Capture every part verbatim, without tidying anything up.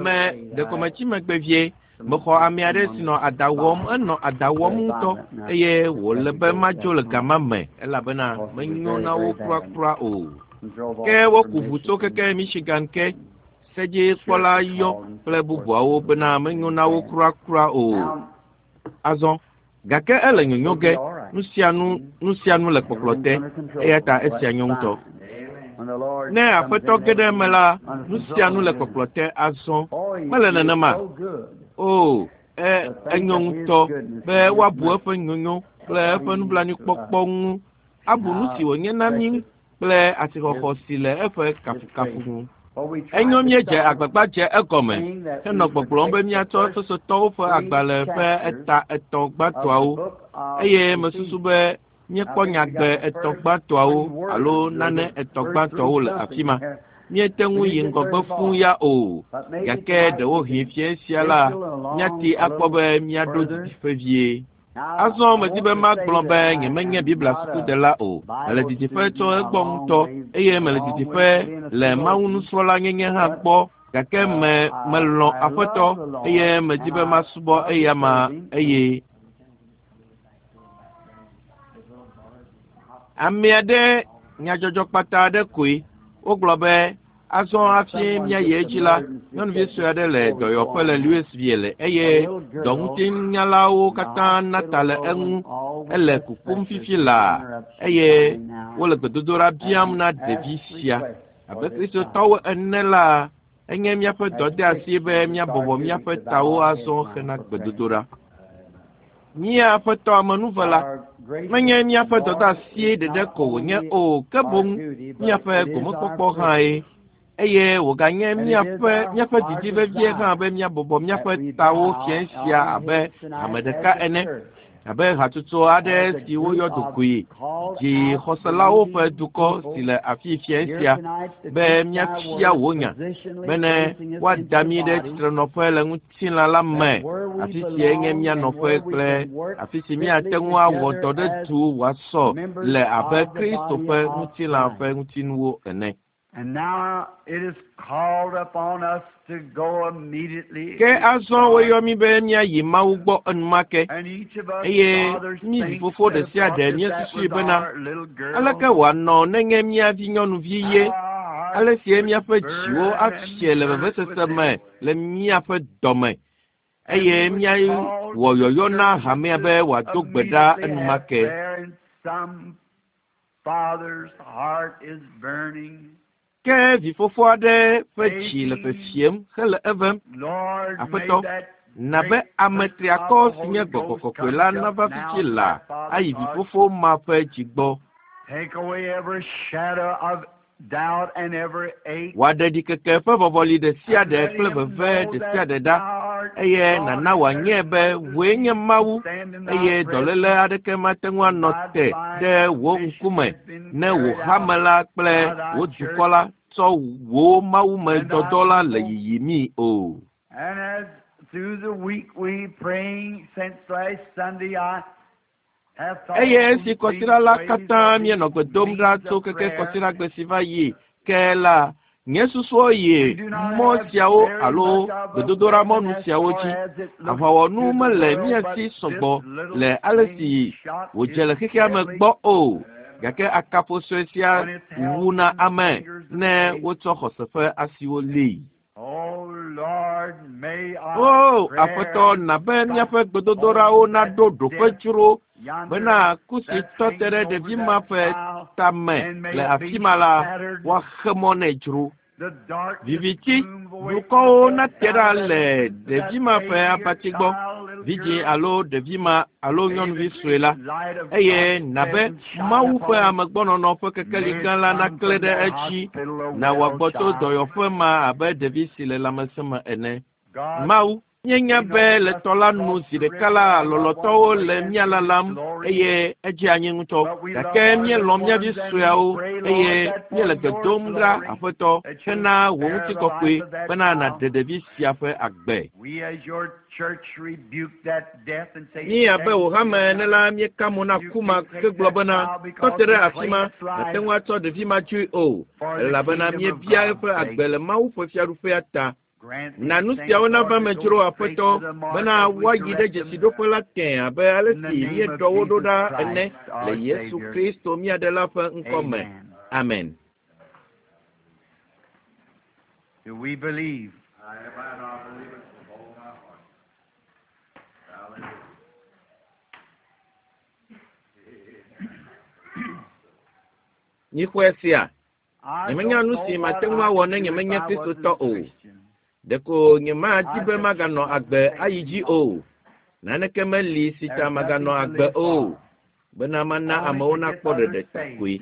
Me ɖeko metsi megbe vie mexɔ ame aɖe si nɔ ada wɔm enɔ ada wɔm ŋutɔ eye wòle be madzo le gama me elabena menyo na wo kurakura o. Ke woku ʋu tso keke Michigan ke sedzikpɔla yɔ kple bubuawo bena menyo na wo kurakura o. Azɔ gake ele nyonyo ge nu sia nu nu sia nu le kpɔkplɔ te eya ta esia nyo ŋutɔ. Ne aƒetɔ ge ɖe eme la nu sia nu le kpɔkplɔ te azɔ mele nenema o e enyo ŋutɔ be woabu eƒe nyonyo kple eƒe nublanuikpɔkpɔ ŋu abu nu si wònye na mí kple asixɔxɔ si le eƒe kafukafu ŋu. Enyo míedze agbagba dze egɔme henɔ gbɔgblɔm be míatsɔ Efesotɔwo ƒe agbalẽ ƒe eta etɔ̃ gbãtɔawo eye mesusu be míekpɔ nyagbe etɔ̃ gbãtɔawo alo nane etɔ̃ gbãtɔawo le afi ma. Míete ŋu yi ŋgɔgbe fũu ya o gake ɖewohĩ fiẽ sia la míati akpɔ be míaɖo didiƒe vie. Azɔ medi be magblɔ be nyemenye Biblia sukudela o. Mele didiƒe tso egbɔ ŋutɔ eye mele didiƒe le Mawu nusrɔ̃la nyenye hã gbɔ gake me melɔ̃ aƒetɔ eye medi be masubɔ eyama eye ame aɖe nyadzɔdzɔkpata aɖe koe wogblɔ be azɔ hafi míayi edzi la nyɔnuvi sue aɖe le dɔyɔƒe le Louisville eye dɔŋutinyalawo katã na ta le eŋu ele kukum fifi laa eye wole gbedodoɖa biam na ɖevi sia. Abe Kristotɔwo ene la enye míaƒe dɔdeasi be míabɔbɔ míaƒe tawo azɔ hena gbedodoɖa. Mía Aƒetɔ amenuvela, menye míaƒe dɔdeasie ɖeɖe ko wònye o ke boŋ míaƒe gomekpɔkpɔ hãe eye wòganye míaƒe míaƒe didi vevie hã be míabɔbɔ míaƒe tawo fiẽ sia abe hame ɖeka ene abe hatsotso aɖe si woyɔ ɖokoe dzi xɔselawo ƒe dukɔ si le afi fiẽ sia be míafia wò nya bene woada mí ɖe tsitrenɔƒe le ŋutilã la me afi sie nye mía nɔƒe kple afi si míate ŋu awɔ dɔ ɖe du wòasɔ le abe Kristo ƒe ŋutilã ƒe ŋutinuwo ene. And now it is called upon us to go immediately. Ke azɔ woyɔ mí be míayi Mawu gbɔ enumake And each of us eye fathers mí thinks vifofo ɖe that sia what ɖe if that míesusui was bena our little girl? aleke wòanɔ nenye mía vinyɔnuvi ye Our hearts ale sie míaƒe would dziwo burn afie le and hurt vevesese within me us. le míaƒe dɔme And eye we would míawɔ call yɔyɔ the na church hamea be to wòado gbe ɖa immediately have enumake. prayer, and some father's heart is burning, Ke vifofo aɖe ƒe dzi le aching. fefiem hele evem. Lord, may Aƒetɔ, that na be great ame person of triakɔ the si nye Holy Gbɔgbɔ Ghost Kɔkɔe come la just nava now fifi to laa that father's ayi heart. vifofo ma ƒe dzi gbɔ. Take away every shadow of doubt and every ache, Wòaɖe ɖikeke ƒe vɔvɔli ɖe sia and ɖe let kple him veve know ɖe sia that ɖe ɖa thou art eye God nàna and wòanye there is be nothing wòe nye to Mawu stand in thy eye dɔléle presence. aɖeke mate ŋu And anɔ thy te divine ɖe wò mission ŋkume has been ne wò carried out hame la kple by thy wò church dukɔ la tsɔ wò mawume and thy dɔdɔ la le people. yiyimii o. And as through the week we praying since last Sunday, I have thought Eye on esi these kɔsiɖa la ways katã or these míenɔ gbe dom ɖa means tso of keke prayer. kɔsiɖagbe si va yi ke la nye susuwo yi We do not mɔ have siawo very alo much of a gbedodoɖamɔnu weapon as siawo far dzi. as it looks Aʋawɔnu to the mele world, mía but si this sɔgbɔ little le ale si thing shot wòdze is le xexea me deadly gbɔ o. Gake akapo sue sia when it's held wuna in the ame fingers of ne faith. wotsɔ xɔse ƒe asiwo lée. Oh Lord, may our O prayer Aƒetɔ, na be stop míaƒe gbedodoɖawo on that naɖo ɖoƒe death dzro yonder bena ku si that tɔ te ɖe hangs over ɖevi ma that ƒe child, tame and may le it be afi ma la shattered. woaxe mɔ nɛ dzro. The darkness Viviti gloom away from the blukɔwo nate bedside ɖa of that, le that ɖevi ma ƒe baby or abati gbɔ, child, little vidzĩ girl. alo ɖevi ma alo May the nyɔnuvi sue great la light of eye God's na be presence shine Mawu ƒe upon it. amegbɔnɔnɔ ƒe kekeli May gã it la come naklẽ from ɖe that edzi hospital a na well wòagbɔ tso child. dɔyɔƒe ma abe ɖevi si le lãmesẽ me ene. God Mawu Míenya be le tɔ la nu zi ɖeka la lɔlɔ̃tɔwo le mía lalam eye edze anyi ŋutɔ. Gake míelɔ̃ mía vi sueawo eye míele gbe dom ɖa Aƒetɔ hena wò ŋutikɔkɔe bena nàɖe ɖevi sia ƒe agbe. Mí abe wò hame ene la míeka mo na ku ma hegblɔ bena tɔ te ɖe afi ma nàte ŋu atsɔ ɖevi ma dzoe o elabena míebia eƒe agbe le Mawu ƒe fiaɖuƒea ta. Na nu siawo nava me dzro Aƒetɔ bena woayi ɖe dzesiɖoƒe la tẽ abe ale si míeɖɔ wo ɖo ɖa ene le Yesu Kristo mía Ɖela ƒe ŋkɔ me. Amen. Do we believe? Míxɔe sia. Nyemenya nu si mate ŋu awɔ ne nyemenye Kristotɔ o. Ɖeko nyemadi be maganɔ agbe ayi dzi o. Naneke meli si ta maganɔ agbe o. Bena mana amewo nakpɔ ɖeɖe ta koe.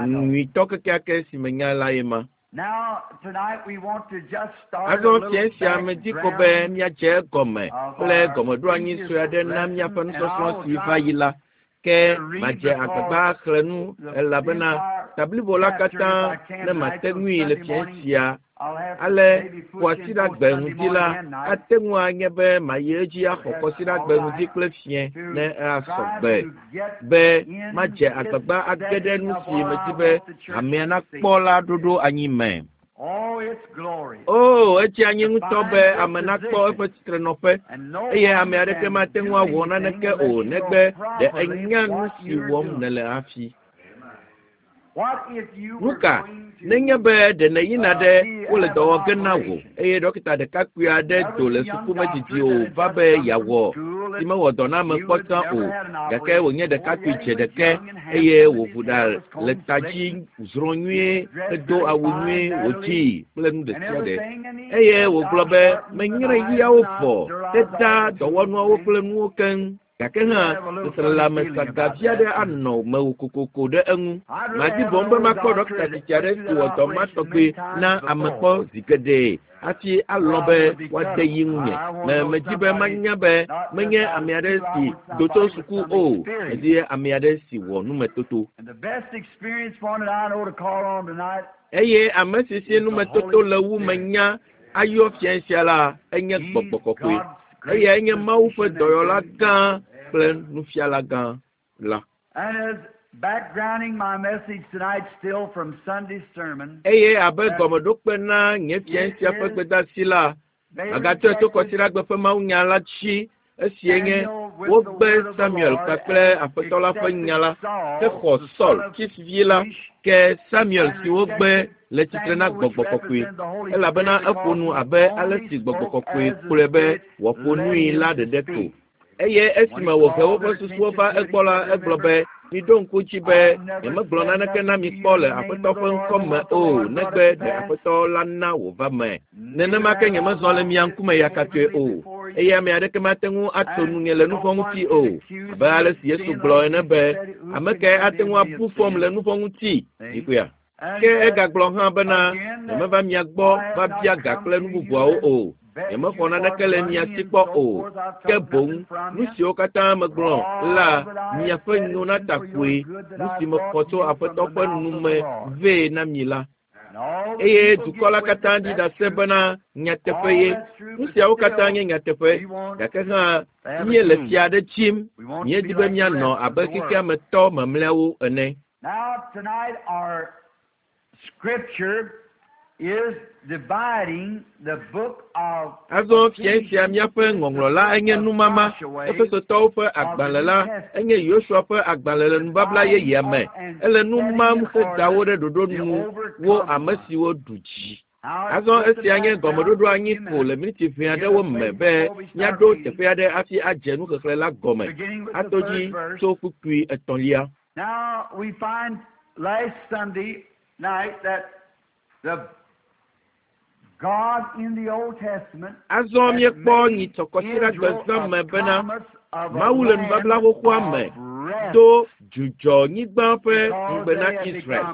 Nyuitɔ kekeake si menya la ye ma. Azɔ fiẽ sia medi ko be míadze egɔme kple gɔmeɖoanyi sue aɖe na míaƒe nusɔsrɔ̃ si va yi la. Ke madze agbagba axlẽ nu elabena ta blibo la katã ne mate ŋui le fiẽ sia. Ale kɔsiɖagbe ŋdi la ate ŋu anye be mayi edzi axɔ kɔsiɖagbe ŋdi kple fiẽ ne asɔ gbe be madze agbagba age ɖe nu si medi be hamea nakpɔ la ɖoɖo anyi me. O, edze anyi ŋutɔ be ame nakpɔ eƒe tsitrenɔƒe eye ame aɖeke mate ŋu awɔ naneke o negbe ɖe enya nu si wɔm nèle hafi. Nuka nenye be ɖe nèyina ɖe wole dɔ wɔ ge na wò eye ɖɔkita ɖekakpui aɖe do le suku medidi o va be yeawɔ si mewɔ dɔ na ame kpɔ tsã o gake wònye ɖekakpui dze ɖeke eye wòʋu ɖa le ta dzi zrɔ̃ nyuie hedo awu nyuie wòdzii kple nu ɖe sia ɖe eye wògblɔ be menyre ɣiawo vɔ teda dɔwɔnuawo kple nuwo keŋ. Gake hã seselelãme sagavi aɖe anɔ mewò kokoko ɖe eŋu. Madi boŋ be makpɔ ɖɔkita tsitsi aɖe si wɔ dɔ ma tɔgbe na ame kpɔ zi geɖe hafi alɔ̃ be woade yi ŋunye. Me medi be manya be menye ame aɖe si do tso suku o, medi ame aɖe si wɔ numetoto. Eye ame si si numetoto le wu menya ayɔ fiẽ sia la enye gbɔgbɔ kɔkɔe. Eyae nye Mawu ƒe dɔyɔla gã kple nufiala gã la. Eye abe gɔmeɖokpe na nye fiẽ sia ƒe gbedeasi la, magatsɔe tso kɔsiɖagbe ƒe mawunya la dzi esie nye wogbe Samuel kpakple Aƒetɔ la ƒe nya la hexɔ Saul, Kis vi la, ke Samuel si wogbe le tsitre na gbɔgbɔ kɔkɔe elabena eƒo nu abe ale si gbɔgbɔ kɔkɔe kplɔe be wòaƒo nui la ɖeɖe ko. Eye esime wòhe woƒe susuwo va egbɔ la, egblɔ be miɖo ŋku dzi be nyemegblɔ naneke na mi kpɔ le Aƒetɔ ƒe ŋkɔ me o negbe ɖe Aƒetɔ la na wòva me. Nenema ke nyemezɔ le mia ŋkume yakatɔe o eye ame aɖeke mate ŋu ato nunye le nuvɔ̃ ŋuti o abe ale si Yesu gblɔ ene be ame kae ate ŋu abu fɔm le nuvɔ̃ ŋuti ɖikuia. Ke egagblɔ hã bena nyemeva mia gbɔ va bia ga kple nu bubuawo o. Nyemexɔ naneke le mia si kpɔ o. Ke boŋ nu siwo katã megblɔ la miaƒe nyonata koe nu si mexɔ tso Aƒetɔ ƒe nu me vɛ na mi la. Eye dukɔ la katã ɖi ɖase bena nyateƒe ye. Nu siawo katã nye nyateƒe gake hã míele fia aɖe tsim. Míedi be míanɔ abe xexea me tɔ mamlɛawo ene. Azɔ fiẽ sia míaƒe ŋɔŋlɔ la enye numama. Efesotɔwo ƒe agbalẽ la enye Yosua ƒe agbalẽ le nubabla yeyea me. Ele nu mam heda wo ɖe ɖoɖo nu wo ame siwo ɖu dzi. Azɔ esia nye gɔmeɖoɖo anyi ko le miniti ʋɛ aɖewo me be míaɖo teƒe aɖe hafi adze nuxexlẽ la gɔme. Ato dzi tso kpukpui etɔ̃lia. Now we find last Sunday night that the God in the Old Testament Azɔ míekpɔ nyitsɔkɔsiɖagbe zã me bena Mawu le nubabla xoxoa me do dzudzɔ nyigba ƒe ŋugbe na Israel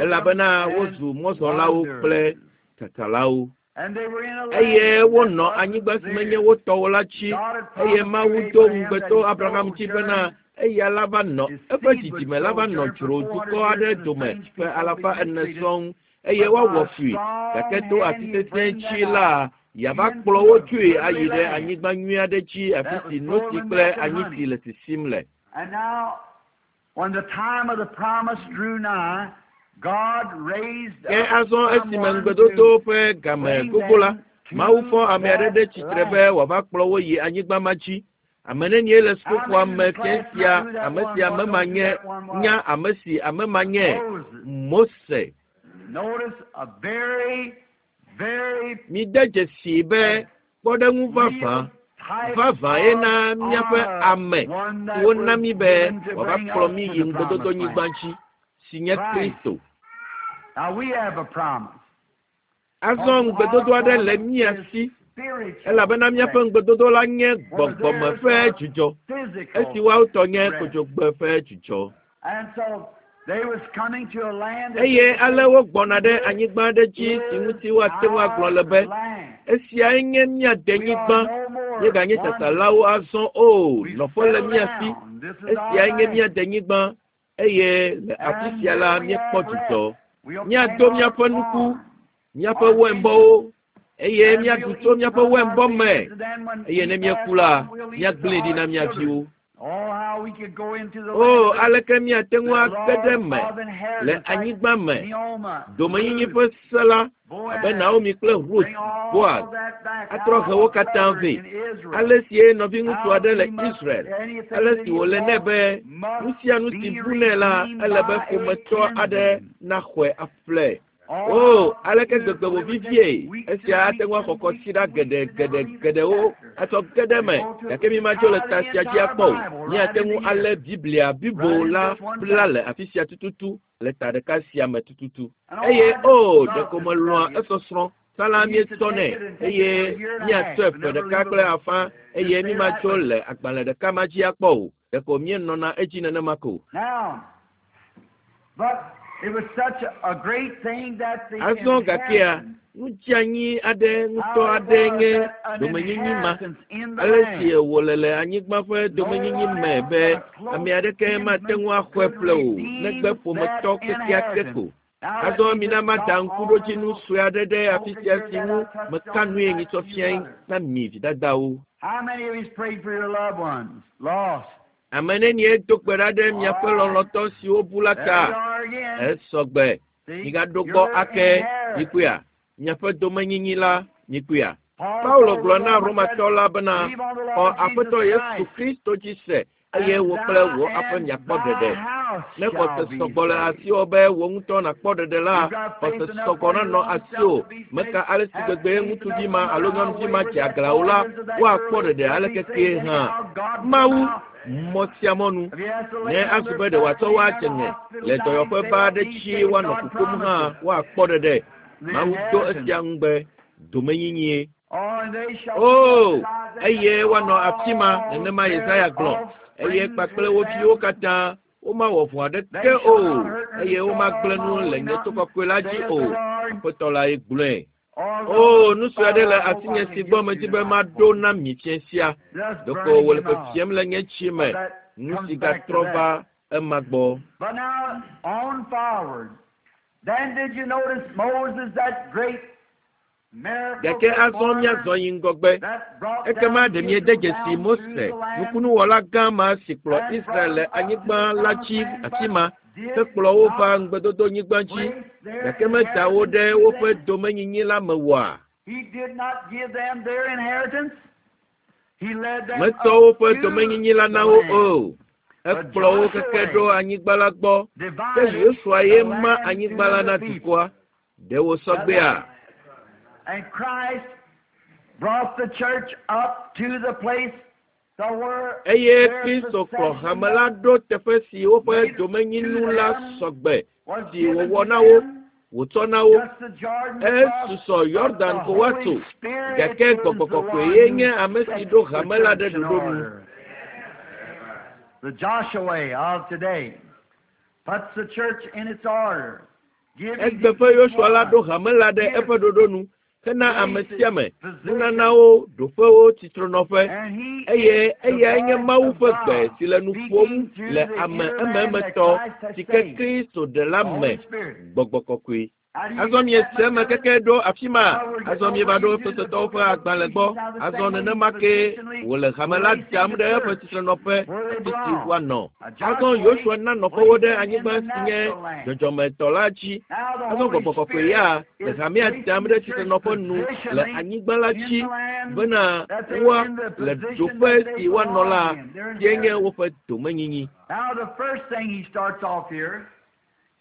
elabena wozu mɔzɔlawo kple tsatsalawo. Eye wonɔ anyigba si menye wo tɔwo la dzi eye Mawu do ŋugbe to Abraham dzi bena eya la va nɔ eƒe dzidzime la va nɔ dzro dukɔ aɖe dome ƒe alafa ene sɔŋ eye woawɔ fui gake to ati sesẽ dzi la yeava kplɔ wo tsoe ayi ɖe anyigba nyui aɖe dzi afi si notsi kple anyitsi le sisim le. And now, when the time of the promise drew nigh, God raised Ke up azɔ esime someone ŋugbedodo to ƒe game bring gogo la, them to Mawu fɔ ame aɖe ɖe that tsitre be land. wòava kplɔ wo yi anyigba ma dzi. Ame nenie le sukuxɔa me fia sia ame si ame ma nye nya ame si ame ma nye Moses. Mose. Notice a very, very Mide dzesii be kpɔɖeŋu vavã real type vavã ye of na míaƒe honor, ame one si that wona was mí be given to wòava bring kplɔ us mí to yi the ŋugbedodo promised nyigba land. dzi si nye Christ. Kristo. Now we have a promise. Azɔ ŋugbedodo aɖe le mía si Spiritual elabena míaƒe ŋugbedodo la nye gbɔgbɔme ƒe dzidzɔ physical esi woawo tɔ nye rest. kodzogbe ƒe dzidzɔ. And so they was coming to a land that Eye ale wogbɔna ɖe anyigba aɖe dzi si ŋuti woate ŋu agblɔ le be land. esiae nye mía We are denyigba no more míeganye wanderers. tsatsalawo azɔ o We nɔƒe le settle mía si down. This is our esiae nye mía land. denyigba eye le afi And sia la here we míekpɔ have dzidzɔ. rest. We'll plant Míado our míaƒe nuku, corn, míaƒe our wɛnbɔwo eye and míaɖu we'll tso eat míaƒe from our wɛnbɔ me fields. And then when eye we ne pass míeku la on, we'll leave it to míagblẽe ɖi our na mía children. viwo. Oh, how we could go into the O land of aleke míate the ŋu age ɖe Lord me of le inheritance, like anyigba me Naomi, domenyinyi Ruth, ƒe se la abe Boaz, Naomi kple Ruth, bring all Boaz that back. atrɔ How he wo a katã brother vɛ. in Israel, Ale sie nɔviŋutsu how aɖe le he must, Israel anything ale that si he wòle nɛ lost be nu must sia nu si be bu nɛ la redeemed ele be by a ƒometɔ aɖe kinsman. naxɔe aƒle. Oh, O how aleke it gbegbe would wòvivie take weeks and esia ate weeks ŋu and axɔ weeks kɔsiɖa and geɖe weeks and never geɖe leave the geɖewo chapter. atsɔ ge ɖe To me go to gake mi matso le tie ta the sia dzi entire akpɔ o. Bible right Míate into ŋu here, alé Biblia blibo right in la this one bla chapter. le afi sia tututu le ta ɖeka sia me tututu. And oh, Eye I just o love ɖeko to melɔ̃a study it. esɔsrɔ̃. Sala We used to míetsɔnɛ take it and take it eye for a year and a míatsɔe half and ƒe never ɖeka leave kple alone. afã Just eye stay right mímatso with it. le agbalẽ ɖeka ma dzi akpɔ o. Ɖeko míenɔna edzi nenema ko. Now, but it was such a, a great thing that the Azɔ gakea inheritance, nudzeanyi aɖe ŋutɔ how it aɖe was nye that an domenyinyi ma. inheritance in the Ale si land. wòle le anyigba ƒe No domenyinyi one me else be but a ame close aɖeke mate kinsman ŋu axɔe could ƒle o redeem negbe that ƒometɔ kekeake inheritance. ko. Now let Azɔ me mina just mada stop on a ŋkuɖodzinu little sue aɖe ɖe afi token sia here si that ŋu I touched meka on nue tonight nyitsɔ to you fiae mothers. na mi vidadawo. How many of you prayed for your loved ones lost? Ame nenie do gbe ɖa ɖe All miaƒe right. lɔlɔ̃tɔ siwo bu la There ta? we are again. Esɔgbe. See, Migaɖo gbɔ your ake inheritance. mikpɔea. Miaƒe domenyinyi la mikpɔea. Paul Paulo told the gblɔ na Roman church, Romatɔ la bena believe on the xɔ Lord Jesus Aƒetɔ Yesu Christ, Kristo dzi se eye and wò kple thou wò aƒe and miakpɔ thy ɖeɖe. house Ne xɔse shall be sɔgbɔ le saved. asiwò be wò ŋutɔ nàkpɔ ɖeɖe la, You've got faith xɔse enough sɔgbɔ for your nanɔ own self asiwò. to be saved. Meka ale si Have gbegbe faith ŋutsuvi enough ma no matter alo how nyɔnuvi ma wayward dze that aglã o la, boy is or that woakpɔ girl is, ɖeɖe they'll ale be kekee saved hã. anyhow. God will Mawu somehow. mɔ sia mɔnu If he has to ne lay on azu their be ɖe back, wòatsɔ lay wo in adze the ŋe hospital le dying, dɔyɔƒe ba they'll aɖe be dzi saved. woanɔ God kukum hã promises. woakpɔ ɖeɖe. The Mawu do inheritance. esia ŋugbe domenyinyie. Oh, and they shall be O baptized eye and woanɔ afi ma all nenema their Yesaya gblɔ eye offsprings kpakple with wo viwo them. katã womawɔ vɔ̃ They aɖeke shall o not hurt nor eye destroy womagblẽ on nu my le holy nye to mountain, kɔkɔe la dzi saith o. the Lord. Aƒetɔ la ye gblɔe. Oh, O Lord, nu sue aɖe Father, le I hope I asinye can si get gbɔ to medi be tonight maɖo for you. na mi fia sia. Just Ɖeko burning wòle him up. fefiem le nye tsi But me. that Nu comes si back to gatrɔ that. va ema gbɔ. But now, on forward. Then did you notice Moses, that great miracle Gake azɔ performer míazɔ yi ŋgɔgbe. that brought Ekema down ɖe míede Israel dzesi down through Mose, the land nukunuwɔla gã ma si kplɔ and brought Israel le them up to anyigba the la promised dzi land, afi but ma did hekplɔ wo va not ŋugbedodonyigba dzi place their gake meda wo inheritance ɖe to woƒe them. domenyinyi la me oa? He did not give them their inheritance. He led them Metsɔ up woƒe to domenyinyi la the na wo land. o. But Ekplɔ wo keke Joshua ɖo anyigba la gbɔ. Ke divided Yosua ye the ma land anyigba la to na the people. dukɔa. Ɖe wòsɔ Is that gbea? right? And Christ brought the church up to the place to where Eye their Kristo kplɔ possession hame la ɖo teƒe si woƒe made to domenyinu la them sɔgbe was si given wòwɔ to na wo, them. wòtsɔ na wo. Just the Jordan across, Esusɔ but the Yɔdan ko Holy woatso. Spirit Gake is Gbɔgbɔ the Kɔkɔe one ye who nye ame si sets ɖo the hame la ɖe church in ɖoɖo nu. order. The Joshua of today puts the church in its order, giving Egbe to ƒe each Yosua la one ɖo hame la ɖe his eƒe ɖoɖo nu hena ame sia ame, nunanawo, ɖoƒewo, tsitrenɔƒe. Eye eyae nye Mawu ƒe gbe si le nu ƒom le ame ememetɔ si ke Kristo ɖela me, Gbɔgbɔ Kɔkɔe. Azɔ miese eme keke ɖo afi ma. Azɔ mieva ɖo Efesotɔwo ƒe agbalẽ gbɔ. Azɔ nenema ke wòle hame la dam ɖe eƒe tsitrenɔƒe afi si woanɔ. Azɔ Yosua na nɔƒewo ɖe anyigba si nye dzɔdzɔmetɔ la dzi. Azɔ Gbɔgbɔ Kɔkɔe ya le hamea dam ɖe tsitrenɔƒe nu le anyigba la dzi bena woa le ɖoƒe si woanɔ la sie nye woƒe domenyinyi. Now the first thing he starts off here,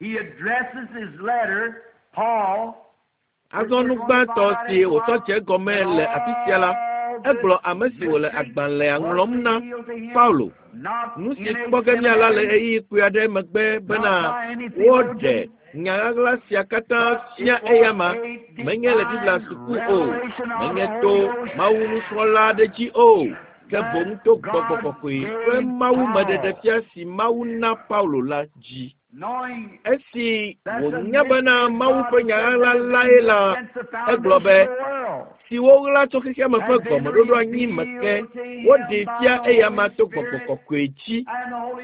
he addresses his letter, Paul. Azɔ nu gbãtɔ si wòtsɔ dze egɔme le afi sia la, egblɔ ame si wòle agbalẽa ŋlɔm na, Paulo. Nu si kpɔ ge míala le ɣeyiɣi kpui aɖe megbe bena woɖe nya ɣaɣla sia katã fia eyama, menye le Biblia suku o, menye to Mawu nusrɔ̃la aɖe dzi o, ke boŋ to Gbɔgbɔ Kɔkɔe ƒe mawumeɖeɖefia si Mawu na Paulo la dzi. Esi wònya bena Mawu ƒe nya ɣaɣla lae la, egblɔ be, si woɣla tso xexeame ƒe gɔmeɖoɖo anyi me ke, woɖee fia eyama to Gbɔgbɔ Kɔkɔe dzi,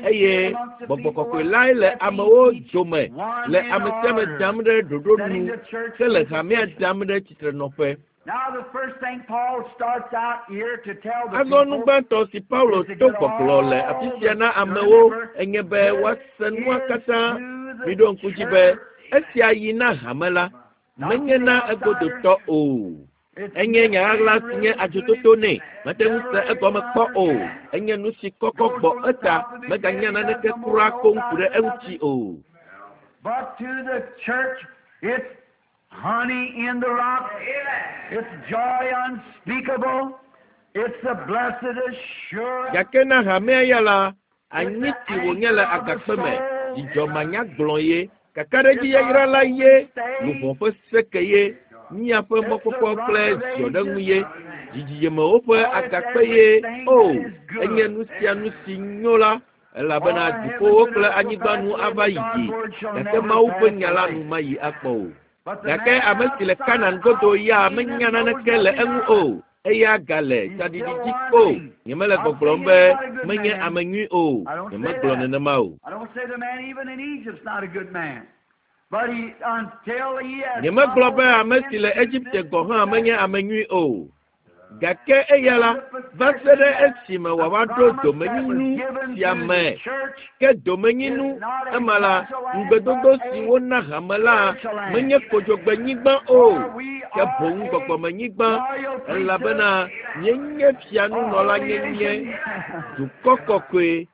eye Gbɔgbɔ Kɔkɔe lae le amewo dome le ame sia ame dam ɖe ɖoɖo nu hele hamea dam ɖe tsitrenɔƒe. Now the first thing Paul starts out here to tell the Azɔ nu people gbãtɔ si Paulo to gbɔgblɔ le afi sia na amewo enye be woase nua katã. Miɖo ŋku dzi be esia yi na hame la, menye na egodotɔ o. Enye nya ɣaɣla si nye adzototo nɛ, mete ŋu se egɔme kpɔ o. Enye nu si kɔkɔ gbɔ eta, meganya naneke kura koŋ ku ɖe eŋuti o. But to the church, it's honey in the rock. It's joy unspeakable. It's the blessed assurance. Gake na hamea ya la, anyi si wònye le agakpe me, dzidzɔ manyagblɔ ye, kakaɖedzi yayra la ye, luʋɔ ƒe seke ye, míaƒe mɔkpɔkpɔ kple ziɔɖeŋu ye, dzidzimewo ƒe agakpe ye. O, enye nu sia nu si nyo la, elabena dziƒowo kple anyigba nu ava yi dzi, gake Mawu ƒe nya la nu mayi akpɔ o. Gake ame si le Kanan godo ya menya naneke le eŋu o. Eya gale tsaɖiɖi dzi ko. Nyemele gbɔgblɔm be menye ame nyui o. Nyemegblɔ nenema o. I don't say the man even in Egypt's not a good man. But he, until he has Nyemegblɔ be ame si le Egipte gɔ̃ hã menye ame nyui o. Gake eya la, va se ɖe esime wòava ɖo domenyinu sia me. Ke domenyinu ema la, ŋugbedodo si wona hame la menye kodzogbenyigba o, ke boŋ gbɔgbɔmenyigba, elabena míenye fianunɔlanyenye, dukɔ kɔkɔe.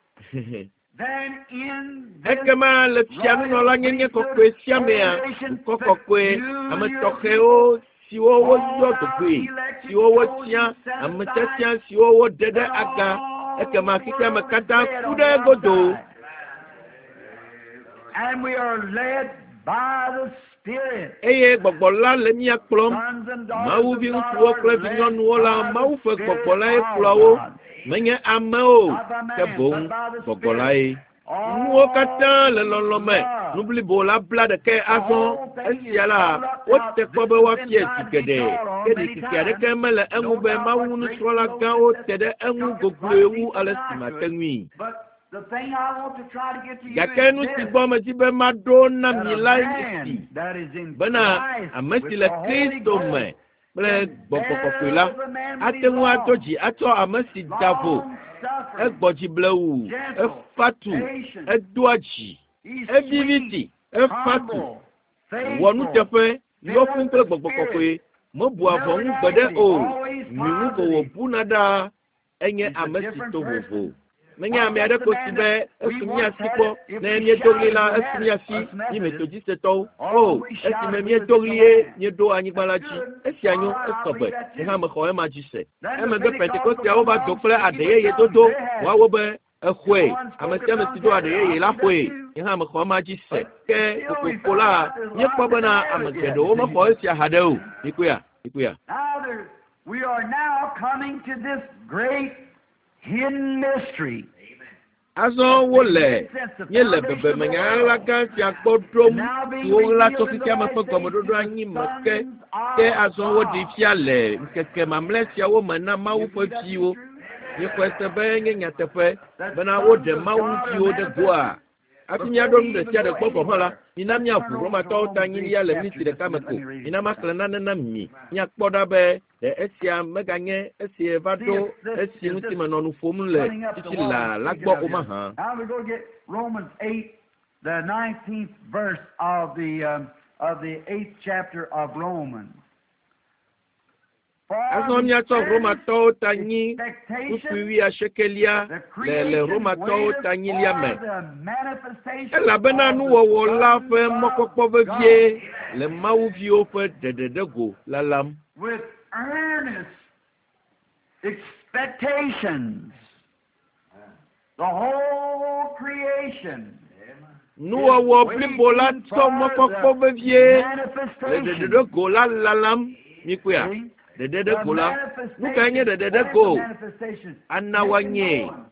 Then in this Ekema le fianunɔlanyenye kɔkɔe sia mea, dukɔ kɔkɔe, ame tɔxɛwo siwo woyɔ dogoe, siwo wotia, ame tiatia siwo woɖe ɖe aga, ekema xexeame katã ku ɖe egodo. And we are led by the Spirit. Eye gbɔgbɔ la le mía kplɔm. Sons and daughters Mawu of vi God ŋutsuwo are kple led vinyɔnuwo la, by the Mawu ƒe Spirit gbɔgbɔ lae of kplɔa wo. God. Menye amewo, ke boŋ gbɔgbɔ lae. Nuwo katã le lɔlɔ̃ me. Nu blibo la bla ɖekae azɔ. Esia la, wote kpɔ be woafia zi geɖe. Ke ɖikeke aɖeke mele eŋu be Mawu nusrɔ̃la gãwo te ɖe eŋu gogloe wu ale si mate ŋui. But the thing I want to try to get to you Gake is nu si this, gbɔ medi be maɖo na that mi a lae nye esi man that is in bena Christ ame with si le the Holy Kristo Ghost me kple Gbɔgbɔ Kɔkɔe la ate ŋu ado dzi atsɔ ame si da vo, egbɔ dzi blewu, efa tu, edoa dzi, He's evivi sweet, ti, efa tu, humble, wɔ faithful, nuteƒe, yɔ fũu kple Gbɔgbɔ Kɔkɔe, mebua vɔ̃ ŋu gbeɖe o, nyui ŋu ko wòbuna ɖaa, enye ame si to vovo. Menye ame aɖe ko si be esu mía si kpɔ, ne míedo ɣli la, esu mía si, mí Metodistetɔwo. O, esime míedo ɣli ye míeɖo anyigba la dzi. Esia nyo, esɔ gbe. Nye hã mexɔ ema dzi se. Emegbe Pentekosteawo va do kple aɖe yeye dodo. Woawo be exɔe. Ame sia ame si do aɖe yeye la xɔe. Nye hã mexɔ ema dzi se. Ke kokoko la, míekpɔ bena ame geɖewo mexɔ esia haɖe o. Mikpɔea? Mikpɔea? Now there, we are now coming to this great hidden mystery. Azɔ wole míele bebeme nya ɣaɣla gã sia gbɔ ɖom si woɣla tso xexeame ƒe gɔmeɖoɖo anyi me ke Ke azɔ woɖee fia le ŋkeke mamlɛ siawo me na Mawu ƒe viwo. Míexɔe se be nye nyateƒe bena woɖe Mawu viwo ɖe goa. Hafi míaɖo nu ɖe sia ɖe gbɔ gɔ̃ hã la, mina míaʋu Romatɔwo ta nyilia le miniti ɖeka me ko. Mina maxlẽ nane na mi. Míakpɔ ɖa be ɖe esia meganye esi va ɖo esi ŋuti menɔ nu ƒom le titi la la gbɔ o mahã. Now we go get Romans eight, the nineteenth verse of the um, of the eighth chapter of Romans. For Azɔ the míatsɔ earnest Romatɔwo ta nyi kpukpui expectation, wuiasiekelia the le le creation Romatɔwo waiteth ta nyilia me. for the manifestation Elabena of the nuwɔwɔ la sons ƒe of mɔkpɔkpɔ God. vevie le Mawu viwo ƒe ɖeɖeɖego lalam. With earnest expectations. The whole creation Nuwɔwɔ blibo la is tsɔ waiting for mɔkpɔkpɔ the vevie le manifestation. ɖeɖeɖego la lalam. Mikpɔea? See? The Ɖeɖeɖego la. Nu kae nye manifestation. What is the ɖeɖeɖego? manifestation? Ana Make it woanyee. known.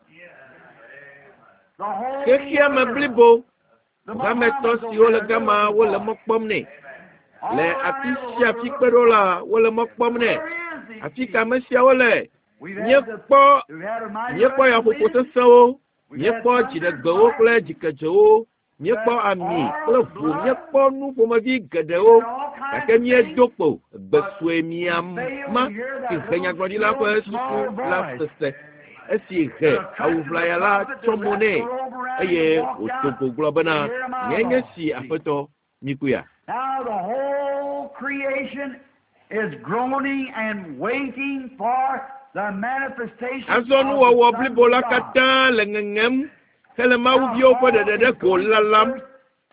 The whole Xexea me world. blibo, The hametɔ Mohammeds siwo over le there, they're gama looking wole for mɔ it. kpɔm nɛ. All Le around afi everywhere sia we're afi looking kpe ɖo for it. la, wole mɔ kpɔm nɛ. Where is he? Afi ka ame siawo le? We've had the Míekpɔ we've had a mighty míekpɔ rushing yaƒoƒo wind. sesẽwo, We've had míekpɔ thunder and dziɖegbewo kple lightning. dzikedzewo, We've míekpɔ had ami oil, kple ʋu, blood. míekpɔ nu ƒomevi We've geɖewo had all kinds gake of things. míedo kpo gbe But sue we mia fail ma to hear si that he little nyagblɔɖila still ƒe small susu la voice. sese. Esi he The cut awu to the ʋlaya la prophet, the tsɔ mo rest nɛ were over round and eye walked wòdo out. go gblɔ bena, To hear my nye nye Lord. si See. aƒetɔ mikpɔea. Now the whole creation is groaning and waiting for the manifestation Azɔ of the nuwɔwɔ sons blibo of la God. katã le ŋeŋem hele Mawu Now viwo ƒe Paul is ɖeɖeɖego going to lalam. first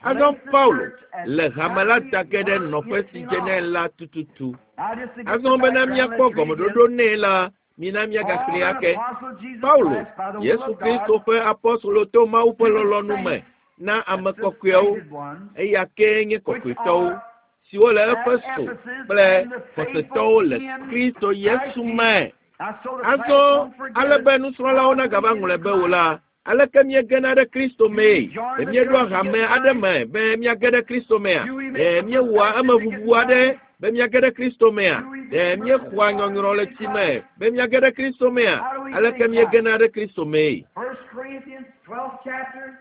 Azɔ place the Paulo church at le hame la exactly da ge ɖe where nɔƒe it si dze nɛ belongs. la tututu. Now just to get the Azɔ bena background, míakpɔ let's read gɔmeɖoɖo this. nɛ la, mina Paul, míagaxlẽe an ake. apostle of Jesus Paulo, Christ by the will Yesu of Kristo God, ƒe apɔstolo to Mawu ƒe to the lɔlɔ̃nu me saints, na ame that's the kɔkɔeawo, sainted ones, eya kee nye which kɔkɔetɔwo, are siwo le at Efeso Ephesus kple and the xɔsetɔwo faithful le in Kristo Christ Yesu Jesus. me. Now, so the class Azɔ won't forget ale it. be nusrɔ̃lawo How do we nagava get ŋlɔe into be o Christ? la, aleke míegena ɖe Kristo Do we mee? join Ɖe the míeɖoa church to hame get aɖe Christ? me be míage ɖe Kristo mea? Do we Ɖe make a míewɔa profession to get emeʋuʋu aɖe Christ? be míage ɖe Kristo mea? Do we Ɖe get míexɔa mercy nyɔnyrɔ to le get tsi me Christ? be míage ɖe Kristo mea? How do we get Aleke in Christ? míegena ɖe Kristo mee? First Corinthians twelfth chapter.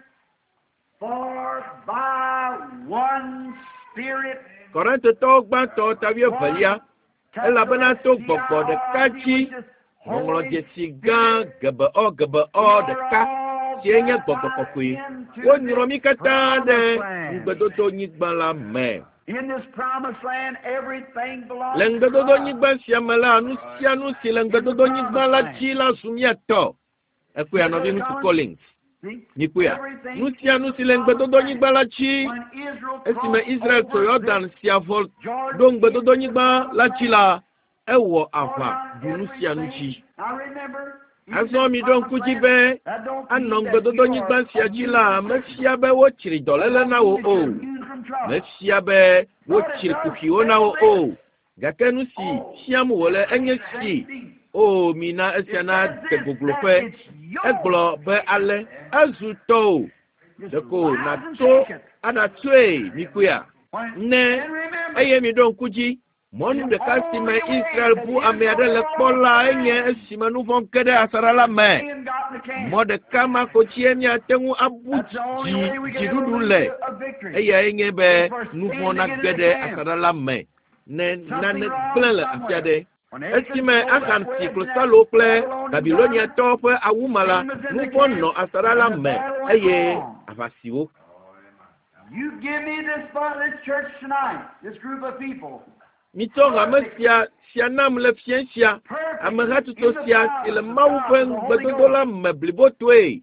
For by one Spirit, Korintotɔwo gbãtɔ ta wuievelia, one elabena capital to S P I gbɔgbɔ ɖeka R I T, dzi which is Holy ŋɔŋlɔdzesi gã Spirit, gebeɔ gebeɔ we are ɖeka all sie nye gbɔgbɔ baptized kɔkɔe. into Wonyrɔ this mí katã ɖe promised land. ŋugbedodonyigba la me. In this promised land, everything Le belongs to us. ŋugbedodonyigba sia me la, nu sia nu si le In the ŋugbedodonyigba promised la land. dzi la zu mía tɔ. Ekpɔea See, Brother nɔviŋutsu Collins? Collins, See? mikpɔea. Nu Everything sia in nu the si le promised land. ŋugbedodonyigba la dzi When Israel esime crossed Israel tso over this Yɔdan sia vɔ ɖo Jordan into the ŋugbedodonyigba promised la dzi land, la, ewɔ all aʋa down ɖu nu sia nu everything. dzi. Now remember, in Azɔ this miɖo promised ŋku dzi land, be that don't anɔ mean that you ŋugbedodonyigba are sia dzi immune la, from sickness. mefia be wotsri That dɔléle don't na wò mean that o. you're immune from trouble. Mefia be But it wotsri does kuxiwo na spell wò this. o. Gake nu si Oh, fiam wòle enye si. safety. O, mina esia It na says de this, that gogloƒe. it's yours. Egblɔ be ale ezu tɔwò. Just Ɖeko rise and nàtso take it. aɖatsoe mikpɔea. When, Ne and remember, eye miɖo ŋku dzi. Mɔnu the ɖeka si me only way Israel that bu ame aɖe Israel le saw kpɔ the la enye land, esime nu vɔ̃ ge ɖe asaɖa la me. sin got in the camp. Mɔ ɖeka ma ko dzie míate ŋu abu That's the only dzi way we can ever dziɖuɖu lose le. a, a victory. Eyae nye be Is for nu sin vɔ̃ to get nage in the ɖe camp. asaɖa la me ne Something nane wrong gblẽ le afi somewhere. aɖe. When Achan Esime stole that Achan si wedge and that klosalo kple Babylonian garment, Babiloniatɔwo ƒe awu ma la, sin was in nu the vɔ̃ camp, nɔ asaɖa la and the me battle went eye on. aʋa si wo. You give me this, this church tonight, this group of people, Mitsɔ hame sia sia nam le fiẽ sia, perfectly amehatsotso in the sia si le power of Mawu God, ƒe the Holy ŋugbedodo Ghost, la me blibotoe,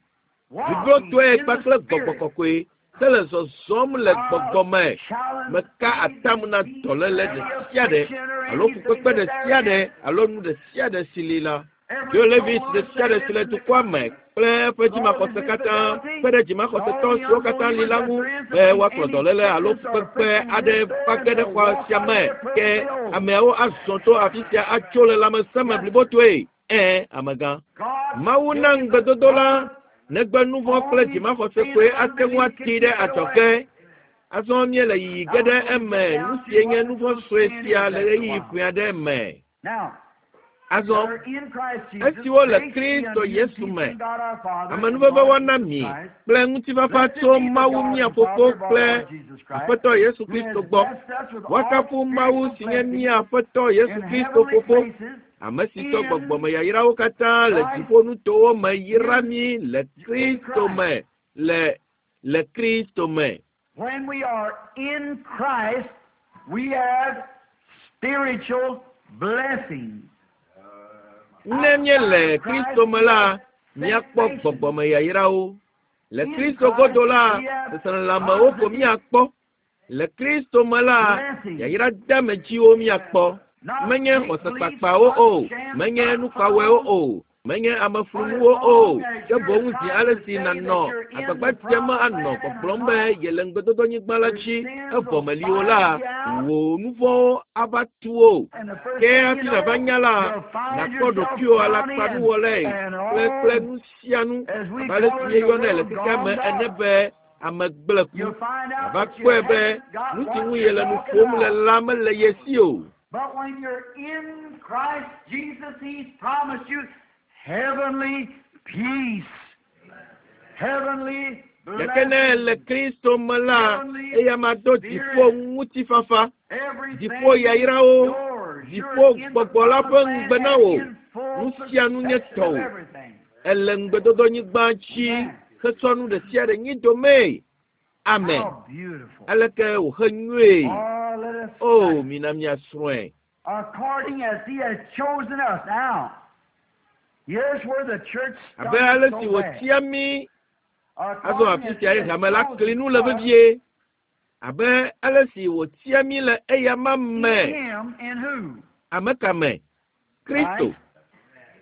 walking blibotoe in the kpakple gbɔgbɔ Spirit, kɔkɔe, hele zɔzɔm le gbɔgbɔ me. challenge Meka any atam na disease dɔléle or ɖe any sia ɖe affliction or alo anything fukpekpe that ɖe there sia ɖe is. alo nu ɖe sia ɖe si li la. Every Joe Levis soul ɖe of sia ɖe Satan si le in the dukɔa me country, kple eƒe with all his dzimaxɔse katã infidelity, kpe ɖe and dzimaxɔsetɔ all the siwo katã li unbelievers la that ŋu there is to be bring woakplɔ any dɔléle alo sickness or fukpekpe affliction in aɖe this va there, ge ɖe they'll xɔ walk sia out of me there ke perfectly whole. ameawo azɔ to afi sia atso le lãmesẽ me Yes, blibotoe. Ẽ, amegã. God Mawu na gave the ŋugbedodo la promise negbe nu vɔ̃ kple only dzimaxɔse sin koe and ate ŋu unbelief atee can ɖe keep it adzɔge away. Azɔ míele yiyi ge ɖe eme nu sie nye nu vɔ̃ sue sia le ɣeyiɣi kpui aɖe me. Azɔ esiwo le Kristo Yesu me, amenuveve woana mi kple ŋutifafa tso Mawu mía Fofo kple Aƒetɔ Yesu Kristo gbɔ. Woakafu Mawu si nye mía Aƒetɔ Yesu Kristo Fofo, ame si tsɔ gbɔgbɔmeyayrawo katã le dziƒonutowo me yra mí le Kristo me le le Kristo me. When we are in Christ, we have spiritual blessings. Ne míele Kristo me la, míakpɔ gbɔgbɔmeyayrawo. Le Kristo godo la, seselelãmewo ko míakpɔ. Le Kristo me la, yayra deamedziwo míakpɔ. Menye xɔsekpakpawo o, menye nukpawɔewo o, menye ameflunuwo o, ke boŋ zi ale si nànɔ agbagba dzem anɔ gbɔgblɔm be yele ŋugbedodonyigba la dzi evɔ meli o la, wò nu vɔ̃wo ava tu wò. Ke hafi nàva nya la, nàkpɔ ɖokuiwò alakpanuwɔlae kple kple nu sia nu abe ale si míeyɔnɛ le xexea me ene be ame gblẽku. Àva kpɔe be nu si ŋu yele nu ƒom le la mele ye si o. But when you're in Christ Jesus, He's promised you heavenly peace, heavenly Gake ne le blessings, Kristo me la, eya ma do dziƒo ŋutifafa, everything dziƒo yayrawo, yours. dziƒo You're in the gbɔgbɔ la ƒe promised land ŋugbe na wò. and in full Nu sia nu nye possession of tɔwò. everything. Ele ŋugbedodonyigba dzi hetsɔ nu ɖe sia ɖe nyi domee. Amen. How beautiful. Aleke wòhe nyuie. Oh, let us O, study. mina míasrɔ̃e. According as He has chosen us. Now, here's where the church Abe ale stumbles si so bad. wòtia mí azɔ According afi as sia He ye has hame la chosen kli nu le us vevie. Abe ale si wòtia mí le eyama in me. Him in who? Ame ka me? Kristo. Right?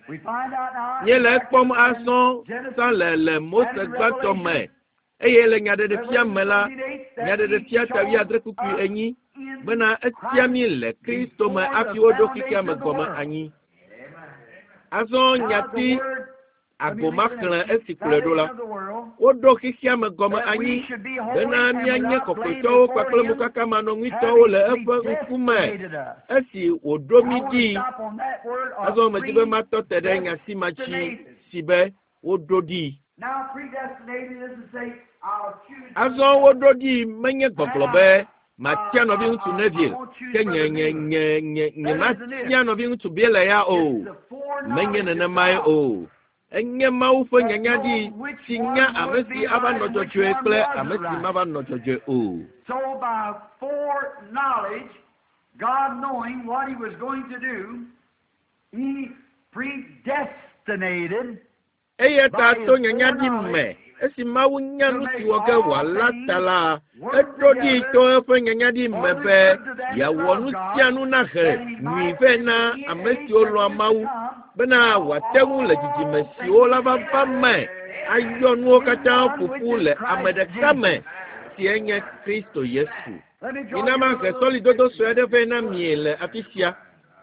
We find out now Míele in ekpɔm Exodus azɔ and Genesis sã le le Mose and in gbãtɔ me. Revelation, Eye le nyaɖeɖefia Revelation me la, twenty-eight, that He nyaɖeɖefia ta chose wuiadre kpukpui us enyi in bena etia Christ mí le Kristo me before the hafi woɖo xexea foundation me of the gɔme world. anyi. Azɔ Now the nyati word, let me ago leave it maxlẽ at esi kplɔe ɖo la, foundation of the world, woɖo xexea me gɔme that we anyi should be holy bena and míanye without blame kɔkɔetɔwo before kpakple Him, mokakamanɔŋuitɔwo le having eƒe ŋkume predestinated us. esi wòɖo I mí want to ɖi. stop on that word of Azɔ medi be matɔ te ɖe nya si ma dzi predestinated. si be woɖo ɖi. Now predestinated is to say, I'll choose Azɔ woɖo ɖi menye gbɔgblɔ be matia uh, nɔviŋutsu uh, I Neville won't choose ke nye Brother nye Beeler. nye nye nye That isn't it. matia nɔviŋutsu Beeler ya o. It's the Menye foreknowledge of nenemae God o. Enye Mawu ƒe that nyanya ɖi knows which si nya one ame would si be ava right nɔ and which dzɔdzɔe one kple wasn't ame si right. mava nɔ dzɔdzɔe o. So by foreknowledge, God knowing what He was going to do, He predestinated Eya ta by His to nyanya ɖi foreknowledge me esi Mawu nya to nu si make wɔ ge all wòala ta things la, work eɖo ɖi together to eƒe nyanya ɖi for me the be good to them that yeawɔ love nu God, sia nu nahe that He nyui might vɛ in na the ame age siwo that lɔ̃a is to Mawu come bena wòate ŋu le dzidzime all siwo things la va va me ayɔ nuwo in katã one ƒo which ƒu is le ame Christ ɖeka me Jesus. si enye Kristo Yesu. Let me draw Mina you a mahe little sɔlidodo scripture sue aɖe vɛ na mi le afi sia.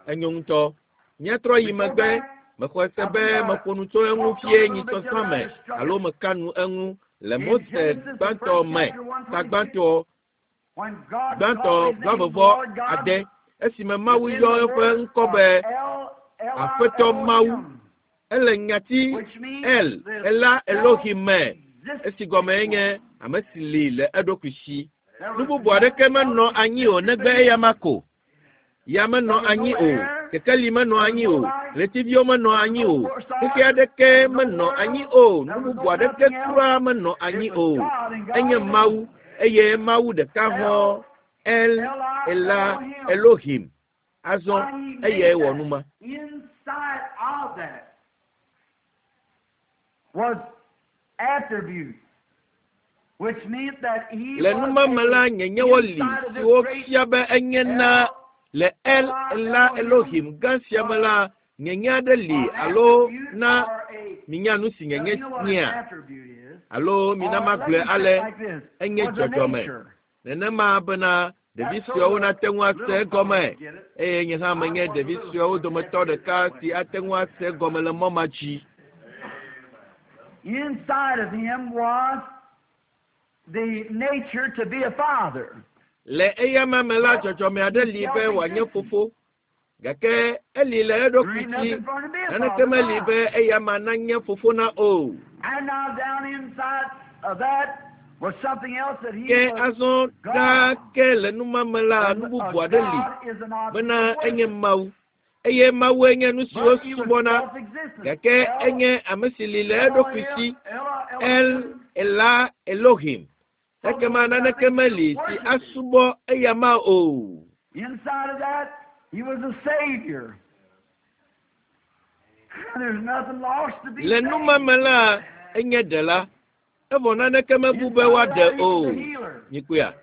Enyo ŋutɔ. Míatrɔ yi We go megbe. back. Mexɔe se I be believe I meƒo nu tso eŋu talked on fie a little bit nyitsɔsã the other me night. I struck alo it. meka nu eŋu le In Mose Genesis, the gbãtɔ first me chapter, ta one twenty-six, gbãtɔ when God gbãtɔ called his name blaeve vɔ Lord God, ade esime Mawu it's in yɔ the eƒe word ŋkɔ of be El, L I Aƒetɔ L O Mawu. M, Ele nyati which means El the Ela Elohim me esi gɔme self-existing nye one. ame si li le eɖokui si. There Nu was bubu aɖeke nothing menɔ else anyi o existed negbe but eya him. ma ko. Ya menɔ There was anyi no o, air, kekeli menɔ there was anyi no o, light, ɣletiviwo menɔ there was anyi no o, four xexe stars, aɖeke there was no menɔ anyi world, o, there nu was bubu no aɖeke nothing else. kura menɔ anyi It was o. God and God Enye alone. Mawu eye Mawu ɖeka hɔ El, El L I L Ela O M. Elohim. Azɔ Why he made eyae wɔ that. nu ma. Inside of that was attribute, which meant that he Le was nu ma me la a nyenyewo li inside of this siwo great fia be enye na L le El L I Ela L O M Elohim gã sia me was la nyenye aɖe li an alo attribute na or a minya nu si uh, nyenye you know what an nyea attribute is. alo mina Or let magblɔe me say it ale like this enye was a dzɔdzɔme. nature. Nenema bena ɖevi That's so suewo the nate ŋu ase little fellows egɔme get it. eye nye hã I menye was a ɖevi little suewo one. dometɔ Yes, it is ɖeka that way. si ate ŋu ase egɔme le mɔ ma dzi. Inside of him was the nature to be a father. Le eyama me la dzɔdzɔme aɖe li be wòanye fofo. Gake eli le eɖokui si naneke meli be eyama nanye fofo na o. And now down inside of that was something else that he Ke was azɔ ɖaa ke le numame la nu bubu aɖe li God is an object bena of enye worship. Mawu eye Mawue nye nu siwo But he was subɔna self-existent. gake El, enye ame si li le eɖokui si El, El Ela Elohim. Ekema naneke meli si asubɔ eyama o. Inside of that, he was a savior. There's nothing lost to be Le saved. numame la enye ɖela evɔ naneke mebu be Inside of woaɖe that, he o. was a healer. Nyikpea.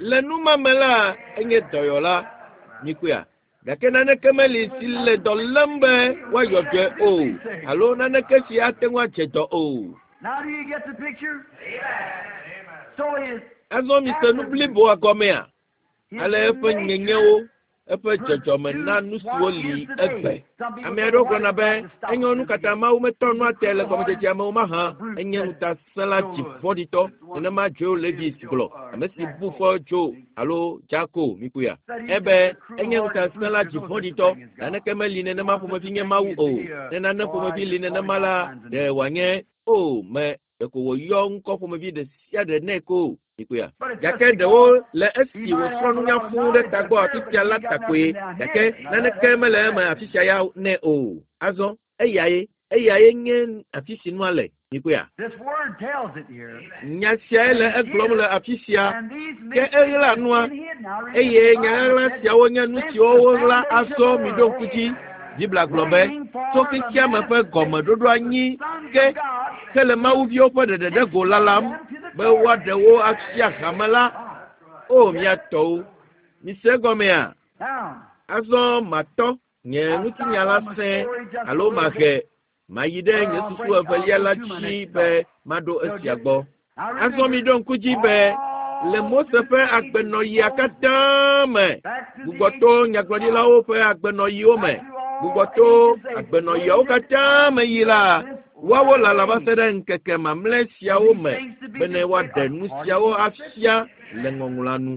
Le numame la enye dɔyɔla. Nyikpea. Gake naneke meli si le dɔ lém be woayɔ dɔe o alo naneke si ate ŋu adze dɔ o. Now do you get the picture? So his, Azɔ mise nu bliboa gɔmea. his Ale eƒe nature nyenyewo, eƒe dzɔdzɔme na nu siwo what li is today. egbe. Some people Ame say, aɖewo "Why gblɔna did be God stop enyo nu this katã again?" Mawu metɔ nua te le gɔmedzedzea me o mahã. Enye ŋutasẽla dzivɔ̃ɖitɔ. Nenema Joe Levis gblɔ, ame si bu fɔ Joe alo Jako Mikuya. Ebe enye ŋutasẽla dzivɔ̃ɖitɔ. Naneke meli nenema ƒomevi nye Mawu o. Ne nane ƒomevi li nenema la, ɖe wòanye o me ɖeko wòyɔ ŋkɔ ƒomevi ɖe sia ɖe nɛ ko Mikuya. But it's just Gake because ɖewo le esi he might wòsrɔ̃ have a nunya lot of fũu ɖe knowledge tagbɔ up afi there, sia but la he got ta koe. nothing down Gake here. Now that, naneke that's mele eme afi sia ya nɛ o. Azɔ eyae eyae nye afi si nua le. Mikuya. This word tells it here. Nya siae le egblɔm le afi sia. And these Ke mysteries eɣla have nua been hidden. Now remember, eye the nya Bible ɣaɣla said, siawo nye nu since siwo the woɣla foundation of azɔ the mi ɖo ŋku world, dzi. Biblia gblɔ be waiting tso for the xexeame ƒe gɔmeɖoɖo anyi manifestation of the sons ke of God ke le mawuviwo ƒe ɖeɖeɖe go lalam them to the be glory. woaɖe wo afia hame la. O mia tɔwo, mise egɔmea? Now, Azɔ matɔ nye I'll ŋutinya stop la on the sẽe story just a alo little mahe bit, mayi ɖe but nye I'll susu bring, I'll evelia go la to my dzi next be thought. maɖo So esia just gbɔ. now Azɔ mi remember, ɖo ŋku dzi be le all Mose through ƒe the ages, agbenɔɣia Moses, katã me, back to the gbugbɔto ages of nyagblɔɖilawo ƒe agbenɔɣiwo me, back through all gbugbɔto ages, they agbenɔɣiawo waited katã me yi la, for this woawo last lala va day se ɖe ŋkeke mamlɛ siawo for these me things to be bene displayed woaɖe nu according siawo to the afia Scripture. le ŋɔŋlɔa nu.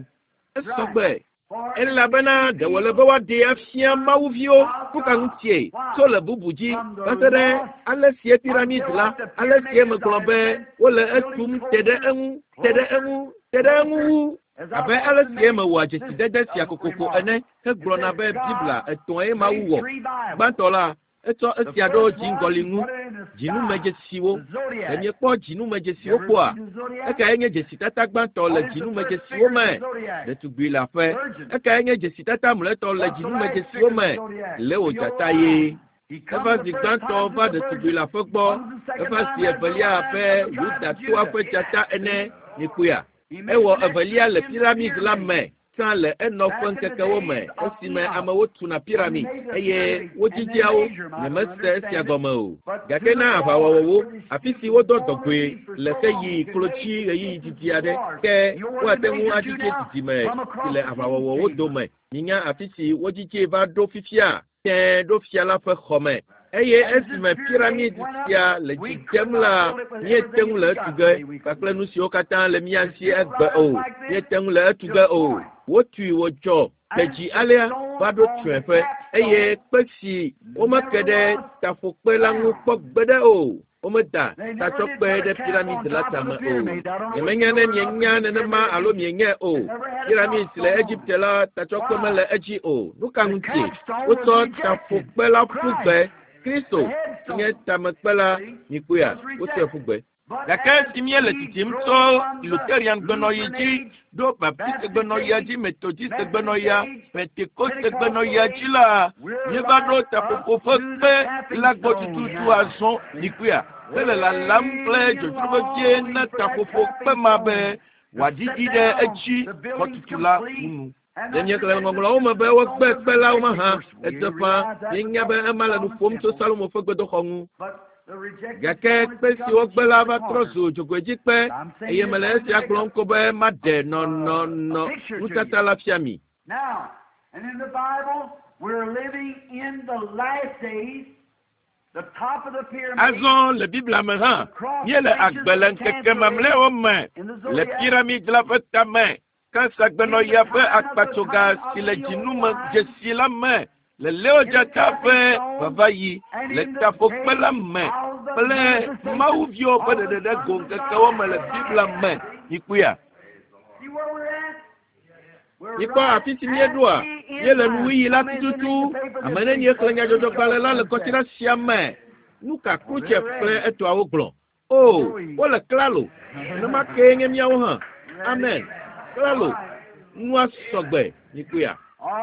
Right. Esɔgbe. For it Elabena to ɖe be wòle be woaɖee afia mawuviwo of nu ka God. ŋutie Why? tso le bubu dzi From va the se ɖe lost ale sie piramid until la like the ale sie pyramids, as megblɔ I be said, wole building etum te ɖe closer, eŋu te ɖe closer, eŋu te ɖe eŋu closer. wu As I abe want ale to sie make mewɔa this dzesidede sia uh, kokoko remark. ene It hegblɔna says be Biblia God etɔ̃e Mawu made wɔ. three Bibles. Gbãtɔ la etsɔ The esia ɖo first one, dziŋgɔli he ŋu put it in the sky, dzinumedzesiwo. the Ɖe zodiac. miekpɔ You dzinumedzesiwo ever kpɔa? see the zodiac? Ekae nye dzesitata gbãtɔ le What is the first dzinumedzesiwo figure in me? the zodiac? Ɖetugbi le aƒe. Virgin. Ekae nye dzesitata mlɔetɔ le What's the last dzinumedzesiwo figure in me? the zodiac? Leo The dzata old ye. lion. He comes Eva the zi first gbãtɔ time to va the ɖetugbi virgin. le aƒe gbɔ. Comes the second Eva time zi as the evelia lion abe of the tribe of Yudatɔa Judah. ƒe dzata ene. Mikpɔea? He made Ewɔ the next evelia one le in the piramid la pyramid. me tsã le enɔ Back ƒe in the ŋkekewo me days of esime Enoch, amewo tuna when he piramid made the eye pyramid and then wodzidzea wo. measure 'em, I don't Nyemese esia understand it. gɔme o. But Gake to na the Lord, aʋawɔwɔwo, for the afi si stupid wodɔ former dɔgɔe be for le so ke long yi could klotsi measure the ɣeyiɣi distance didi to aɖe Mars. ke You know where woate they ŋu measure to adzidze now? didime From si across le the king's aʋawɔwɔwo chamber. dome. Minya afi si wodzidzee va ɖo fifia tẽe ɖo fia la ƒe xɔme. Eye And as this esime pyramid piramid went up, sia le we dzi could dzem not la, build it with míete everything ŋu that le we etu got ge today. We couldn't kpakple do nu it. siwo katã le mía It's si built egbe right up o. like this Míete ŋu le etu to ge a o. point. Wotui wòdzɔ de And dzi the alea stone va ɖo on the tsyɔ̃eƒe eye capstone kpe si womeke never ɖe was taƒokpe la ŋu found. kpɔ gbeɖe o. Womeda They never did tatsɔkpe put a ɖe cap piramid on la top of tame the o. pyramid. I don't know which Nyemenya ne builder up mienya in the nenema pyramid alo of Egypt. mienyae o. They never had a Piramid si le capstone on Egipte it. la tatsɔkpe Why? mele edzi o. Nu ka The ŋutie? capstone was Wotsɔ rejected. taƒokpe la ƒu gbe. Christ, Kristo the si nye headstone, tamekpe la see, mikpɔea was wotsɔe ƒu rejected. gbe. But Gake as esi míele we dzidzim grow tso from the Lutheran gbenɔɣi Lutheran dzi age, ɖo Baptist Baptist gbenɔɣia age, dzi, Methodist Methodist gbenɔɣia, age, Pentecost Pentecostal gbenɔɣia dzi age, la, we're míeva ɖo right up taƒoƒo ƒe to the kpe tapping la gbɔ stone tututu now. azɔ mikpɔea hele lalam kple Waiting and dzodzro vevie longing na for that taƒoƒo kpe tapping ma be stone to wòaɖiɖi set ɖe down edzi the building's xɔtutu la complete ŋu. and Ɖe not míexlẽ le forget the ŋɔŋlɔawo me be the wogbe stone was kpe la wo rejected. mahã? Of course, we Edze ƒã realize that was míenya be talking ema of le nu Solomon's ƒom tso temple, Salomo ƒe gbedoxɔ ŋu. but the rejected Gake stone has kpe si become the wogbe chief la of the va trɔ corner. zu dzogoedzikpe I'm saying eye this mele only to esia make gblɔm a, ko be maɖe a, a nɔnɔnɔ picture to nutata you. la fia mi. Now, and in the Bible, we're living in the last days, Azɔ le Biblia me hã, míele agbe le ŋkeke mamlɛawo me le piramid la ƒe tame, kansagbenɔɣia ƒe akpatsoga si le dzinume dzesi la me, le Leodzata ƒe vavaɣi le taƒokpe la me kple mawuviwo ƒe ɖeɖe go ŋkekewo me le Biblia me. Mikpɔea? Mikpɔ afi si míeɖoa? Míele nuwuɣi la tututu. Ame nenie xlẽ nyadzɔdzɔgbalẽ la le kɔsiɖa sia me? Nu ka Khrushchev kple etɔawo gblɔ? O, wole klalo. Nenema kee nye míawo hã. Amen. Klalo. Nua sɔgbe. Mikpɔea?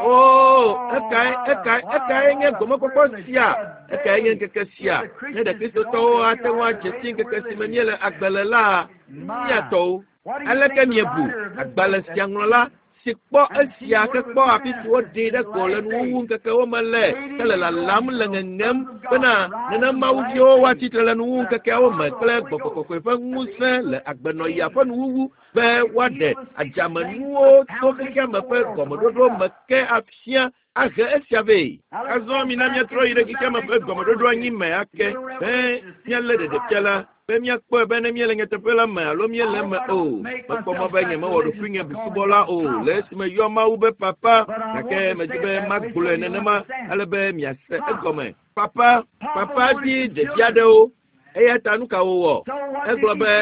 O, ekae, ekae, ekae nye gomekpɔkpɔ sia? Ekae nye ŋkeke sia? Ne ɖe Kristotɔwo ate ŋu adze si ŋkeke si me míele agbe le la, míatɔwo. Aleke miebu agbalẽ sia ŋlɔla si kpɔ esia ke kpɔ afi si woɖee ɖe go le nuwuwu ŋkekewo me le ke le lalam le ŋeŋem bena nenem mawuviwo woatsitre le nuwuwu ŋkekeawo me kple gbɔgbɔ kɔkɔe ƒe ŋusẽ le agbenɔɣia ƒe nuwuwu be woaɖe adzamenuwo tso xexeame ƒe gɔmeɖoɖo me ke afia ahe esia vɛ. Azɔ mina míatrɔ yi ɖe xexeame ƒe gɔmeɖoɖo anyi me ake be míalé ɖeɖefia la be míakpɔe be ne míele nyateƒe la me alo míele eme o. Mekpɔ mɔ be nyemewɔ ɖokuinye busubɔla o le esime yɔ Mawu be papa gake medi be magblɔe nenema ale be miase egɔme. Papa, papa di ɖevi aɖewo eya ta nu ka wòwɔ? Egblɔ be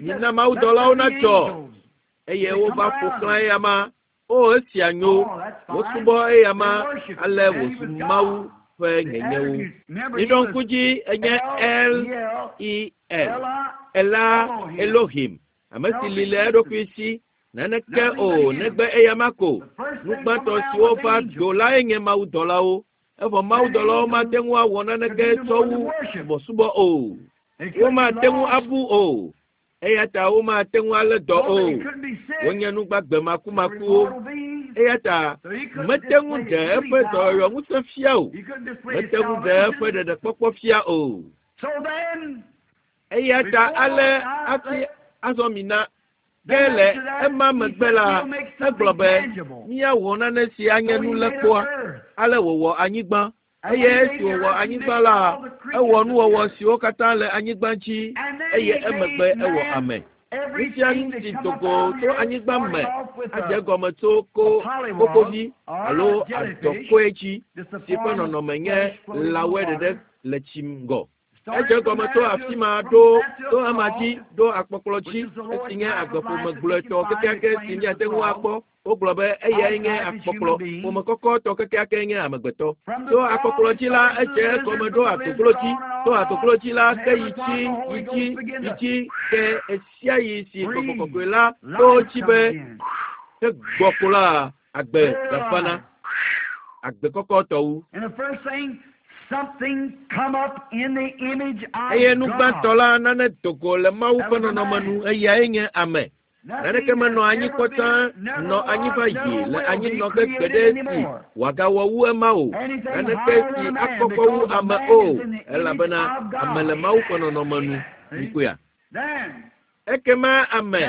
mina mawudɔlawo natsɔ eye wova ƒo xlã eyama. O, esia nyo. Wosubɔ eyama ale wòzu Mawu ƒe nyenyewo. Miɖo ŋku dzi enye L E L. Ela Elohim, ame si li le eɖokui si naneke o negbe eyama ko. Nu gbãtɔ siwo va do lae nye mawudɔlawo. Evɔ mawudɔlawo mate ŋu awɔ naneke tsɔ wu subɔsubɔ o. Womate ŋu abu o. Eya ta womate ŋu alé dɔ o. Wonye nu gbagbe makumakuwo. Eya ta mete ŋu ɖe eƒe dɔyɔyɔ ŋusẽ fia o. Mete ŋu ɖe eƒe ɖeɖekpɔkpɔ fia o. Eya ta ale hafi azɔ mina ke le ema megbe la, egblɔ be míawɔ nane si anye nulekpɔa. Ale wòwɔ anyigba. Eye esi wòwɔ anyigba la, ewɔ nuwɔwɔ siwo katã le anyigba dzi eye emegbe ewɔ ame. Nu sia nu si do go tso anyigba me adze egɔme tso ko kokovi alo adɔkɔe dzi si ƒe nɔnɔme nye lãwɔe ɖeɖe le tsi ŋgɔ. Edze egɔme tso afi ma ɖo tso ema dzi ɖo akpɔkplɔ dzi esi nye agbeƒome gblɔetɔ kekeake si míate ŋu akpɔ. Wogblɔ be eyae nye akpɔkplɔ ƒome kɔkɔtɔ kekeake nye amegbetɔ. Tso akpɔkplɔ dzi la, edze egɔme ɖo adoklo dzi. Tso adoklo dzi la, ke yi dzi, yi dzi, yi dzi ke esia yi si gbɔgbɔ kɔkɔe la to dzi be ke gbɔ ko la, agbe gafana, agbe kɔkɔtɔ wu. Eye nu gbãtɔ la, nane do go le Mawu ƒe nɔnɔme nu, eyae nye ame. Naneke menɔ anyi kpɔ tsã nɔ anyi va yi le anyinɔge gbeɖe si wòagawɔ wu ema o. Naneke si akɔkɔ wu ame o, elabena ame le Mawu ƒe nɔnɔme nu. Mikpɔea? Ekema ame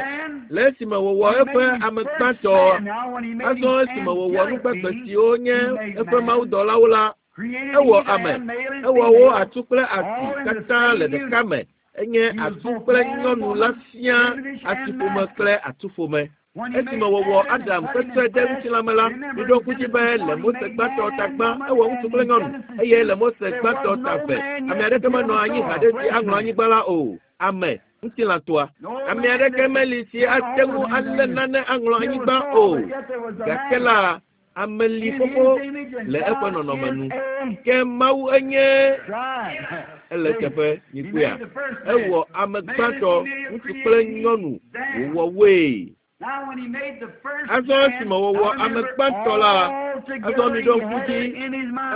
le esime wòwɔ eƒe ame gbãtɔ, azɔ esime wòwɔ nu gbagbe siwo nye eƒe mawudɔlawo la, ewɔ ame, ewɔ wo atsu kple asi katã le ɖeka me. Enye atsu kple nyɔnu la fia asiƒome kple atsuƒome. Esime wòwɔ Adam kpekpe de ŋutilãme la, miɖo ŋku dzi be le Mose gbãtɔ ta gbã, ewɔ ŋutsu kple nyɔnu, eye le Mose gbãtɔ ta eve, ame aɖeke menɔ anyi haɖe si aŋlɔ anyigba la o. Ame, ŋutilãtɔa. Ame aɖeke meli si ate ŋu alé nane aŋlɔ anyigba o. Gake la, ame li xoxo le eƒe nɔnɔme nu. Ke Mawu enye ele teƒe mikpɔea. Ewɔ ame gbãtɔ, ŋutsu kple nyɔnu, wòwɔ woe. Azɔ esime wòwɔ ame gbãtɔ la, azɔ miɖo ŋku dzi,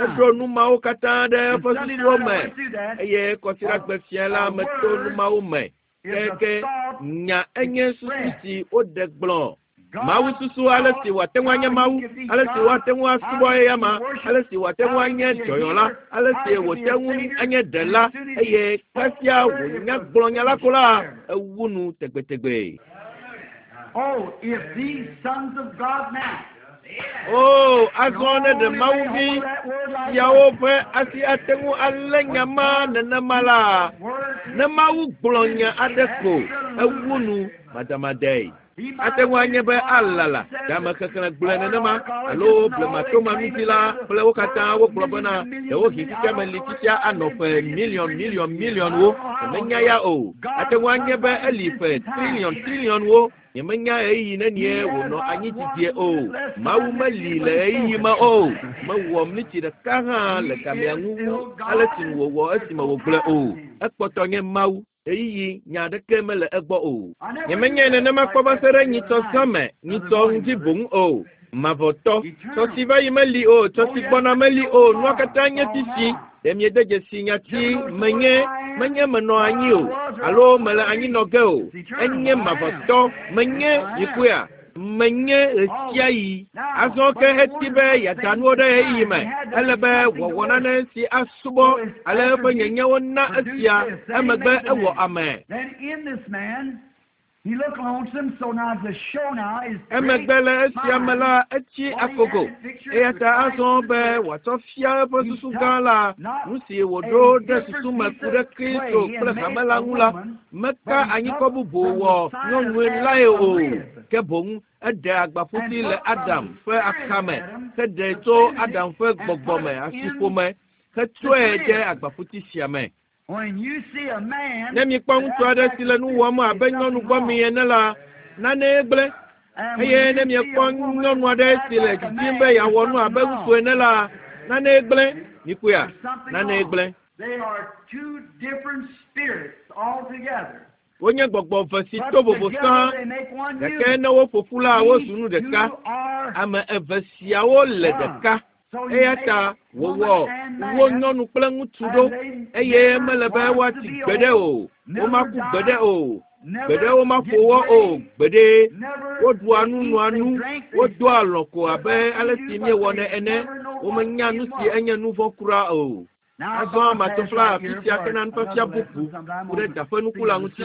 eɖo nu mawo katã ɖe eƒe susuwo me eye kɔsiɖagbe fia la meto nu mawo me. Ke nya enye susu si woɖe gblɔ. Mawu susu ale si wòate ŋu anye Mawu, ale si wòate ŋu asubɔ eyama, ale si wòate ŋu anye dɔyɔla, ale si wòte ŋu anye ɖela, eye kasia wònya gblɔ nya la ko la, ewu nu tegbetegbe. Oh, if these sons of God now, O, azɔ ne ɖe Mawuvi siawo ƒe asi ate ŋu alé nya ma nenema la, ne Mawu gblɔ nya aɖe ko, ewu nu madamadae. Ate ŋu anye be alala game xexlẽ gblɔe nenema alo blematomanutila kple wo katã wogblɔ bena ɖewohĩ xexeame li fifia anɔ ƒe miliɔn miliɔn miliɔnwo. Nyemenya ya o. Ate ŋu anye be eli ƒe triliɔn triliɔnwo. Nyemenya ɣeyiɣi nenie wònɔ anyi didie o. Mawu meli le ɣeyiɣi me o. Mewɔ mlitsi ɖeka hã le gamea ŋu wu ale si wòwɔ esime wògblɔe o. Ekpɔtɔ nye Mawu. Ɣeyiɣi nya aɖeke mele egbɔ o. Nyemenyae nenema kpɔ va se ɖe nyitsɔ zã me, nyitsɔ ŋdi boŋ o. Mavɔtɔ, tsɔ si va yi meli o, tsɔ si gbɔna meli o, nua katã nye sisi. Ɖe miede dzesi nyati menye, menye menɔ anyi o, alo mele anyi nɔ ge o. Enye mavɔtɔ, menye mikpɔea, menye ɣesiaɣi. Azɔ ke eti be yeada nuwo ɖe ɣeyiɣi me. Ele be wòawɔ nane si asubɔ ale eƒe nyenyewo na esia emegbe ewɔ ame. Then in this man, he looked lonesome, so now the show now is Emegbe le esia me la, etsi akogo. Eya ta azɔ be wòatsɔ fia eƒe susu gã la, nu si wòɖo ɖe susu me ku ɖe Kristo kple hame la ŋu la, meka anyikɔ bubu wɔ nyɔnue lae o. Ke boŋ eɖe agbaƒuti le Adam ƒe axame, heɖe tso Adam ƒe gbɔgbɔ me asiƒome, hetsɔe de agbaƒuti sia me. When you see a man Ne mikpɔ ŋutsu aɖe si le nu wɔm abe nyɔnu gbɔmi ene la, nanee gblẽ. Eye ne miekpɔ nyɔnu aɖe si le didim be yeawɔ nu abe ŋutsu ene la, nanee gblẽ. Mikpɔea, nanee gblẽ. They are two different spirits altogether. Wonye gbɔgbɔ eve si to vovo sã, gake ne woƒo ƒu la, wozu nu ɖeka. Ame eve siawo le ɖeka. Eya ta wòwɔ wo nyɔnu kple ŋutsu ɖo eye mele be woatsi gbeɖe o, womaku gbeɖe o, gbeɖe womaƒo wɔ o, gbeɖe. Woɖua nu noa nu, wodoa alɔ̃ ko abe ale si míewɔnɛ ene. Womenya nu si enye nu vɔ̃ kura o. Azɔ matɔ fla afi sia kena nufiafia bubu ku ɖe da ƒe nuku la ŋuti.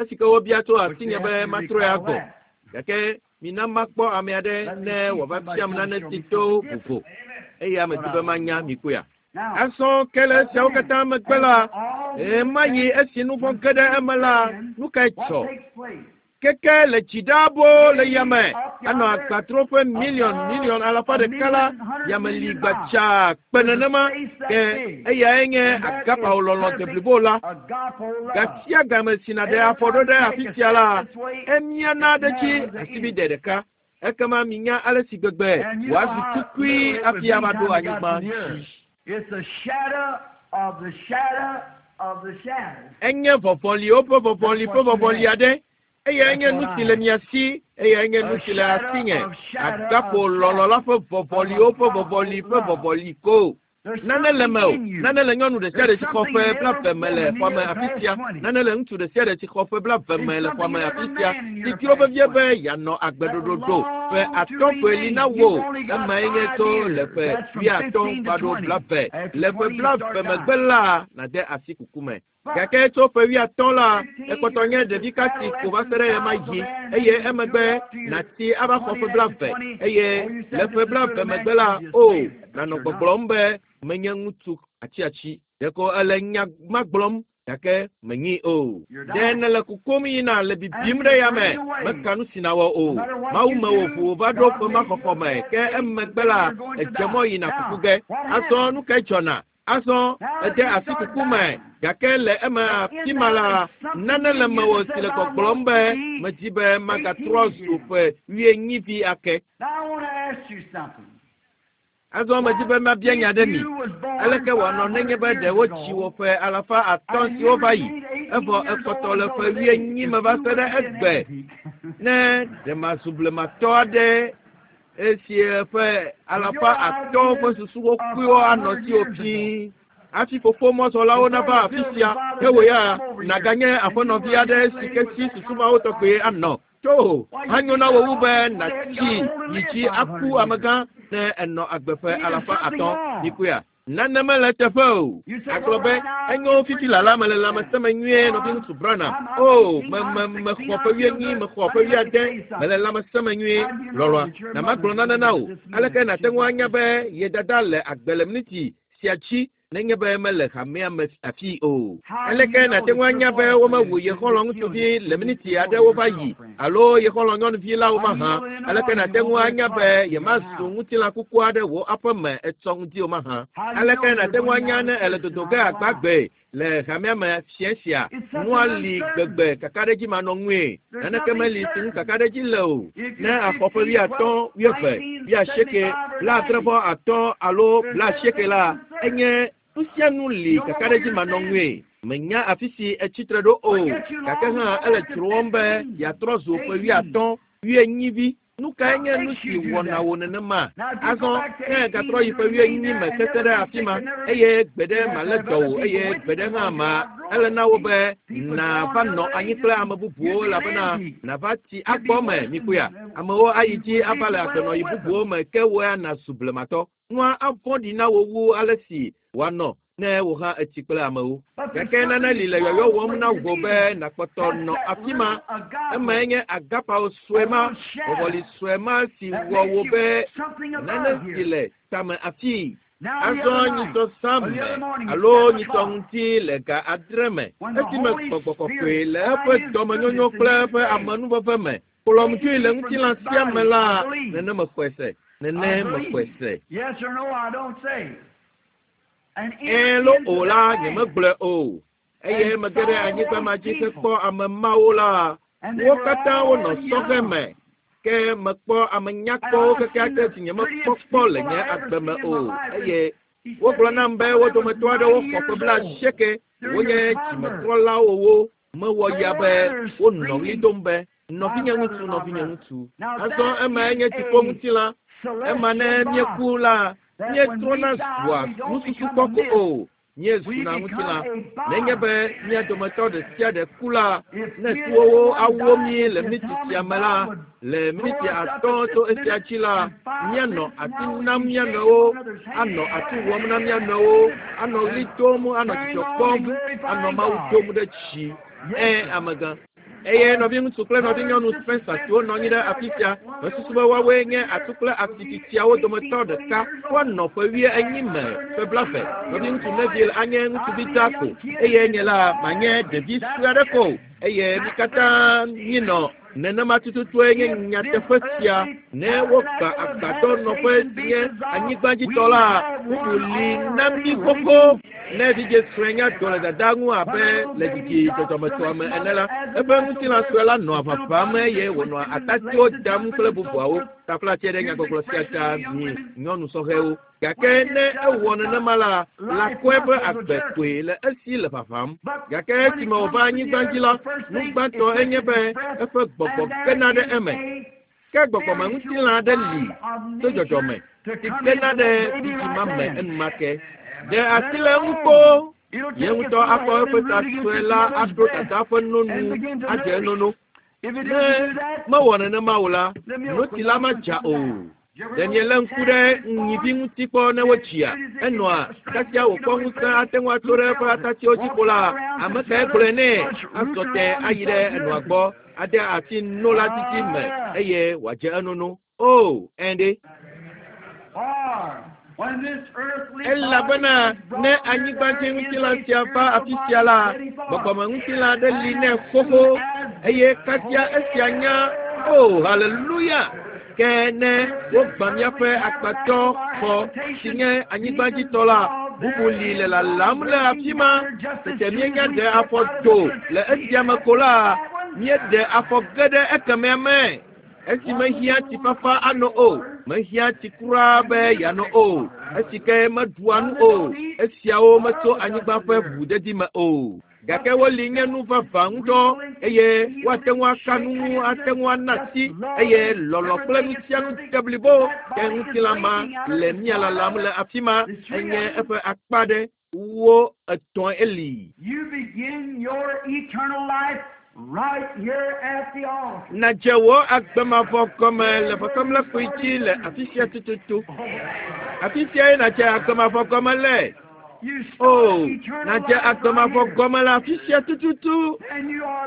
Esi ke wobia tso asinye be matrɔe agbɔ. Gake mina makpɔ ame aɖe ne wòava fiam nane si to vovo. Eye ame di be manya mikpɔea. Azɔ ke le esiawo katã megbe la, ɣemaɣi esi nu vɔ̃ ge ɖe eme la, nu kae dzɔ? Keke le dzi ɖaa boo le yame, anɔ agbatroƒe miliɔn miliɔn alafa ɖeka la, yame li gbadzaa kpe nenema ke eyae nye agapawo lɔlɔ̃ deblibo la. Gasia game si nàɖe afɔ ɖo ɖe afi sia la, emiana ɖe dzi asibide ɖeka. Ekema minya ale si gbegbe wòazu tukui hafi ava ɖo anyigba dzi. It's the shadow of the shadow of the shadow. Enye vɔvɔliwo ƒe vɔvɔli ƒe vɔvɔli aɖe. Eyae nye nu si le mia si, eyae nye nu si le asinye. Agapo lɔlɔ̃ la ƒe vɔvɔliwo ƒe vɔvɔli ƒe vɔvɔli ko. Nane le me o. Nane le nyɔnu ɖe sia ɖe si xɔ ƒe blaeve me le xɔa me afi sia. Nane le ŋutsu ɖe sia ɖe si xɔ ƒe blaeve me le xɔa me afi sia. Si dzro vevie be yeanɔ agbe ɖoɖoɖo. Ƒe atɔ̃ koe li na wò. Emae nye tso le ƒe wuiatɔ̃ va ɖo blaeve. Le ƒe blaeve megbe la, nàde asi kuku me. Gake tso ƒe wuiatɔ̃ la, ekpɔtɔ nye ɖevi kasi ko va se ɖe ɣemaɣi eye emegbe nàtsi ava xɔ ƒe blaeve eye le ƒe blaeve megbe la, o, nànɔ gbɔgblɔm be menye ŋutsu atsiatsi. Ɖeko ele nya ma gblɔm gake menyi o. Ɖe nèle kukum yina le bibim ɖe yame, meka nu si nàwɔ o. Mawu mewò ʋu va ɖo ƒe ma xɔxɔ me ke emegbe la, edze mɔ yina kuku ge. Azɔ nu kae dzɔna? Azɔ ede asi kuku me gake le eme afi ma la, nane le mewò si le gbɔgblɔm be medi be magatrɔ zu ƒe wuienyivi ake. Now I want to ask you something. Azɔ medi be mabia nya ɖe mi. Aleke wòanɔ nenye be ɖe wotsi wò ƒe alafa atɔ̃ siwo va yi, evɔ ekpɔtɔ le ƒe wuienyi me va se ɖe egbe. Ne ɖe mazu blematɔ aɖe esi ƒe alafa atɔ̃ ƒe susuwo kpuiwo anɔ siwò fii. Hafi fofo mɔzɔlawo nava afi sia, ke wò ya nàganye aƒenɔvi aɖe si ke si susu mawo tɔgbe anɔ. Tso, anyo na wò wu be nàtsi yi dzi aku amegã ne ènɔ agbe ƒe alafa atɔ̃. Mikpɔea? Nane mele teƒe o. Agblɔ be enyo fifi lala mele lãmesẽ nyuie nɔviŋutsu Branham. O, me me mexɔ ƒe wuienyi, mexɔ ƒe wuiade, mele lãmesẽ me nyuie. Lɔlɔ̃a, na magblɔ nane na wò. Aleke nàte ŋu anya be ye dada le agbe le miniti sia dzi nenye be mele hamea me afi o? Aleke nàte ŋu anya be womewu ye xɔlɔ̃ ŋutsuvi le miniti aɖewo va yi alo ye xɔlɔ̃ nyɔnuvi la wo mahã? Aleke nàte ŋu anya be yemazu ŋutilã kuku aɖe wò aƒeme etsɔ ŋdi o mahã? Aleke nàte ŋu anya ne ele dodo ge agbagbe le hamea me fia sia? Nua li gbegbe kakaɖedzi manɔ ŋue. Naneke meli si ŋu kakaɖedzi le o. Ne axɔ ƒe wuiatɔ̃, wuieve, wuiasieke, blaadre vɔ atɔ̃ alo blaasieke la, enye nu sia nu li kakaɖedzi manɔ ŋue. Menya afi si etsitre ɖo o, gake hã ele dzrowɔm be yeatrɔ zu ƒe wuiatɔ̃, wuienyivi. Nu kae nye nu si wɔna wò nenema? Azɔ ne gatrɔ yi ƒe wuienyi me keke ɖe afi ma, eye gbeɖe malé dɔ wò eye gbeɖe hã ma ele na wò be nàva nɔ anyi kple ame bubuwo elabena nàva tsi agbɔ me mikpɔea. Amewo ayi dzi ava le agbenɔyi bubuwo me ke wò ya nàzu blematɔ. Nua avɔ̃ɖi na wò wu ale si wòanɔ ne wò hã etsi kple amewo. Gake nane li le yɔyɔ wɔm na wò be nàkpɔtɔ nɔ afi ma. Emae nye agapawo sue ma, vɔvɔli sue ma si wɔ wò be nane si le tame afii. Azɔ nyitsɔ zã me alo nyitsɔ ŋuti le ga adre me esime gbɔgbɔ kɔkɔe le eƒe dɔmenyonyo kple eƒe amenuveve me kplɔm dzoe le ŋutilã sia me la, nene mexɔe se, nene mexɔe se. Yes or no, I don't say. And Ɛ̃ lo o la, nyemegblɔe o. Eye mege ɖe anyigba ma dzi hekpɔ ame mawo la, wo katã wonɔ sɔhɛ me. Ke mekpɔ ame nyakpɔwo kekeake si nyemekpɔ kpɔ le nye agbe me o. Eye wogblɔ nam be wo dometɔ aɖewo xɔ ƒe blaasieke, wonye dzimetrɔlawo wo. Mewɔ ya be wonɔ ɣli dom be, nɔvinye ŋutsu, nɔvinye ŋutsu. Azɔ emae nye dziƒo ŋutilã. Ema ne míeku la, míetrɔna zua nususukpɔ ko o. Míezuna ŋutilã. Nenye be mía dometɔ ɖe sia ɖe ku la, ne tuwowo awo mí le miniti sia me la, le miniti atɔ̃ tso esia dzi la, míanɔ asi nam mía nɔewo, anɔ atu wɔm na mía nɔewo, anɔ ɣli dom, anɔ dzidzɔ kpɔm, anɔ Mawu dom ɖe dzi. Ẽ, amegã. Eye nɔviŋutsu kple nɔvinyɔnu Spencer siwo nɔ anyi ɖe afi sia, mesusu be woawoe nye atu kple asi tsitsiawo dometɔ ɖeka. Woanɔ ƒe wuienyi me ƒe blaeve. Nɔviŋutsu Neville anye ŋutsuvi dzaa ko eye nye la manye ɖevi sue aɖe ko. Eye mí katã míenɔ nenema tututue nye nyateƒe sia. Ne wogbã agbadɔ nɔƒe si nye anyigbadzitɔ la, bubu li na mí xoxo. Ne vidzĩ sue nya do le dada ŋu abe le dzidzi dzɔdzɔmetɔa me ene la, eƒe ŋutilã sue la nɔa ʋaʋãm eye wònɔa atatiwo dam kple bubuawo. Taflatse ɖe nyagbɔgblɔ sia ta mi nyɔnu sɔhɛwo. Gake ne ewɔ nenema la, lãkɔe ƒe agbe koe le esi le ʋaʋãm. Gake esime wòva anyigba dzi la, nu gbãtɔ enye be eƒe gbɔgbɔ gena ɖe eme. Ke gbɔgbɔmeŋutilã aɖe li tso dzɔdzɔme si gena ɖe vidzĩ ma me enumake. Ɖe asi le eŋu kpoo. Ye ŋutɔ akɔ eƒe ta sue la aɖo dada ƒe nonu adze enono. Ne mewɔ nenema o la, notsi la madza o. Ɖe mielé ŋku ɖe nyivi ŋuti kpɔ ne wotsia? Enɔa kasia wòkpɔ ŋusẽ ate ŋu atso ɖe eƒe atatiwo dzi ko la, ame kae gblɔe nɛ azɔ te ayi ɖe enɔa gbɔ ade asi no la didi me eye wòadze enono. O, ẽ ɖe. Or when this earthly Elabena ne anyigbadzi ŋutilã sia va afi sia la, gbɔgbɔmeŋutilã aɖe li nɛ xoxo eye kasia esia nya o, haleluya! Ke ne wogbã míaƒe agbadɔ xɔ si nye anyigbadzitɔ la, bubu li le lalam le afi ma. Tete míenya ɖe afɔ do le esia me ko la, míeɖe afɔ ge ɖe ekemɛa me. Esi mehiã tsifafa anɔ o, mehiã tsi kura be yeanɔ o. Esi ke meɖua nu o, esiawo metso anyigba ƒe ʋuʋudedi me o. Gake woli nye nu vavã ŋutɔ eye woate ŋu aka nu ŋu, ate ŋu ana asi eye lɔlɔ̃ kple nu sia nu de blibo. Ke ŋutilã ma le mía lalam le afi ma enye eƒe akpa ɖe wo etɔ̃ eli. You begin your eternal life Nadze wò agbemavɔ gɔme le vɔsamlekpui dzi le afi sia tututu. Afi siae nadze agbemavɔ gɔme le. O, nadze agbemavɔ gɔme le afi sia tututu.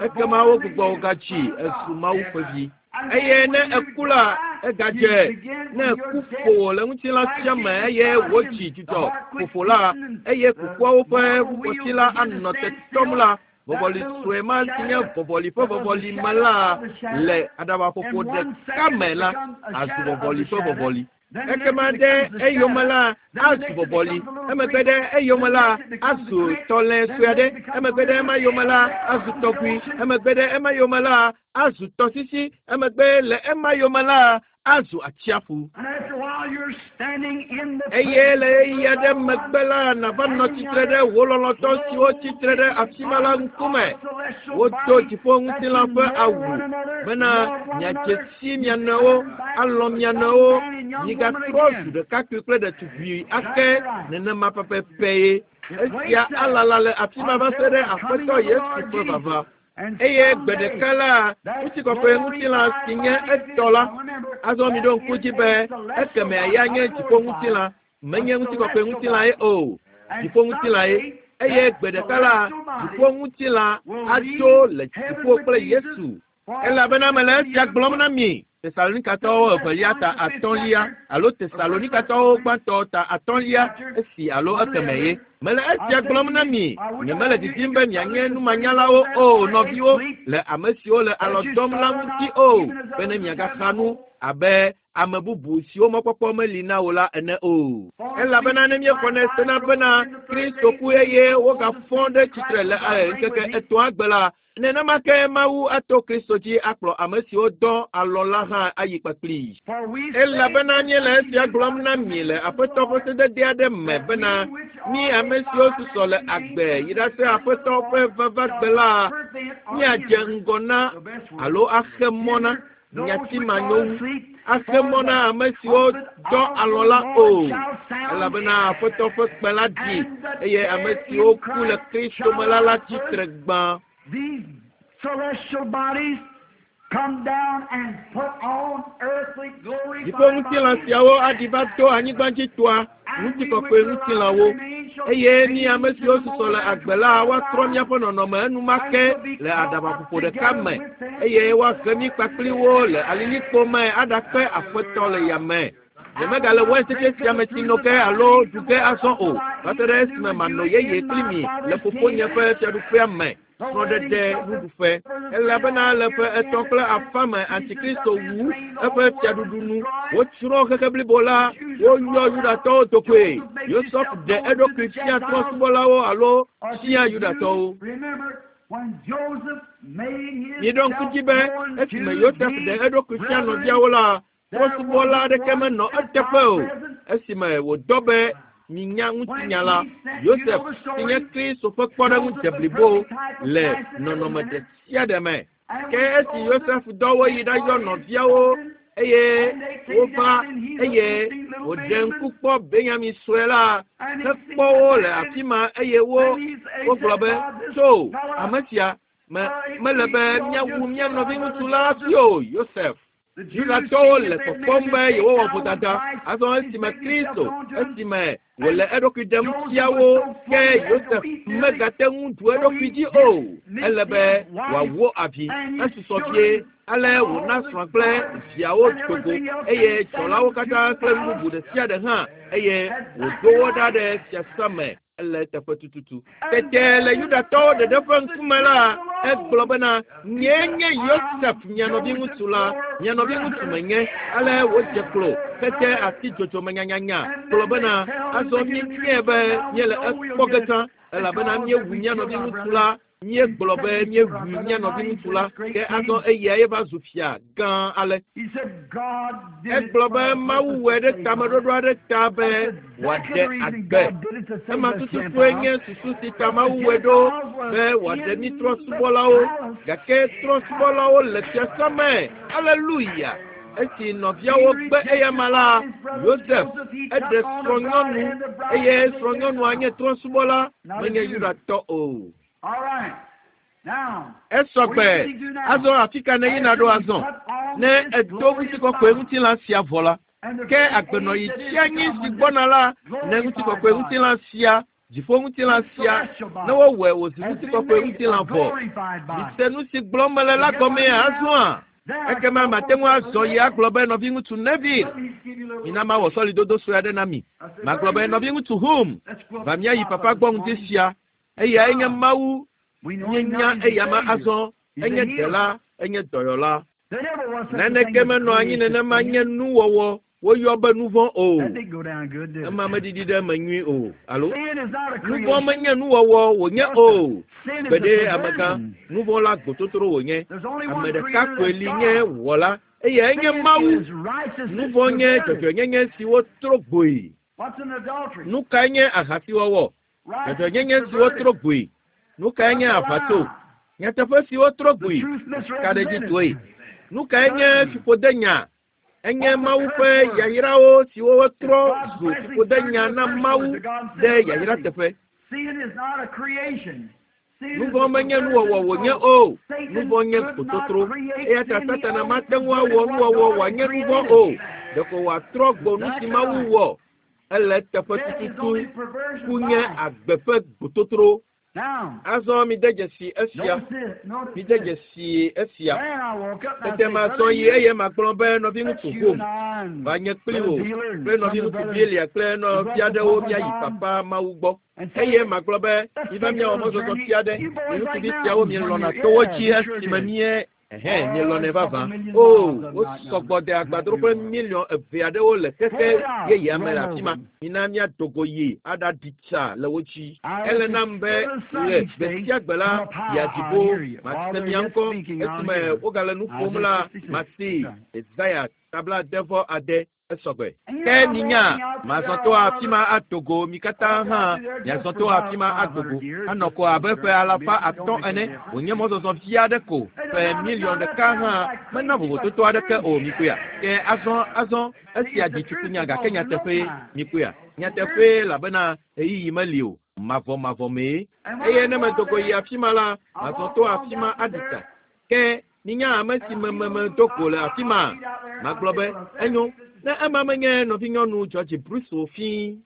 Ekema wogbugbɔ wò gatsi ezu Mawu ƒe vi. Eye ne eku la, egadze. Ne eku ƒo wò le ŋutilã sia me eye wòtsi dzudzɔ ƒoƒo la, eye kukuawo ƒe ʋukɔsi la anɔ te tɔm la, vɔvɔli sue ma si nye vɔvɔli ƒe vɔvɔli me la le aɖabaƒoƒo ɖeka me la, azu vɔvɔli ƒe vɔvɔli. Ekema ɖe eyome la, azu vɔvɔli. Emegbe ɖe eyome la, azu tɔlẽ sue aɖe. Emegbe ɖe ema yome la, azu tɔkui. Emegbe ɖe ema yome la, azu tɔsisi. Emegbe le ema yome la, azu atsiaƒu. Eye le ɣeyiɣi aɖe megbe la, nava nɔ tsitre ɖe wò lɔlɔ̃tɔ siwo tsitre ɖe afi ma la ŋkume. Wodo dziƒo ŋutilã ƒe awu bena miadze si mia nɔewo, alɔ̃ mia nɔewo, migatrɔ zu ɖekakpui kple ɖetugbui ake nenema pɛpɛpɛ ye. Esia alala le afi ma va se ɖe Aƒetɔ Yesu ƒe vava. Eye gbe ɖeka la, ŋutikɔkɔe ŋutilã si nye etɔ la, azɔ miɖo ŋku dzi be ekemea ya nye dziƒo ŋutilã, menye ŋutikɔkɔe ŋutilã ye o, dziƒo ŋutilã ye. Eye gbe ɖeka la, dziƒo ŋutilã adzo le dziƒo kple Yesu. Elabena mele esia gblɔm na mi. Tesalonikatɔwo evelia ta atɔ̃lia alo Tesalonikatɔwo gbãtɔ ta atɔ̃lia esi alo ekeme ye. Mele esia gblɔm na mi. Nyemele didim be mianye numanyalawo o, nɔviwo, le ame siwo le alɔ dɔm la ŋuti o, bene miagaxa nu abe ame bubu siwo mɔkpɔkpɔ meli na wo la ene o. Elabena ne míexɔnɛ sena bena Kristo ku eye wogafɔ ɖe tsitre le ŋkeke etɔ̃a gbe la, nenema ke Mawu ato Kristo dzi akplɔ ame siwo dɔ alɔ la hã ayi kpakplii. Elabena míele esia gblɔm na mi le Aƒetɔ ƒe sedede aɖe me bena mí ame siwo susɔ le agbe yi ɖase Aƒetɔ ƒe vavagbe la, míadze ŋgɔ na alo axe mɔ na nyati manyo wu, axe mɔ na ame siwo dɔ alɔ la o. Elabena Aƒetɔ ƒe kpẽ la ɖi eye ame siwo ku le Kristo me la la tsitre gbã. These celestial bodies come down and put on earthly glorified Dziƒo ŋutilã bodies. siawo aɖi va to anyigba dzi toa ŋutikɔkɔe ŋutilãwo. Eye mí ame siwo susɔ le agbe la, woatrɔ míaƒe nɔnɔme enumake le aɖabaƒoƒo ɖeka me eye woahe mí kpakpli wo le alilikpo me aɖakpe Aƒetɔ le yame. Nyemegale wain tsetse sia me tsi no ge alo ɖu ge azɔ o, va se ɖe esime manɔ yeye kpli mi le fofonye ƒe fiaɖuƒea me. Srɔ̃ɖeɖe nuɖuƒe. Elabena le ƒe etɔ̃ kple afã me Antikristo wu eƒe fiaɖuɖu nu. Wotsrɔ̃ xexe blibo la, woyɔ Yudatɔwo dokoe. Yosef ɖe eɖokui fia trɔ̃subɔlawo alo fia Yudatɔwo. Remember when Joseph made his Miɖo ŋku dzi be esime Yosef ɖe eɖokui fia nɔviawo la, trɔ̃subɔla aɖeke menɔ eteƒe o. Esime wòdɔ be minya ŋutinya la, Yosef si nye Kristo ƒe kpɔɖeŋu deblibo le nɔnɔme ɖe sia ɖe me. Ke esi Yosef dɔ wo yi ɖayɔ nɔviawo eye wova eye wòɖe ŋku kpɔ Benyamin sue la, hekpɔ wo le afi ma eye wo wogblɔ be, tso ame sia me mele be míawu mía nɔviŋutsu la hafi o, Yosef. Yudatɔwo le kpɔkpɔm be yewowɔ vodada. Azɔ esime Kristo, esime wòle eɖokui ɖem fia wo, ke Yosef megate ŋu ɖu eɖokui dzi o. Ele be wòawo avi. Esusɔ vie ale wòna srɔ̃a kple viawo do go eye dzɔlawo katã kple nu bubu ɖe sia ɖe hã eye wòɖo wo ɖa ɖe fiasã me. Ele teƒe tututu. Tete le Yudatɔwo ɖeɖe ƒe ŋkume la, egblɔ bena, nyee nye Yosef mia nɔviŋutsu la, mia nɔviŋutsu menye. Ale wòdze klo hete asi dzodzome nyanyanya gblɔ bena, azɔ míenyae be míele ekpɔ ge tsã elabena míewu mía nɔviŋutsu la. Míegblɔ be míewu mía nɔviŋutsu la, ke azɔ eya ye va zu fia gã ale. He said God did it Egblɔ for be a Mawu purpose wɔe to ɖe save us. tameɖoɖo aɖe ta be That's wòaɖe the reason agbe. God did it to save Ema us tututue nye Gentiles. susu si ta Mawu wɔe ɖo be wòaɖe mí trɔ̃subɔlawo. Gake trɔ̃subɔlawo le fiasã me. Aleluya! Esi nɔviawo gbe eyama la, Yosef eɖe srɔ̃nyɔnu eye srɔ̃nyɔnua nye trɔ̃subɔla, menye Yudatɔ o. All right. Esɔgbe azɔ afi ka ne yina ɖo azɔ ne edo ŋutikɔkɔe ŋutilã sia vɔ la ke agbenɔyi tsi anyi si gbɔna la ne ŋutikɔkɔe ŋutilã sia dziƒo ŋutilã sia ne wowɔe wòzu ŋutikɔkɔe ŋutilã vɔ mise nu si gblɔm mele la gɔmea azɔa ekema mate ŋu azɔ yi agblɔ be nɔviŋutsu Neville mina mawɔ sɔlidodo sue aɖe na mi magblɔ be nɔviŋutsu Hum va míayi papa gbɔ ŋdi sia eyae nye Mawu míenya eyama azɔ enye ɖela enye dɔyɔla naneke menɔ anyi nenema nye nuwɔwɔ woyɔ be nu vɔ̃ o ema meɖiɖi ɖe eme nyui o alo nu vɔ̃ menye nuwɔwɔ wònye o gbeɖe amegã nu vɔ̃ la gbototro wònye ame ɖeka koe li nye wɔla eyae nye Mawu nu vɔ̃ nye dzɔdzɔenyenye si wotro gboe nu kae nye ahasiwɔwɔ dzɔdzɔenyenye si wotro gboe nu kae nye aʋatso nyateƒe si wotro gboe ka ɖe dzi toe nu kae nye fiƒodenya enye Mawu ƒe yayrawo siwo wotrɔ zu fiƒodenya na Mawu ɖe yayra teƒe nu vɔ̃ menye nuwɔwɔ wònye o nu vɔ̃ nye gbototro eya ta Satana mate ŋu awɔ nuwɔwɔ wòanye nu vɔ̃ o ɖeko wòatrɔ gbo nu si Mawu wɔ ele teƒe tututu ku nye agbe ƒe gbototro azɔ mide dzesi esia mide dzesi esia tete mazɔ yi eye magblɔ be nɔviŋutsu Hom va nye kpli wò kple nɔviŋutsu Bielia kple nɔvi aɖewo míayi papa Mawu gbɔ eye magblɔ be miva míawɔ mɔzɔzɔ fia ɖe mi ŋutsuvi siawo mielɔna towo dzi esime mie ɛhɛn mielɔnɛ vavã o wosɔgbɔ de agbadroƒe miliɔn eve aɖewo le xexe yeyea me le afi ma mina míado go yi aɖaɖi tsa le wo dzi ele nam be le gbe sia gbe la yia dziƒo mase mia ŋkɔ esime wogale nu ƒom la masi Yesaya tabla ade vɔ ade esɔgbe ke minya mazɔ to afi ma ado go mi katã hã miazɔ to afi ma ado go anɔ ko abe ƒe alafa atɔ̃ ene wònye mɔzɔzɔ vi aɖe ko ƒe miliɔn ɖeka hã mena vovototo aɖeke o mikpɔea ke azɔ azɔ esia dzi tsukunya gake nyateƒee mikpɔea nyateƒee elabena ɣeyiɣi meli o mavɔmavɔ mee eye ne medo go yi afi ma la mazɔ to afi ma aɖi tsa ke minya ame si me me medo go le afi ma magblɔ be enyo ne ema menye nɔvinyɔnu George Bruce o fii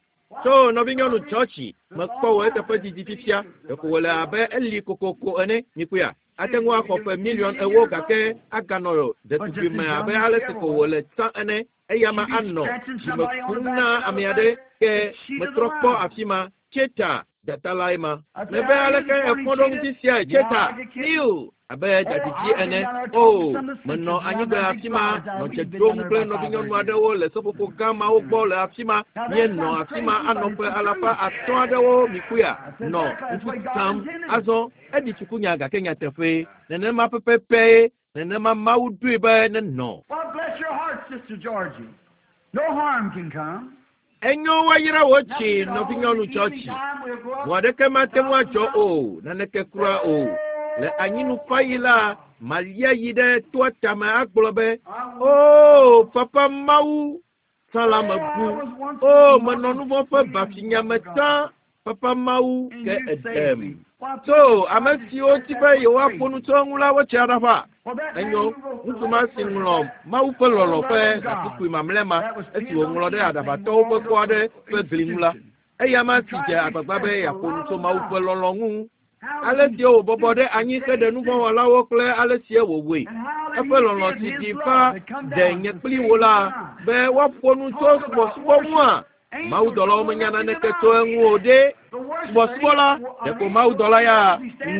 tso nɔvinyɔnu George mekpɔ wò eteƒe didi fifia ɖeko wòle abe eli kokoko ene mikpɔea ate ŋu axɔ ƒe miliɔn ewo gake aganɔ ɖetugbi me abe ale si ko wòle tsã ene eya ma anɔ dzime kum na ame aɖe ke metrɔ kpɔ afi ma Tseta dzata lae ma mebe aleke efɔ ɖo ŋuti siae Tseta iu abe dzadzidzi ene o menɔ anyigba afi ma nɔ dze ɖom kple nɔvinyɔnu aɖewo le seƒoƒo gã mawo gbɔ le afi ma míenɔ afi ma anɔ ƒe alafa atɔ̃ aɖewo mikpɔea nɔ ŋutsu sam azɔ eɖi tsukunya gake nyateƒee nenema pɛpɛpɛ nenema Mawu ɖoe be nenɔ. Well, bless your heart, Sister Georgie. No harm can come. Enyo woayra wò tsi nɔvinyɔnu Georgie. Vɔ aɖeke mate ŋu adzɔ o naneke kura o le anyinufaɣi la malia yi ɖe toa tame agblɔ be o papa Mawu tsã la mebu o menɔ nu vɔ̃ ƒe bafinya me tsã papa Mawu ke eɖem so ame siwo ti be yewoaƒo nu tso eŋu la wotsi aɖaʋa enyo ŋutsu ma si ŋlɔ Mawu ƒe lɔlɔ̃ ƒe gatukui mamlɛ ma esi wòŋlɔ ɖe aɖabatɔwo ƒe kɔ aɖe ƒe gli ŋu la eya ma si dze agbagba be yeaƒo nu tso Mawu ƒe lɔlɔ̃ ŋu ale si wòbɔbɔ ɖe anyi heɖe nu vɔ̃ wɔlawo kple ale si wòwɔe eƒe lɔlɔ̃ si ɖi va ɖe nye kpli wo la be woaƒo nu tso subɔsubɔ ŋua mawudɔlawo menya naneke tso eŋu o ɖe subɔsubɔ la ɖeko mawudɔla ya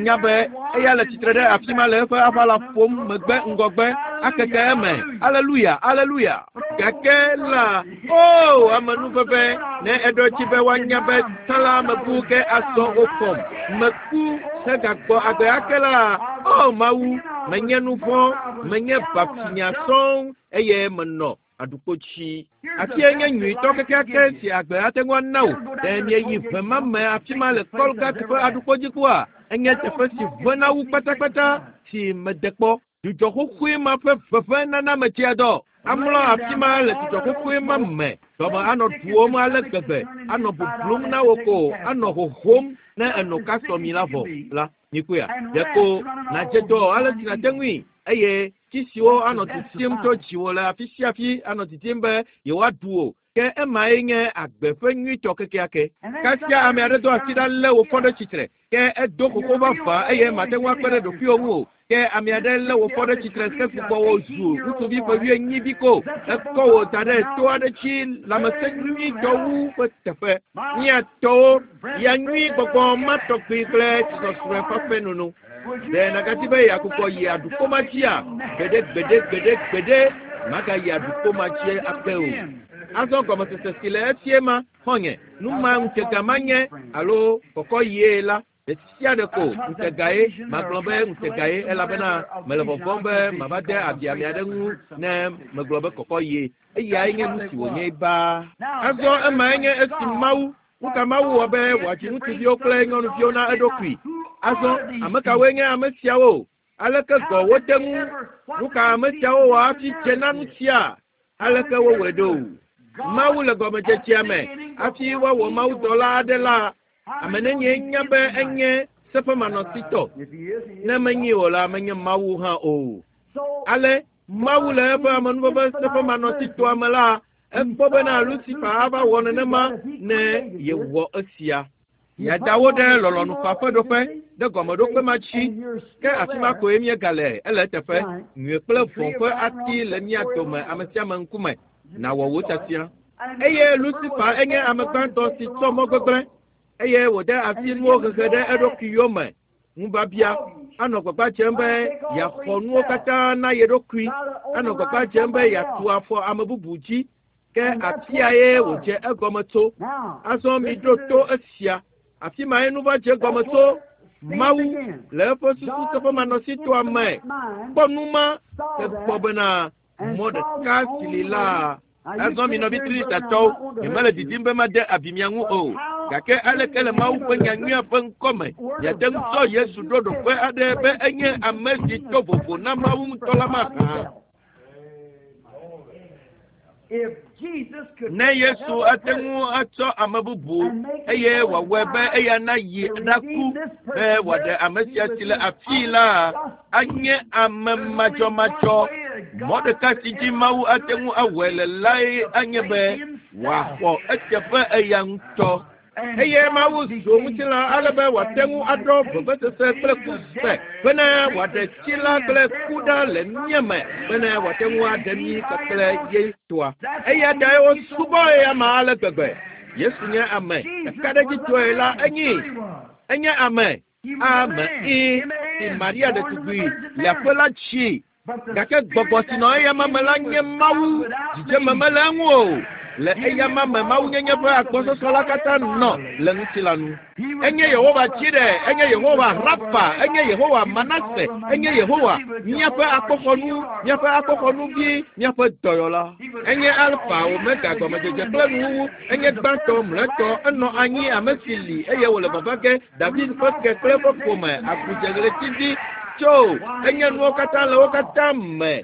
nya be eya le tsitre ɖe afi ma le eƒe aʋala ƒom megbe ŋgɔgbe akeke eme aleluya aleluya gake la o amenuveve ne eɖɔ dzi be woanya be tsã la mebu ke azɔ wofɔm meku hegagbɔ agbe ake la o Mawu menye nu vɔ̃ menye bafinya sɔŋ eye menɔ aɖukpotsi afia nye nyuitɔ kekeake si agbe ate ŋu ana wò ɖe mieyi ʋe ma me afi ma le Kɔlgat ƒe aɖukpodzikua enye teƒe si ʋena wu kpatakpata si mede kpɔ dzudzɔ xoxoe ma ƒe ʋeʋẽ nana metsia dɔ amlɔ afi ma le dzudzɔ xoxoe ma me dɔme anɔ ɖuwom ale gbegbe anɔ bublum na wò ko anɔ hohom ne eno kasɔmi la vɔ la Mikuya ɖeko nàdze dɔ ale si nàte ŋui eye tsi siwo anɔ titim tso dziwò le afi sia afi anɔ titim be yewoaɖu wò. Ke emae nye agbe ƒe nyuitɔ kekeake. Kasia ame aɖe do asi ɖa lé wò fɔ ɖe tsitre. Ke edo xoxo vavã eye mate ŋu akpe ɖe ɖokuiwò ŋu o. Ke ame aɖe lé wò fɔ ɖe tsitre ke gbugbɔ wò zu ŋutsuvi ƒe wuienyi vi ko. Ekɔ wò da ɖe to aɖe dzi lãmesẽ nyuitɔ wu ƒe teƒe. Míatɔwo ya nyui gbɔgbɔ ma tɔgbi kple tsisɔsrɔ̃e ƒe nono. Ɖe nàgadi be yeagbugbɔ yi aɖukpoma dzia? Gbeɖe gbeɖe gbeɖe gbeɖe magayi aɖukpoma dzi ake o. Azɔ gɔmesese si le esie ma xɔnye nu ma ŋutega manye alo kɔkɔ yie la ɖe sia ɖe ko ŋutegae magblɔ be ŋutegae elabena mele vɔvɔm be mava de abi ame aɖe ŋu ne megblɔ be kɔkɔ yie. Eyae nye nu si wònye baa. Azɔ emae nye esi Mawu nu ka Mawu wɔ be wòadzi ŋutsuviwo kple nyɔnuviwo na eɖokui. Azɔ ame kawoe nye ame siawo? Aleke gɔ wote ŋu? Nu ka ame siawo wɔ hafi dze na nu sia? Aleke wowɔe ɖo? Mawu le gɔmedzedzea me hafi woawɔ mawudɔla aɖe la, ame nenye nya be enye seƒemanɔsitɔ. Ne menyi o la, menye Mawu hã o. Ale Mawu le eƒe amenuveve seƒemanɔsitɔa me la, ekpɔ bena Lucifer ava wɔ nenema ne yewɔ esia. Yeada wo ɖe lɔlɔ̃nufa ƒe ɖoƒe ɖe gɔmeɖokpe ma dzi. Ke afi ma koe míegale ele eteƒe. Nyui kple vɔ̃ ƒe ati le mía dome ame sia ame ŋkume. Nawɔ wò tiatia. Eye Lucifer enye ame gbãtɔ si tsɔ mɔ gbegblẽ eye wòde asi nuwo hehe ɖe eɖokui yome. Ŋubiabia anɔ gbagba dzem be yeaxɔ nuwo katã na ye ɖokui. Anɔ gbagba dzem be yeatu afɔ ame bubu dzi. Ke afiae wòdze egɔme tso. Azɔ miɖo to esia. Afi mae nu va dze gɔme tso. Mawu le eƒe susu teƒemanɔsitɔa me kpɔ nu ma hekpɔ bena mɔ ɖeka si li la. Azɔ mi nɔvi Trinitatɔwo, nyemele didim be made abi mia ŋu o. Gake aleke le Mawu ƒe nyanyuia ƒe ŋkɔme miate ŋu tsɔ Yesu ɖo ɖoƒe aɖe be enye ame si to vovo na Mawu ŋutɔ la mahã? Ne Yesu ate ŋu atsɔ ame bubu eye wòawɔe be eya nayi ɖaku be wòaɖe ame sia si le afii la, anye ame madzɔmadzɔ. Mɔ ɖeka si dzi Mawu ate ŋu awɔe le lae anye be wòaxɔ eteƒe eya ŋutɔ. Eye Mawu zu ŋutilã ale be wòate ŋu aɖɔ vevesese kple ku se bene wòaɖe tsi la kple ku ɖa le mía me bene wòate ŋu aɖe mí kpakple ye toa. Eya tae wosubɔ eya ale gbegbe. Yesu nye ame ɖekaɖedzitɔe la enyi. Enye ame ame i si Maria ɖetugbui le aƒe la dzi. Gake gbɔgbɔ si nɔ eyama me la nye Mawu. Dzidzeme mele eŋu o. Le eyama me mawunyenye ƒe agbɔsɔsɔ la katã nɔ le ŋutilã nu. Enye Yehowa Jireh, enye Yehowa Rafa, enye Yehowa Manase, enye Yehowa míaƒe akpoxɔnu, míaƒe akpoxɔnuvi, míaƒe dɔyɔla. Enye Alfa, Omega, gɔmedzedze kple nuwuwu. Enye gbãtɔ, mlɔetɔ, enɔ anyi ame si li eye wòle vava ge David ƒe ke kple eƒe ƒome, agudzeɣletivi tso. Enye nuwo katã le wo katã me.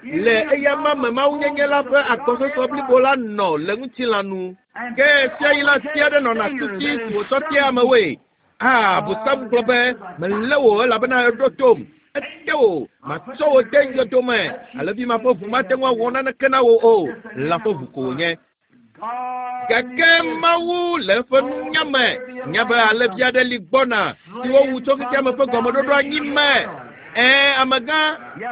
Le eyama me mawunyenye la ƒe agbɔsɔsɔ blibo la nɔ le ŋutilã nu. Ke sia yi la ati aɖe nɔna tuti si wòtsɔ tia amewoe. Ah, Abosam gblɔ be melé wò elabena eɖo tom. Ete wò, matsɔ wò de yɔdo me. Alevi ma ƒe ʋu mate ŋu awɔ naneke na wò o. Lã ƒe ʋu ko wònye. Gake Mawu le eƒe nunya me nya be alevi aɖe li gbɔna si wowu tso xexeame ƒe gɔmeɖoɖo anyi me. Ɛ̃, amegã,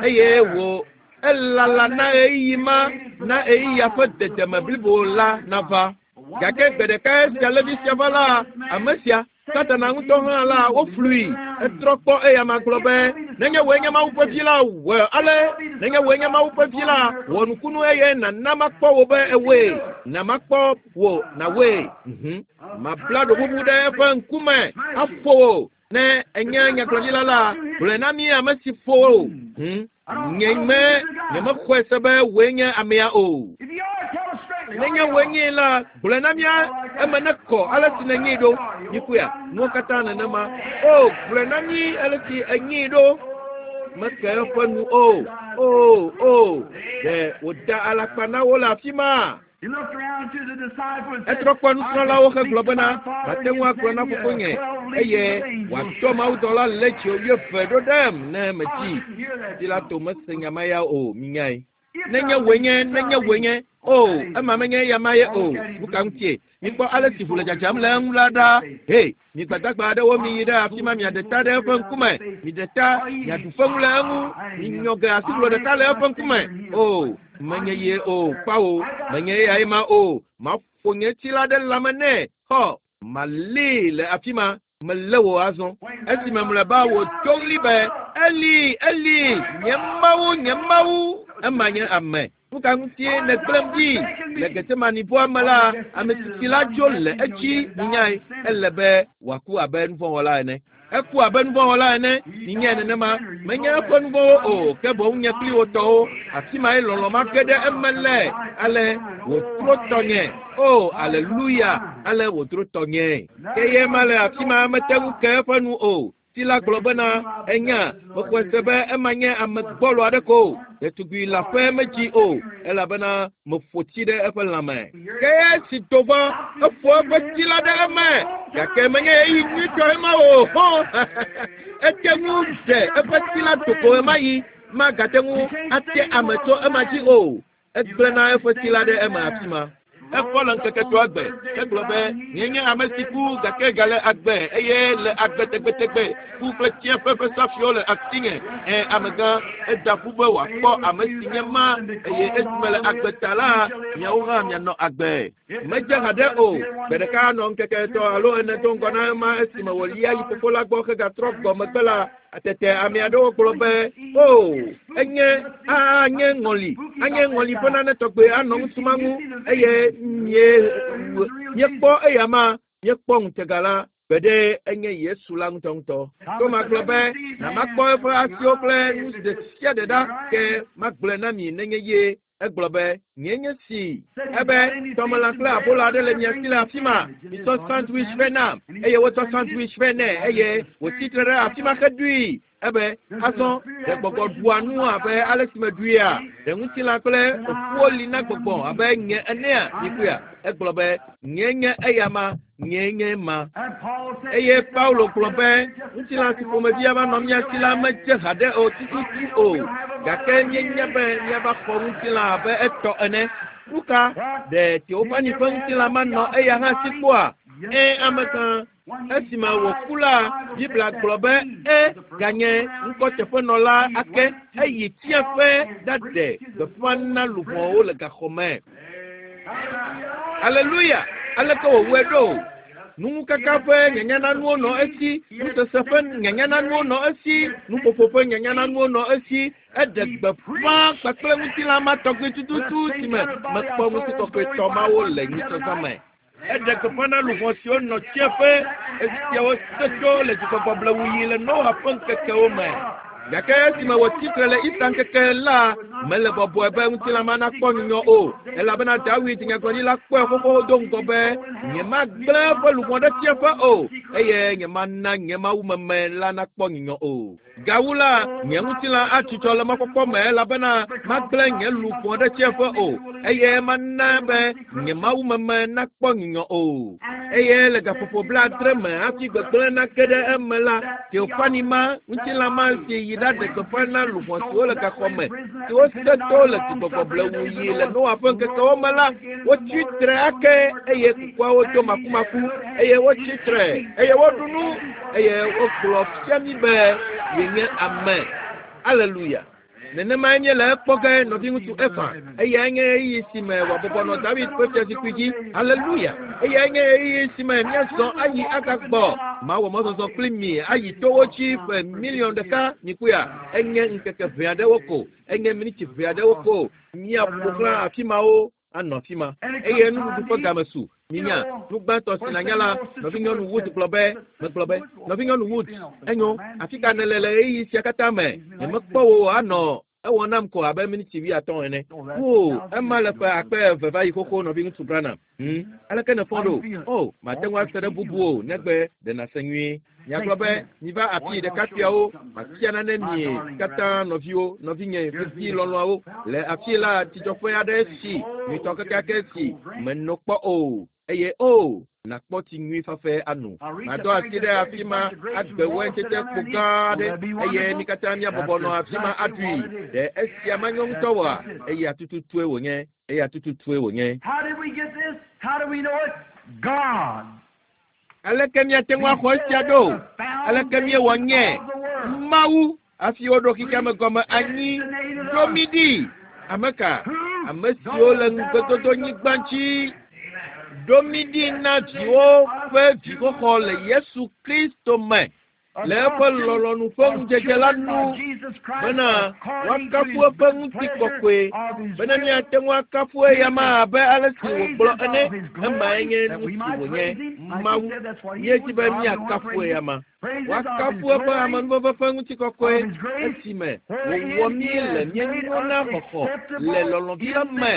eye wò elala na ɣeyiɣi ma na ɣeyiɣia ƒe dedeme blibo la nava. Gake gbe ɖeka esi alevi sia va la, ame sia Satana ŋutɔ hã la woflui. Etrɔ kpɔ eyama gblɔ be nenye wòe nye Mawu ƒe vi la wɔ ale, nenye wòe nye Mawu ƒe vi la wɔ nukunu eye nana makpɔ wò be ewoe, na makpɔ wò nawɔe. Mhm. Mabla ɖobubu ɖe eƒe ŋkume aƒo wò. Ne enye nyagblɔɖila la, gblɔe na mí ame si ƒo wò. Mhm. Nye me nyemexɔe se be wòe nye amea o. Nenye wòe nyee la, gblɔe na mía eme ne kɔ ale si nènyee ɖo. Mikuya, nuwo katã nenema. O, gblɔe na mí ale si enyee ɖo. Meke eƒe nu o. O, o, ɖe wòda alakpa na wo le afi ma. Etrɔ kpɔ nusrɔ̃lawo hegblɔ bena mate ŋu agblɔ na fofonye eye wòatɔ mawudɔla le tsi wuieve ɖo ɖem ne metsi. Pilato mese nya ma ya o, minyae. Nenye wòe nye, nenye wòe nye, o, ema menye eya ma ye o. Nu ka ŋutie? Mikpɔ ale si ʋu le dzadzam le eŋu la ɖa. He, mi gbadagba aɖewo miyi ɖe afi ma miaɖe ta ɖe eƒe ŋkume. Miɖe ta, miaɖu feŋu le eŋu. Minyɔ ge asiʋlo ɖeka le eƒe ŋkume. O, menye ye o, kpawo, menye eyae ma o. Maƒo nye tsi la ɖe lãme nɛ. Xɔ, malée le afi ma. Melé wò azɔ. Esime mlɔeba wòdo ɣli be, Eli, Eli, nye Mawu, nye Mawu. Ema nye ame. Nu ka ŋutie nègblẽm ɖi? Le Getsemanibɔa me la, ame tsitsi la dzo le edzi minyae. Ele be wòaku abe nuvɔ̃wɔla ene. Eku abe nuvɔ̃wɔla ene, minyae nenema. Menye eƒe nuvɔ̃wo o, ke boŋ nye kpli wo tɔwo. Afi mae lɔlɔ̃ ma ge ɖe eme le. Ale wòtrɔ tɔnye. O, aleluya! Ale wòtrɔ tɔnye. Ke ye ma le afi ma mete ŋu ke eƒe nu o. Ti la gblɔ bena, enya, mexɔe se be ema nye ame gbɔlo aɖe ko. Ɖetugbui leaƒe medzi o, elabena meƒo tsi ɖe eƒe lãme. Ke esi do va, eƒo eƒe tsi la ɖe eme. Gake menye ɣeyiɣi nyuitɔ ema o. Hɔ! Ete ŋu ɖe eƒe tsi la do ko ɣemaɣi. Magate ŋu ate ame tso ema dzi o. Egblẽna eƒe tsi la ɖe eme afi ma. Efɔ le ŋkeke etɔ̃a gbe. Egblɔ be, nye nye ame si ku gake gale agbe eye le agbe tegbetegbe. Ku kple tsiẽƒe ƒe safiwo le asinye. Ẽ, amegã, eda ƒu be wòakpɔ ame si nye ma eye esime le agbe ta la, miawo hã mianɔ agbe. Medze haɖe o. Gbe ɖeka nɔ ŋkeke etɔ̃ alo ene do ŋgɔ na ema esime wòlia yi fofo la gbɔ hegatrɔ gbɔ megbe la, tete ame aɖewo gblɔ be, o, enye anye ŋɔli, anye ŋɔli ƒe nane tɔgbe anɔ ŋutsu ma ŋu eye mie míekpɔ eya ma, míekpɔ ŋutega la, gbeɖe enye Yesu la ŋutɔŋutɔ. Toma gblɔ be, na makpɔ eƒe asiwo kple nu ɖe sia ɖe ɖa, ke magblɔe na mi nenye ye. Egblɔ be, nye nye si. Ebe, tɔmelã kple abola aɖe le mia si le afi ma. Mitsɔ sandwich vɛ nam. Eye wotsɔ sandwich vɛ nɛ eye wòtsi tre ɖe afi ma heɖui. Ebe, azɔ, ɖe gbɔgbɔ ɖua nu abe ale si meɖuia? Ɖe ŋutilã kple ƒuwo li na gbɔgbɔ abe nye enea? Mikpɔea? Egblɔ be, nye nye eya ma, nye nye ma. Eye Paulo gblɔ be, ŋutilã si ƒomevi ava nɔ mía si la medze haɖe o tututu o. Gake míenya be míava xɔ ŋutilã abe etɔ ene. Nu ka ɖe Teofani ƒe ŋutilã manɔ eya hã si kpɔa? Ẽ, amegã. Esime wòku la, Biblia gblɔ be e ganye ŋkɔteƒenɔla ake eyi tsiẽƒe ɖaɖe gbeƒã na luʋɔwo le gaxɔ me. Aleluya! Aleke wòwɔe ɖo? Nuŋukaka ƒe nyanyananuwo nɔ esi, nusese ƒe nyanyananuwo nɔ esi, nuƒoƒo ƒe nyanyananuwo nɔ esi. Eɖe gbeƒã kpakple ŋutilã ma tɔgbi tututu si me mekpɔ ŋutikɔkɔetɔ mawo le nyitsɔzã me. Eɖe gbeƒã na luʋɔ siwo nɔ tsiẽƒe, esiawo se tso le dzigbɔgbɔ blewuyi le Noa ƒe ŋkekewo me. Gake esime wòtsi tre le Ista ŋkeke la, mele bɔbɔe be ŋutilã ma nakpɔ nyunyɔ o, elabena Dawid nyagblɔɖila kpɔe xoxo do ŋgɔ be, nyemagblẽ eƒe luʋɔ ɖe tsiẽƒe o, eye nyemana nye mawumeme la nakpɔ nyunyɔ o. Gawu la, nye ŋutilã atsutsɔ le mɔkpɔkpɔ me elabena magblẽ nye luʋɔ ɖe tsiẽƒe o, eye mana be nye mawumeme nakpɔ nyunyɔ o. Eye le gaƒoƒo blaadre me hafi gbegblẽ nage ɖe eme la, Teofani ma, ŋutilã ma si yi ɖaɖe gbeƒã na luʋɔ siwo le gaxɔ me, siwo se to le dzigbɔgbɔ blewuyi le Noa ƒe ŋkekewo me la, wotsi tre ake eye kukuawo do makumaku eye wotsi tre eye woɖu nu eye wogblɔ fia mí be yenye ame. Aleluya! Nenemae míele ekpɔ ge nɔviŋutsu Efa. Eyae nye ɣeyiɣi si me wòabɔbɔ nɔ David ƒe fiazikpui dzi. Aleluya! Eyae nye ɣeyiɣi si me míazɔ ayi agagbɔ. Mawɔ mɔzɔzɔ kpli mi ayi towo dzi ƒe miliɔn ɖeka. Mikpɔea? Enye ŋkeke ʋɛ aɖewo ko. Enye miniti ʋɛ aɖewo ko. Míaƒo xlã afi mawo anɔ afi ma. Eye nuɖuɖu ƒe game su. Minya, nu gbãtɔ si nànya la, nɔvinyɔnu Wood gblɔ be, megblɔ be, nɔvinyɔnu Wood, enyo, afi ka nèle le ɣeyiɣi sia katã me? Nyemekpɔ wò anɔ ewɔ nam ko abe miniti wuiatɔ̃ ene. O, ema le ƒe akpe eve va yi xoxo nɔviŋutsu Branham. Hmm, aleke nèfɔ ɖo? O, mate ŋu ase ɖe bubu o, negbe ɖe nàse nyuie. Miagblɔ be, miva afi ɖekakpuiawo, mafia nane mi katã nɔviwo, nɔvinye vevi lɔlɔ̃awo. Le afi la, tsidzɔƒe aɖe si, nyuitɔ kekeake si menɔ kpɔ o. Eye o nakpɔ tsi nyui fafɛ ano. Madɔ asi ɖe afi ma agbe wɛntsetse kpo gã aɖe eye mi katã míabɔbɔ nɔ afi ma aɖui. Ɖe esia manyo ŋutɔ oa? Eya tututue wònye. Eya tututue wònye. How did we get this? How do we know it? God. Aleke míate ŋu axɔ esia ɖo? Aleke míewɔ nye? Mawu hafi woɖo xexea me gɔme anyi ɖo mí ɖi. Ame ka? Ame siwo le ŋugbedodonyigba dzi. Ɖo mí ɖi na viwo ƒe vixɔxɔ le Yesu Kristo me le eƒe lɔlɔ̃nu ƒe ŋudzedze la nu bena woakafu eƒe ŋutikɔkɔe bena míate ŋu akafu eyama abe ale si wògblɔ ene. Emae nye nu si wònye. Mawu, míedzi be míakafu eyama. Woakafu eƒe amenuveve ƒe ŋutikɔkɔe esime wòwɔ mí le míenyo na xɔxɔ le lɔlɔ̃vi la me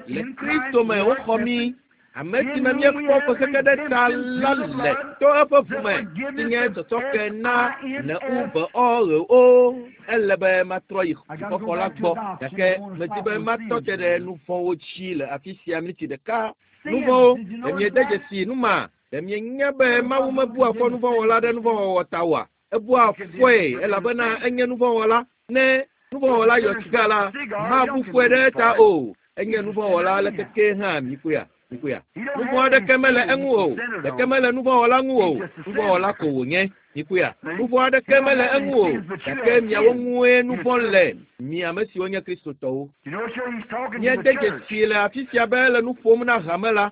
le Kristo me woxɔ mí. Ame si me míekpɔ ƒe xexe ɖe ta la le to eƒe ʋu me si nye tsɔtsɔke na ne u be ɔ ɣe o. Ele be matrɔ yi xɔxɔ la gbɔ gake medi be matɔ te ɖe nu vɔ̃wo dzi le afi sia miniti ɖeka. Nu vɔ̃wo, ɖe miede dzesi nu ma? Ɖe mienya be Mawu mebua fɔ nuvɔ̃wɔla ɖe nuvɔ̃wɔwɔ ta oa? Ebua fɔe elabena enye nuvɔ̃wɔla. Ne nuvɔ̃wɔla yɔ siga la, mabu fɔe ɖe eta o. Enye nuvɔ̃wɔla aleke hã mikpɔea? Mikpɔea? Nuvɔ̃ aɖeke mele eŋu o. Ɖeke mele nuvɔ̃wɔla ŋu o. Nuvɔ̃wɔla ko wònye. Mikpɔea? Nuvɔ̃ aɖeke mele eŋu o. Gake miawo ŋue nuvɔ̃ le. Mi ame siwo nye Kristotɔwo. You know, sure, he's talking to Míede the church. dzesi le afi sia be ele nu ƒom na hame la.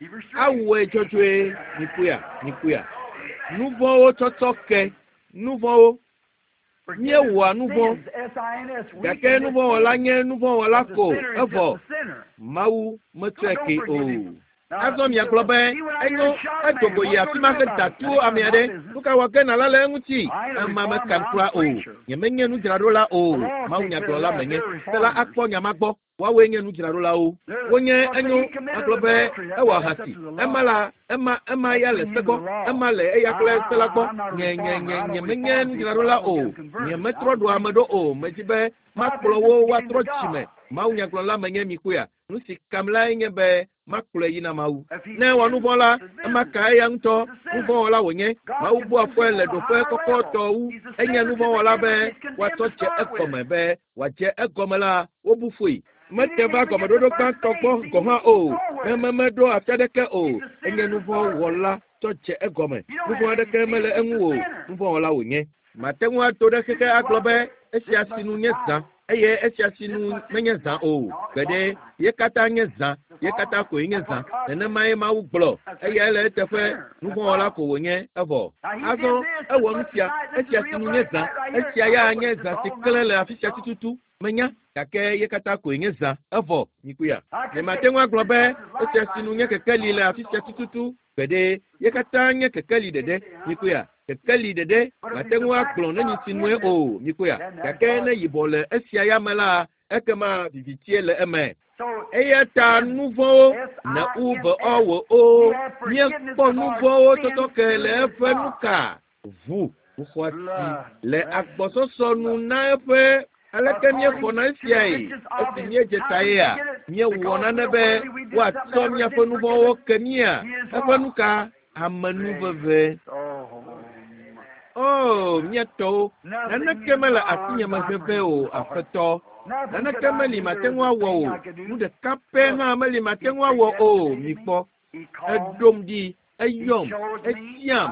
Hebrews three. Awɔe dzɔdzɔe. Mikpɔea? Mikpɔea? Nu vɔ̃wo tsɔtsɔ ke. Nu vɔ̃wo. Míewɔa nu vɔ̃. Sins, S I N S. We Gake commit nuvɔ̃wɔla sins. nye nuvɔ̃wɔla But ko. the sinner is Evɔ just a sinner. Mawu metsɔe God ke don't o. forgive him. Now, Azɔ miagblɔ be see when I enyo hear shot edo go man, yi what's afi gonna ma do he about da it? tu ame aɖe. Nu ka wɔ ge nàla le eŋuti? Ema mekam kura o. Nyemenye nudzraɖola o. Mawu nyagblɔla menye. Se la akpɔ nya ma gbɔ. Woawoe nye nudzraɖolawo. Wonye enyo agblɔ be ewɔ ahasi. Ema la ema ema ya le se gbɔ. Ema le eya kple se la gbɔ. Nye nye nye nyemenye nudzraɖola o. Nyemetrɔ ɖo ame ɖo o. Medzi be makplɔ wo woatrɔ dzime. Mawu nyagblɔla menye mikpɔea? Nu si kam lae nye be makplɔe yi na Mawu. Ne ewɔ nu vɔ̃ la, ema ka eya ŋutɔ nuvɔ̃wɔla wònye. Mawu bua fɔe le ɖoƒe kɔkɔtɔ wu. Enye nuvɔ̃wɔla be woatsɔ dze egɔme be wòadze egɔme la, wobu fɔe. Mete va gɔmeɖoɖo gbãtɔ gbɔ gɔ̃ hã o. Ne memeɖo afi aɖeke o. Enye nuvɔ̃wɔla tsɔ dze egɔme. Nuvɔ̃ aɖeke mele eŋu o. Nuvɔ̃wɔla wònye. Mate ŋu ato ɖe xexe agblɔ be esia sinu nye zã eye esia sinu menye zã o. Gbeɖe ye katã nye zã, ye katã koe nye zã. Nenemae Mawu gblɔ. Eyae le eteƒe. Nuvɔ̃wɔla ko wònye evɔ. Azɔ ewɔ nu sia. Esia sinu nye zã. Esia ya nye zã si klẽ le afi sia tututu. Menya gake ye katã koe nye zã. Evɔ mikpɔea? Nyemate ŋu agblɔ be esia sinu nye kekeli le afi sia tututu. Gbeɖe ye katã nye kekeli ɖeɖe. Mikpɔea? Kekeli ɖeɖe mate ŋu agblɔ ne nyi sinue o. Mikpɔea? Gake ne yibɔ le esia ya me la, ekema vivitie le eme. So, Eya ta nu vɔ̃wo ne u be ɔ wò o. Míekpɔ nu vɔ̃wo tsɔtsɔ ke le eƒe nu ka? Ʋu ʋu xɔasi le agbɔsɔsɔ nu na eƒe aleke míexɔna esiae? Esi míedze ta yea, míewɔ nane be woatsɔ míaƒe nu vɔ̃wo ke mía. Eƒe nu ka? Amenuveve. oh, O, mía tɔwo, naneke mele asinye me veve o, Aƒetɔ. Naneke meli mate ŋu awɔ o. Nu ɖeka pɛ hã meli mate ŋu awɔ o. Mikpɔ. He called me. Eɖom ɖi, eyɔm, etiam.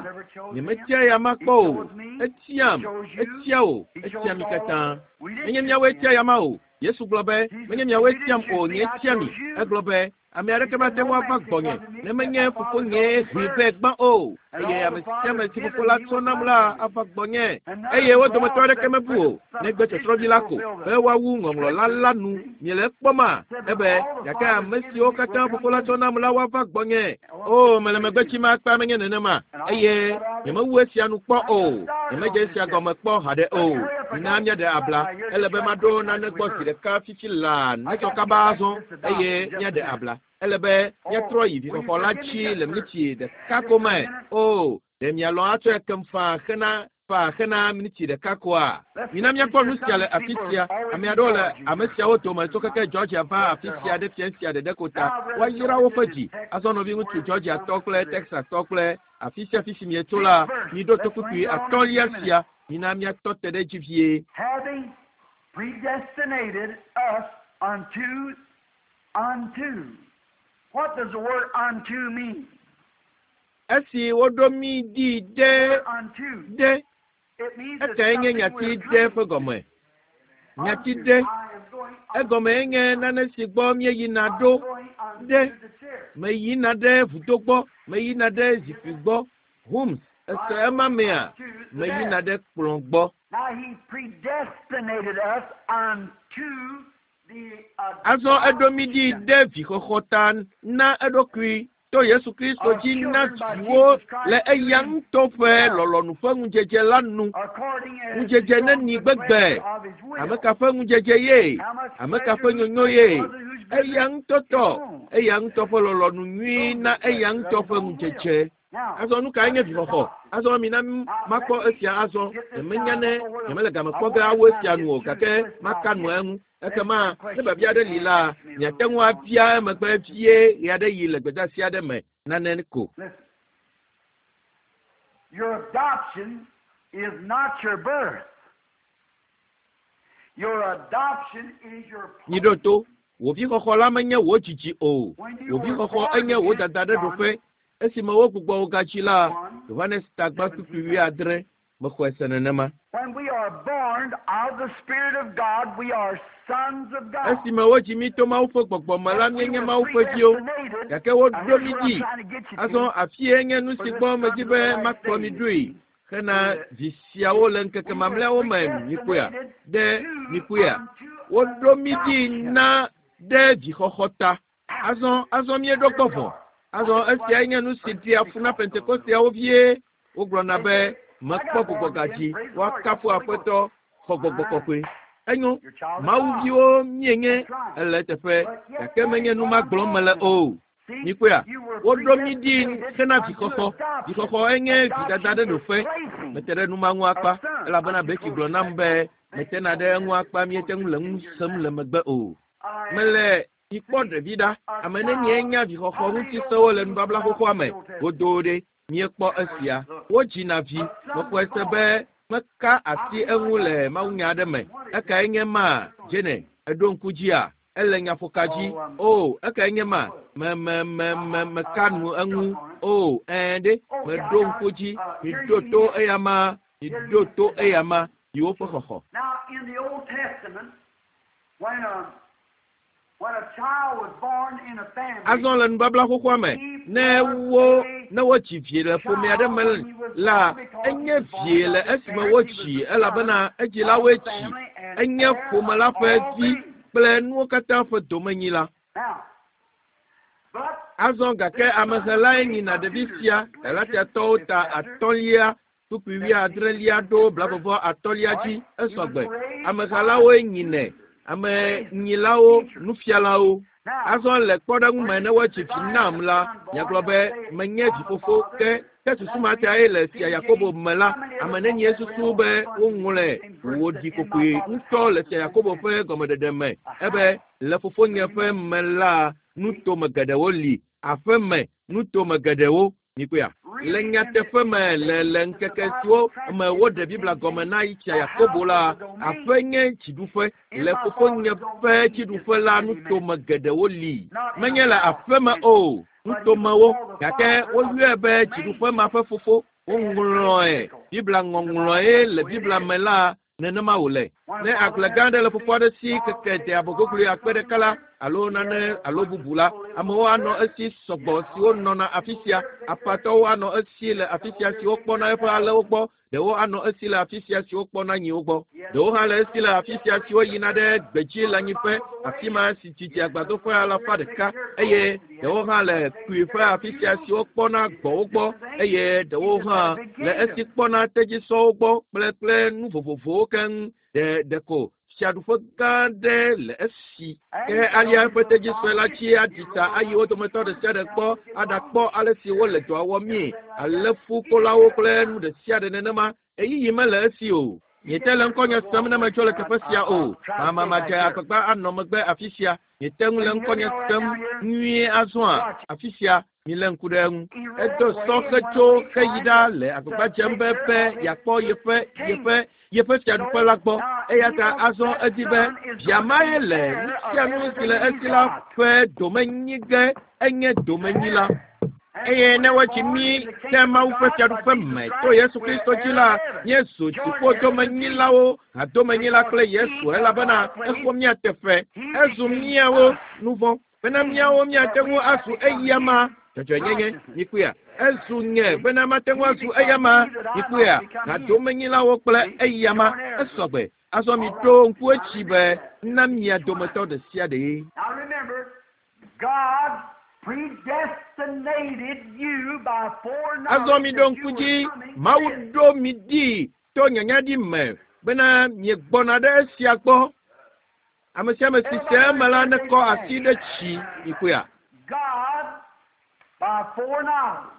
Nyemetia ya ma kpɔ o. Etiam, etia o, etia mi katã. Menye miawoe tia ya ma o. Yesu gblɔ be, menye miawoe tiam o, nye tia mi. Egblɔ be, ame aɖeke mate ŋu ava gbɔnye ne menye fofonye hee vɛ gbã o. Eye ame sia ame si fofo la tsɔ nam la ava gbɔnye. Eye wo dometɔ aɖeke mebu o, negbe tsɔtsrɔ̃vi la ko be woawu ŋɔŋlɔ la la nu. Miele ekpɔma? Ebe gake ame siwo katã fofo la tsɔ nam la woava gbɔnye. O, mele megbe tsim akpa menye nenema. Eye nyemewu esia nu kpɔ o. Nyemedze esia gɔme kpɔ haɖe o. Mina míaɖe abla. Ele be maɖo nane gbɔ zi ɖeka fifi laa netsɔ kaba azɔ eye míaɖe abla. Ele be míatrɔ yi vixɔxɔ la dzi le miniti ɖeka ko me. O, ɖe mialɔ̃ atsɔe kem faa hena Fa hena miniti ɖeka koa. Mina míakpɔ nu sia le afi sia. Ame aɖewo le ame siawo dome tso keke Georgia va afi sia ɖe fia sia ɖeɖe ko ta. Woayra woƒe dzi. Azɔ nɔviŋutsu Georgia tɔ kple Texas tɔ kple afi sia afi si mietso la, miɖo to kpukpui atɔ̃lia sia. Mina míatɔ te ɖe edzi vie. Having predestinated us unto, unto. What does the word unto mean? Esi woɖo mí ɖi ɖe Unto. ɖe It means that ekae nye something nyati we're ɖe coming ƒe gɔme. Nyati unto. ɖe I am going egɔme nye nane si gbɔ míeyina I'm ɖo going unto ɖe. the chair. Meyina ɖe vudo gbɔ, meyina ɖe zikpui gbɔ. Hums, ese ema mea, To the meyina desk. ɖe kplɔ̃ gbɔ. Now he predestinated us unto the Azɔ eɖo mí ɖi adoption ɖe vixɔxɔ ta na eɖokui to Yesu Kristo of dzi na children by viwo Jesus Christ le to eya ŋutɔ ƒe himself, lɔlɔ̃nu ƒe ŋudzedze la nu. according as the Ŋudzedze shown neni good gbegbe. pleasure of his will. Ame ka ƒe ŋudzedze ye? How much Ame ka pleasure, ƒe whose nyonyo pleasure ye? was it, whose Eya goodness? ŋutɔ His tɔ. own. Eya ŋutɔ ƒe lɔlɔ̃nu nyui Own na good pleasure eya of ŋutɔ his ƒe own will. ŋudzedze. Now, Azɔ nu kae what nye is vixɔxɔ? adoption? Azɔ mina Now, makpɔ let me esia azɔ. get this Nyemenya down. I ne don't know whether nyemele game I kpɔ won't ge have awu time esia to nu get o through gake this maka nu about eŋu. This Ekema ne question biabia you aɖe li can la, ask me a miate little ŋu bit on. abia emegbe vie ɣeaɖeɣi le gbedeasi aɖe me nane ko. Listen. Your adoption is not your birth. Your adoption is your Miɖo place. to. Wò vixɔxɔ la menye wò dzidzi o. When Wò you were vixɔxɔ born enye wò again, dada ɖe John ɖoƒe. Esime wogbugbɔ wò gadzi la, one Yohanes tagba kpukpui seventeen. wuiadre mexɔe se nenema. When we are born of the Spirit of God, we are sons of God. Esime wodzi mí to Mawu ƒe gbɔgbɔ me la, But we míenye were Mawu ƒe viwo. predestinated. Gake Now woɖo here's mí what I'm ɖi. trying to get you Azɔ to afie nye nu for si this gbɔ medi sons of be the last makplɔ mi days. ɖoe hena To the, vi siawo le ŋkeke we were mamlɛawo me mikpɔea predestinated ɖe to mikpɔea. unto Woɖo mí ɖi adoption. na ɖe vixɔxɔ ta. Azɔ azɔ míeɖo Here gbɔ we vɔ. are. I Azɔ just esiae want nye nu si for ɖea to fu na be off a little. Pentekosteawo vie. Wogblɔna They be say, I mekpɔ got gbɔgbɔ born again. gadzi. Praise the Lord. Got Woakafu the Holy Ghost. Aƒetɔ xɔ gbɔgbɔ Fine. kɔkɔe. Enyo You're a child of Mawu God. viwo míenye That's right. ele teƒe But yet gake that menye ain't nu what ma I'm gblɔm mele talking about. o. See, Mikpɔea you were woɖo mí ɖi predestinated hena unto vixɔxɔ. adoption. Vixɔxɔ enye vidada Adoption ɖe is ɖoƒe. placing Mete ɖe nu ma ŋu a akpa son. elabena I'm too Beki close gblɔ to nam that. be Becky metena told ɖe me eŋu that akpa it's míete close ŋu to le that nu in your sem now. le megbe o. I Mele mikpɔ see ɖevi ɖa. a Ame nenie child. nya vixɔxɔ How many ŋuti know sewo le the rules nubabla about xoxoa the me? Old Testament? Godoo ɖe míekpɔ esia. Wodzina vi. A son Mexɔe se born. be meka I asi feel eŋu like I le just mawunya aɖe me. What is Ekae it? nye ma? What's on? Jene, eɖo ŋku dzia? Ele nyaƒoka dzi. Oh, um, O, ekae nye ma? Me me me I, me I, meka I, I nu struck eŋu. on it. O, ɛɛ ɖe Okay, I meɖo got ŋku it. dzi. Uh, here Miɖo you to have, eya ma. here you Miɖo have to eya adoption. ma. Viwo ƒe xɔxɔ. Now, in the Old Testament, when a when a child was born in a family, Azɔ le nubabla xoxoa me he ne was wo a ne wodzi vie le ƒome aɖe child me when he was la born because he enye was born vie by le his esime parents. He was wodzi the son elabena of the edzilawoe tsi. family and Enye heir ƒome of la ƒe all vi things. kple nuwo katã ƒe domenyila. Now, but Azɔ gake this son amehelae made nyina a ɖevi tutor, sia Galatians, Galatiatɔwo fifth ta chapter, atɔ̃lia kpukpui seventeenth wuiadrelia ɖo verse. blavevɔ atɔ̃lia All dzi right, he was esɔgbe. raised by Amehelawoe nyinɛ. tutors, Ame raisers, nyilawo, teachers. nufialawo. Now, Azɔ le kpɔɖeŋu for me ne instance, woatsi if vi I had nam a la, son born, miagblɔ they'll be say, menye I'm a vifofo father. ke ke And susu that's ma the tae reason le fia King Yakobo James, me la, how many ame ever thought nenie that read susu all be the sons woŋlɔe same verse wòɖi that in my kokoe father's ŋutɔ house le is fia many Yakobo mansions. ƒe gɔmeɖeɖe me A ebe house. le fofonye Many ƒe mansions. me la See? nutome geɖewo li aƒeme nutome geɖewo mikpɔea. Le Really, in the nyateƒe in me the le days le that the ŋkeke Bible siwo me woɖe translated Biblia King gɔme James, na Fia a Yakobo house la is a domain. aƒe nye dziɖuƒe In le my fofonye father's ƒe domain is dziɖuƒe la many nutome mansions. geɖewo li. Not in a Menye le house aƒeme mansion, o but he was nutomewo called the gake father of woyɔe the be domain. dziɖuƒe ma ƒe fofo. They had it very Woŋlɔe biblical Biblia in the Bible. ŋɔŋlɔe le So it Biblia is. me la nenema wòle. When a Ne father agble has gã aɖe le a fofo big aɖe si farm, keke big de abɔgogoe farm or akpe ɖeka something la like alo he nane has a alo bunch of bubu la people live amewo over anɔ there. esi He sɔgbɔ has siwo hundreds nɔna of afi people sia there to take care of aƒatɔwo sheep. anɔ esi le They afi come sia over there siwo to take kpɔna care of eƒe cattle. alẽwo gbɔ ɖewo anɔ esi le afi sia siwo kpɔna nyiwo gbɔ He has ɖewo hã le people esi le come afi sia siwo yina ɖe gbedzi le hundred anyiƒe miles away. afi ma si He didi has agbadoƒe some over alafa there ɖeka taking care of eye goats, and he has ɖewo hã some le taking kpuiƒe care of afi sia mules. siwo kpɔna He's gbɔ̃wo just gbɔ different things. eye He ɖewo just hã had a big le esi kingdom. kpɔna tedzisɔwo gbɔ kple kple nu vovovowo keŋ ɖe ɖeko fiaɖuƒe gã aɖe le esi And ke you know alia his eƒe little tedzisɔe la donkey, dzi he aɖi rode ta on ayi one wo of his dometɔ ɖe shoulders sia ɖe down gbɔ to get along. aɖakpɔ ale si wole dɔa wɔmee Everything like ale that. He just fukolawo had a kple nu house. ɖe sia ɖe nenema Eyiyi mele esi o. Miete le ŋkɔnye sem ne metso le teƒe sia o. Mamamadze agbagba anɔ megbe afi sia. Miete ŋu le ŋkɔnye sem nyuie azɔa afi sia. Milé ŋku ɖe eŋu. Edo sɔ hetso heyi ɖa le agbagba dzem be be yeakpɔ yeƒe yeƒe yeƒe fiaɖuƒe la gbɔ. Eya ta azɔ edi be via mae le nu sia nu si le esi la ƒe domenyi ge enye domenyila. Eye ne wotsi mí ɖe Mawu ƒe fiaɖuƒe me to Yesu Kristo dzi la, míezu dziƒodomenyilawo, hadomenyila kple Yesu elabena exɔ mía teƒe. Ezu míawo nu vɔ̃ bena míawo míate ŋu azu eyama dzɔdzɔenyenye. Mikpɔea? Ezu nye bena mate ŋu azu eyama. Mikpɔea? Hadomenyilawo kple eyama esɔgbe. Azɔ miɖo ŋku edzi be na mia dometɔ ɖe sia ɖe. Now remember, God predestinated you by foreknowledge Azɔ miɖo that ŋku you dzi were coming Mawu to this. ɖo mi ɖi to nyanya ɖi me bena miegbɔna ɖe esia gbɔ. Ame sia ame si se eme la nekɔ asi ɖe tsi mikpɔea. God, by foreknowledge,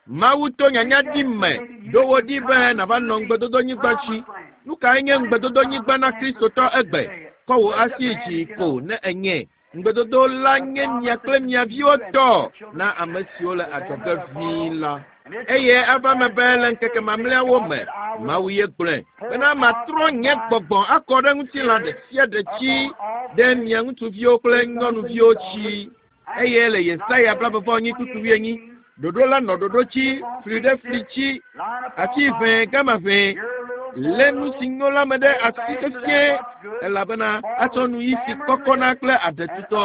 Mawu to nyanya ɖi me ɖo wo ɖi be nàva nɔ ŋugbedodonyigba dzi. Nu kae nye ŋugbedodonyigba na Kristotɔ egbe? Kɔ wò asi dzi ko ne enye. Ŋugbedodo la nye mia kple mia viwo tɔ na ame siwo le adzɔge ʋĩi la. Eye eva eme be le ŋkeke mamlɛawo me, Mawu ye gblɔe bena matrɔ nye gbɔgbɔ akɔ ɖe ŋutilã ɖe sia ɖe dzi ɖe mia ŋutsuviwo kple nyɔnuviwo dzi. Eye le Yesaya blaeve-vɔ-enyi kpukpui wuienyi, ɖoɖo la nɔ ɖoɖo dzi, fli ɖe fli dzi, ati ʋẽ gama ʋẽ, lé nu si nyo la me ɖe asi sesĩe elabena atsɔ nu yi si kɔkɔna kple aɖetutɔ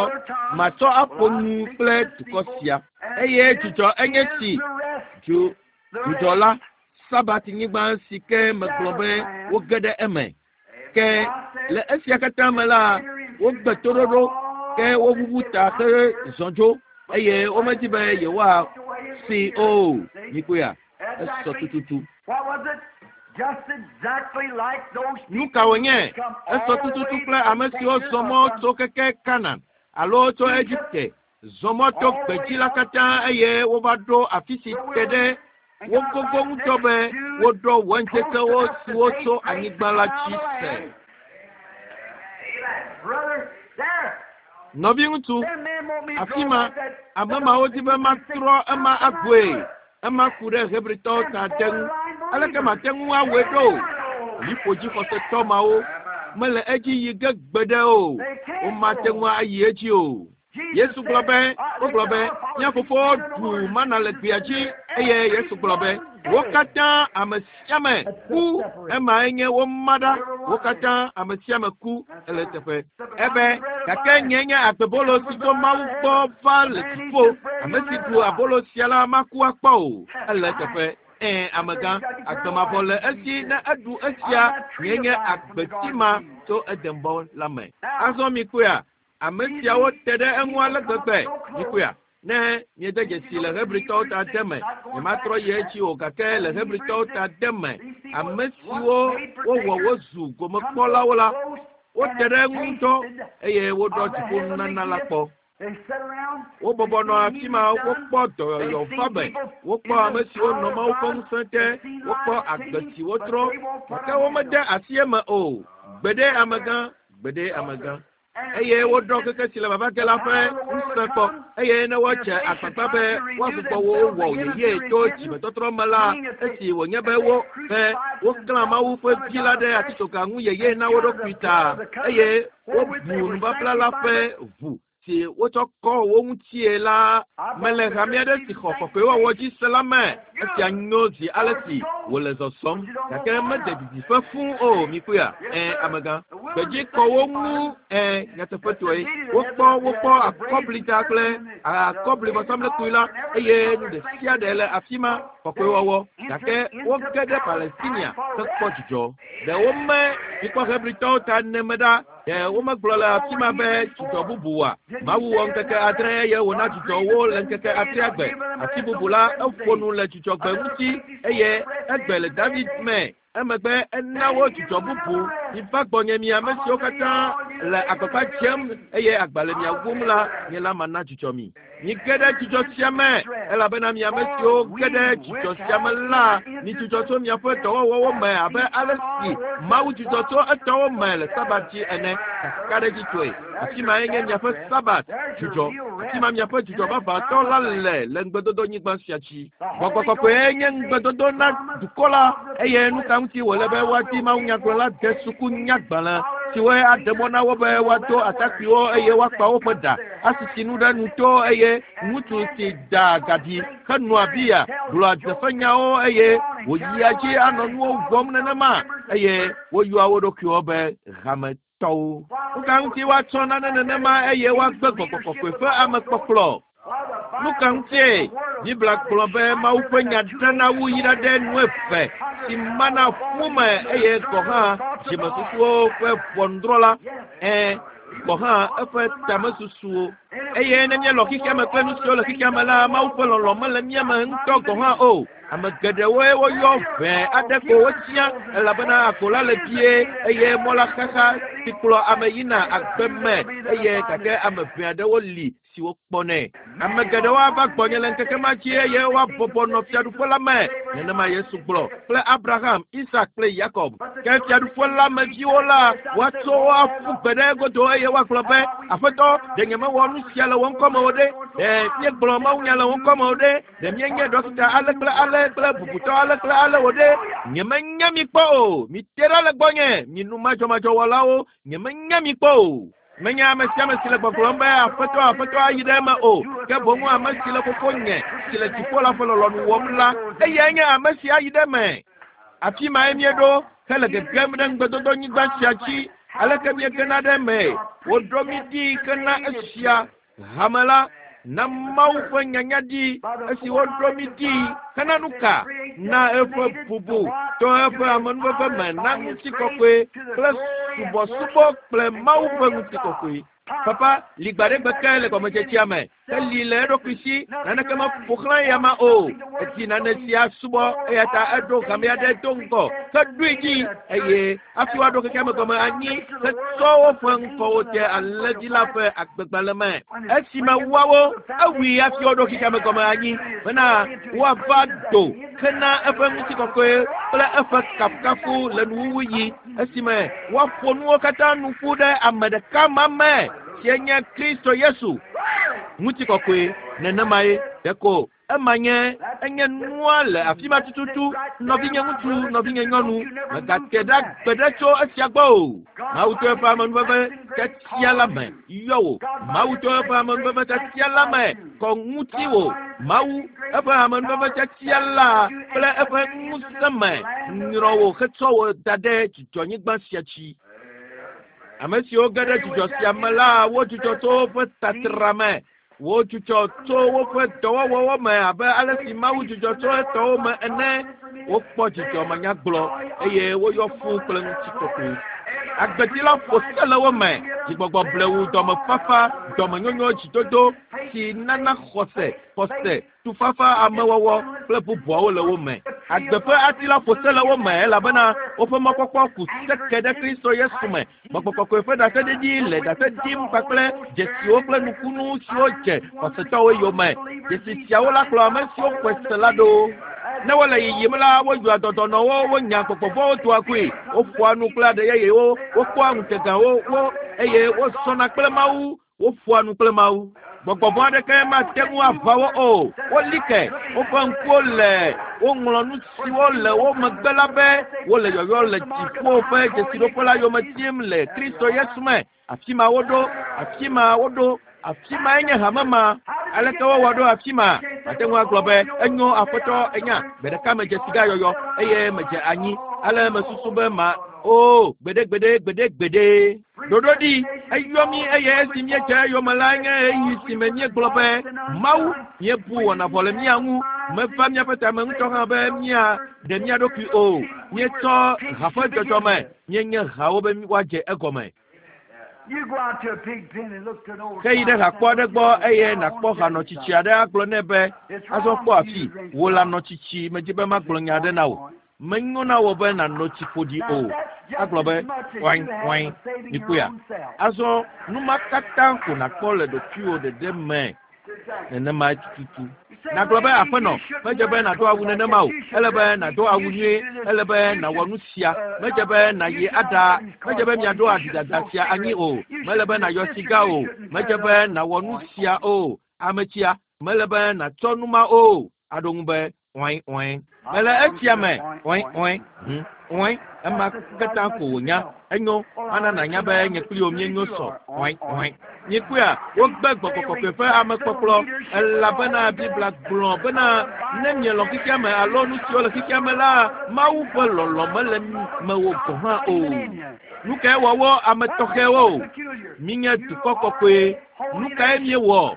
matsɔ aƒo nu kple dukɔ sia. Eye dzudzɔ enye si dzu dzudzɔ la sabatinyigba si ke megblɔ be woge ɖe eme. Ke le esia katã me la, wogbe toɖoɖo ke woʋuʋu ta hezɔ dzo eye womedi be yewoasi o. Mikpɔea? Esɔ tututu. What was it? Just exactly like those Nu ka wònye? Esɔ tututu kple ame siwo zɔ mɔ tso keke Kanan alo tso Egipte zɔ mɔ to gbedzi la katã eye wova ɖo afi si te ɖe wo gogo ŋutɔ be woɖɔ wainketsewo siwo tso anyigba la dzi se. Brother, there. Nɔviŋutsu, Them men want me to afi draw ma like that. ame mawo di be matrɔ ema agoe. Ema ku ɖe Hebritɔwo ta te ŋu. Aleke mate ŋu awɔe ɖo? Liƒodzixɔsetɔ mawo mele edzi yi ge gbeɖe o. Womate ŋu ayi edzi o. Yesu gblɔ be, wogblɔ be, mía fofowo ɖu mana le gbea dzi eye Yesu gblɔ be, wo katã ame sia ame ku. Emae nye woma ɖa. Wo katã ame sia ame ku ele teƒe. Ebe gake nye nye agbebolo si tso Mawu gbɔ va le dziƒo. Ame si ɖu abolo sia la maku akpɔ o. Ele teƒe. Ɛ̃ amegã, agbemavɔ le esi ne eɖu esia nye nye agbeti ma tso Edenbɔ la me. Azɔ mikpɔea, ame siawo te ɖe eŋu ale gbegbe. Mikpɔea, ne miede dzesi le Hebritɔwo ta de me, nyematrɔ yi edzi o gake le Hebritɔwo ta de me, ame siwo wowɔ wozu gomekpɔlawo la, wote ɖe eŋu ŋutɔ eye woɖɔ dziƒonunana la kpɔ. They sat around. Wobɔbɔ nɔ afi ma wokpɔ dɔyɔyɔ fabe, wokpɔ ame siwo nɔ Mawu ƒe ŋusẽ te, wokpɔ agbe si wotrɔ, gake womede asi eme o. Gbeɖe amegã, gbeɖe amegã. Eye woɖɔ xexe si le vava ge la ƒe ŋusẽ kpɔ eye ne wotse agbagba be woagbugbɔ wo wɔ yeye to dzimetɔtrɔ me la, esi wònye be wo be woklã Mawu ƒe vi la ɖe atitsoga ŋu yeye na wo ɖokui ta eye wobu nubabla la ƒe ʋu si wotsɔ kɔ wo ŋutie la mele hame aɖe si xɔ kɔkɔewɔwɔ dzi se la me. Esia nyo zi ale si wòle zɔzɔm gake mede didiƒe fũu o. Mikpɔea? Ɛ̃ amegã. Gbedzi kɔ wo ŋu ɛ nyateƒetɔe. Wokpɔ wokpɔ akɔblida kple akɔblivɔsamlekpui la eye nu ɖe sia ɖe le afi ma kɔkɔewɔwɔ gake woge ɖe Palestinia hekpɔ dzidzɔ. Ɖe wome mikpɔ Hebritɔwo ta neme ɖa. Ɖe womegblɔ le afi ma be dzidzɔ bubu wa? Mawu wɔ ŋkeke adre eye wòna dzidzɔ wo le ŋkeke adrea gbe. Afi bubu la, eƒo nu le dzidzɔgbe ŋuti eye egbe le David me. Emegbe ena wo dzidzɔ bubu. Miva gbɔnye mi ame siwo katã le agbagba dzem eye agba le mia wum la, nye la mana dzidzɔ mi. Mige ɖe dzidzɔ sia me, elabena mi ame siwo ge ɖe dzidzɔ sia me la, midzudzɔ tso miaƒe dɔwɔwɔwo me abe ale si Mawu dzudzɔ tso etɔwo me le Sabat dzi ene. Kakaɖedzitɔe, afi mae nye miaƒe Sabat dzudzɔ. Afi ma miaƒe dzudzɔ vavãtɔ la le le ŋugbedodonyigba sia dzi. Gbɔgbɔ kɔkɔe nye ŋugbedodo na dukɔ la, eye nu ka ŋuti wòle be woadi mawunyagblɔla de suku nyagbalẽ siwoe aɖe mɔ na wo be woado atakpuiwo eye woakpa woƒe ɖa, asisi nu ɖe nuto eye ŋutsu si da gaɖi henɔa biya gblɔa dzeƒenyawo eye wòyia dzi anɔ nuwo wɔm nenema eye woyɔa wo ɖokuiwo be hametɔwo. Nu ka ŋuti woatsɔ nane nenema eye woagbe gbɔgbɔ kɔkɔe ƒe amekpɔkplɔ? Nu ka ŋutie Biblia gblɔ be Mawu ƒe nya ɖena wu yi ɖe nu eve si mana ƒu me eye gɔ̃ hã dzimesusuwo ƒe ʋɔnudrɔ̃la, ɛ̃, gɔ̃ hã eƒe tamesusuwo. Eye ne míelɔ xexea me kple nu siwo le xexea me la, Mawu ƒe lɔlɔ̃ mele mía me ŋutɔ gɔ̃ hã o. Ame geɖewoe woyɔ ʋɛ aɖe ko wotsia elabena agbo la le vie eye mɔ la xaxa si kplɔ ame yina agbe me eye gake ame ʋɛ aɖewo li siwo kpɔnɛ. Ame geɖewo ava gbɔnye le ŋkeke ma dzi eye woabɔbɔ nɔ fiaɖuƒe la me. Nenema Yesu gblɔ kple Abraham, Isak kple Yakob. Ke fiaɖuƒe la me viwo la, woatso wo aƒu gbe ɖe egodo eye woagblɔ be, Aƒetɔ, ɖe nyemewɔ nu sia le wò ŋkɔme o ɖe? Ɖe míegblɔ mawunya le wò ŋkɔme o ɖe? Ɖe míenye ɖɔkita ale kple ale kple bubutɔ ale kple ale o ɖe? Nyemenya mi kpɔ o. Mite ɖa le gbɔnye, mi nu madzɔmadzɔwɔlawo, nyemenya mi kpɔ o. Menye ame sia ame si le gbɔgblɔm be aƒetɔ aƒetɔ ayi ɖe eme o, ke boŋ ame si le fofonye si le dziƒo la ƒe lɔlɔ̃nu wɔm la, eyae nye ame si ayi ɖe eme. Afi mae míeɖo hele gegem ɖe ŋugbedodonyigba sia dzi. Aleke míegena ɖe eme? Woɖo mí ɖi hena esia hame la na Mawu ƒe nyanya ɖi esi woɖo mí ɖi hena nu ka? Na eƒe bubu to eƒe amenuveve me na ŋutikɔkɔe kple subɔsubɔ kple Mawu ƒe ŋutikɔkɔe. Papa li gbaɖegbe ke le gɔmedzedzea me. Eli le eɖokui si naneke meƒo xlã eyama o. Edi nane si asubɔ eya ta eɖo hame aɖe do ŋgɔ heɖoe dzi eye hafi woaɖo xexea me gɔme anyi hetsɔ woƒe ŋkɔwo de alẽvi la ƒe agbegbalẽ me. Esime woawo ewui hafi woaɖo xexea me gɔme anyi bena woava do hena eƒe ŋutikɔkɔe kple eƒe kafukafu le nuwuwu yi esime woaƒo nuwo katã nu ƒu ɖe ame ɖeka ma me si nye Kristo Yesu. Ŋutikɔkɔe nenemae ɖeko ema nye enye nua le afi ma tututu. Nɔvinye ŋutsu, nɔvinye nyɔnu, mègate ɖa gbe ɖe tso esia gbɔ o. Mawu to eƒe amenuveve tiatia la me yɔ wò. Mawu to eƒe amenuveve tiatia la me kɔ ŋutiwò. Mawu eƒe amenuveve tiatia la kple eƒe ŋusẽ me nyrɔ wò hetsɔ wò da ɖe dzidzɔnyigba sia dzi. Ame siwo ge ɖe dzidzɔ sia me la, wodzudzɔ tso woƒe tatra me. Wodzudzɔ tso woƒe dɔwɔwɔwo me abe ale si Mawu dzudzɔ tso etɔwo me ene. Wokpɔ dzidzɔ manyagblɔ eye woyɔ fũu kple ŋutikɔkɔe. Agbeti la ƒo se le wo me. Dzigbɔgbɔ blewu, dɔmefafa, dɔmenyonyo, dzidodo si nana xɔse, xɔse, tufafa, amewɔwɔ kple bubuawo le wo me. Agbe ƒe ati la ƒo se le wo me elabena woƒe mɔkpɔkpɔ ku seke ɖe Kristo Yesu me. Gbɔgbɔ kɔkɔe ƒe ɖaseɖiɖi le ɖase ɖim kpakple dzesiwo kple nukunu siwo dze xɔsetɔwo yome. Dzesi siawo la kplɔ ame siwo xɔe se la ɖo. Ne wole yiyim la, woyɔa dɔdɔnɔwo, wonya gbɔgbɔvɔ̃wo doa goe, woƒoa nu kple aɖe yeyewo, wokpɔa ŋutegawo wo eye wozɔna kple Mawu, woƒoa nu kple Mawu. Gbɔgbɔvɔ̃ aɖeke mate ŋu aʋa wo o. Woli ke woƒe ŋkuwo le woŋlɔ nu siwo le wo megbe la be wole yɔyɔ le dziƒo ƒe dzesiɖoƒe la yome tim le Kristo Yesu me. Afi ma woɖo, afi ma woɖo, afi mae nye hame ma. Aleke wowɔ ɖo afi ma? Mate ŋu agblɔ be enyo aƒetɔ enya gbe ɖeka medze siga yɔyɔ eye medze anyi. Ale mesusu be ma o gbeɖe gbeɖe gbeɖe gbeɖe. Ɖoɖo ɖi eyɔ mí eye esi míedze eyome la nye ɣeyiɣi si me míegblɔ be Mawu míebu wɔna vɔ le mía ŋu. Meva míaƒe tame ŋutɔ hã be míaɖe mía ɖokui o. Míetsɔ ha ƒe dzɔdzɔme míenye hawo be woadze egɔme. You go out to a pig pen and look to an old Ke yi ɖe hakpɔ aɖe gbɔ eye nàkpɔ hanɔtsitsi aɖe agblɔ nɛ be azɔ kpɔ afi wò lanɔtsitsi medzi be magblɔ nya aɖe na wò. Menyo na wò be nàno tsi ƒoɖi o. Agblɔ be ɔin ɔin mikpɔea. Azɔ nu ma katã ko nàkpɔ le ɖokuiwò ɖeɖe me nenema tututu. Nàgblɔ be aƒenɔ, medze be nàdo awu nenema o. Ele be nàdo awu nyuie. Ele be nàwɔ nu sia. Medze be nàyi aɖa. Medze be miaɖo aɖidada sia anyi o. Mele be nàyɔ siga o. Medze be nàwɔ nu sia o. Ame tsia, mele be nàtsɔ nu ma o. Aɖo ŋu be ɔin ɔin. Mele etsia me ɔin ɔin hm ɔin. Ema katã ko wònya. Enyo, mana nànya be nye kpli wò míenyo sɔ ɔin ɔin. Mikpɔea, wogbe gbɔgbɔ kɔkɔe ƒe amekpɔkplɔ elabena Biblia gblɔ bena ne mielɔ̃ xexea me alo nu siwo le xexea me la, Mawu ƒe lɔlɔ̃ mele mewò gɔ̃ hã o. Nu kae wɔ wo ame tɔxɛwo? Míenye dukɔ kɔkɔe. Nu kae míewɔ?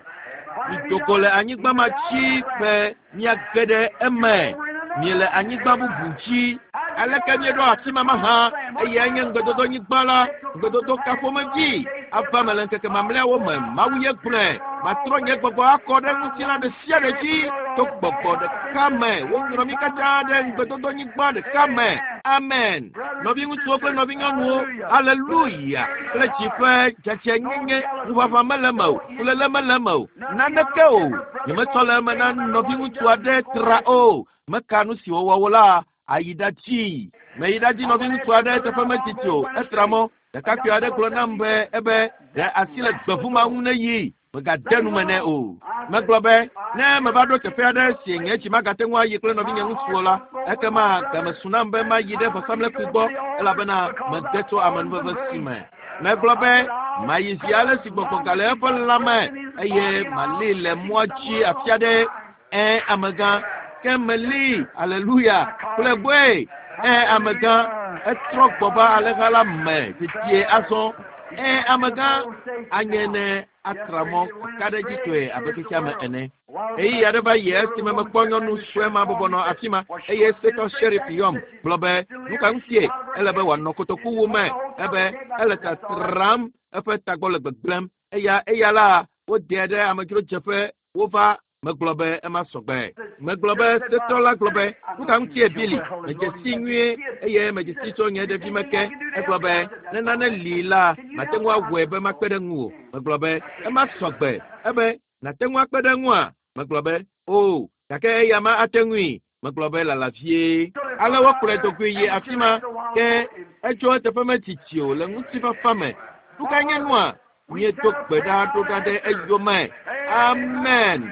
Mido go le anyigba ma dzi be míage ɖe eme. Miele anyigba bubu dzi. Aleke míeɖo afi ma mahã? Eyae nye ŋugbedodonyigba la, ŋugbedodo ka ƒomevi ava me le ŋkeke mamlɛawo me. Mawu ye gblɔe. Matrɔ nye gbɔgbɔ akɔ ɖe ŋutilã ɖe sia ɖe dzi to gbɔgbɔ ɖeka me. Woŋlɔ mí katã ɖe ŋugbedodonyigba ɖeka me. Amen. Nɔviŋutsuwo kple nɔvinyɔnuwo, aleluya. Kple dzi ƒe dzadzɛnyenye, ŋuʋaʋã mele eme o, fuléle mele eme o, naneke o. Nyemetsɔ le eme na nɔviŋutsu aɖe tra o. Meka nu si wòwɔ wo la, ayi ɖa dzi. Meyi ɖa dzi nɔviŋutsu aɖe teƒe metsitsi o. Etra mɔ. Ɖekakpui aɖe gblɔ nam be ebe ɖe asi le gbevu ma ŋu ne yi. Megade nu me nɛ o. Megblɔ be ne meva ɖo teƒe aɖe si nye dzi magate ŋu ayi kple nɔvinye ŋutsuwo la, ekema game su nam be mayi ɖe vɔsamlekpui gbɔ elabena mede tso amenuveve si me. Megblɔ be mayi zi ale si gbɔgbɔ gale eƒe lãme eye mali le mɔa dzi afi aɖe. Ẽ amegã, ke meli, aleluya, kple gbɔe. Ẽ amegã, etrɔ gbɔ va alẽha la me dedie azɔ. Ẽ amegã, anye ne atra mɔ kakaɖedzitɔe abe xexea me ene. Ɣeyiɣi aɖe va yi esime mekpɔ nyɔnu sue ma bɔbɔ nɔ afi ma eye Setor Sheriff yɔm gblɔ be nu ka ŋutie ele be wòanɔ kotokuwu me ebe ele tatram eƒe tagbɔ le gbegblẽm. Eya eya la wodea ɖe amedzrodzeƒe wova megblɔ be ema sɔgbe. Megblɔ be Setor la gblɔ be nu ka ŋutie Billy medze si nyuie eye medze si tso nye ɖevime ke. Egblɔ be ne nane li la mate ŋu awɔe be makpe ɖe ŋuwò. Megblɔ be ema sɔgbe. Ebe nàte ŋu akpe ɖe ŋua? Megblɔ be o, gake eya ma ate ŋui. Megblɔ be lala vie. Ale wokplɔe do goe yi afi ma ke etso eteƒe metsitsi o le ŋutifafa me. Nu ka nye nua? Míedo gbe ɖa ɖo ɖa ɖe eyome. Amen.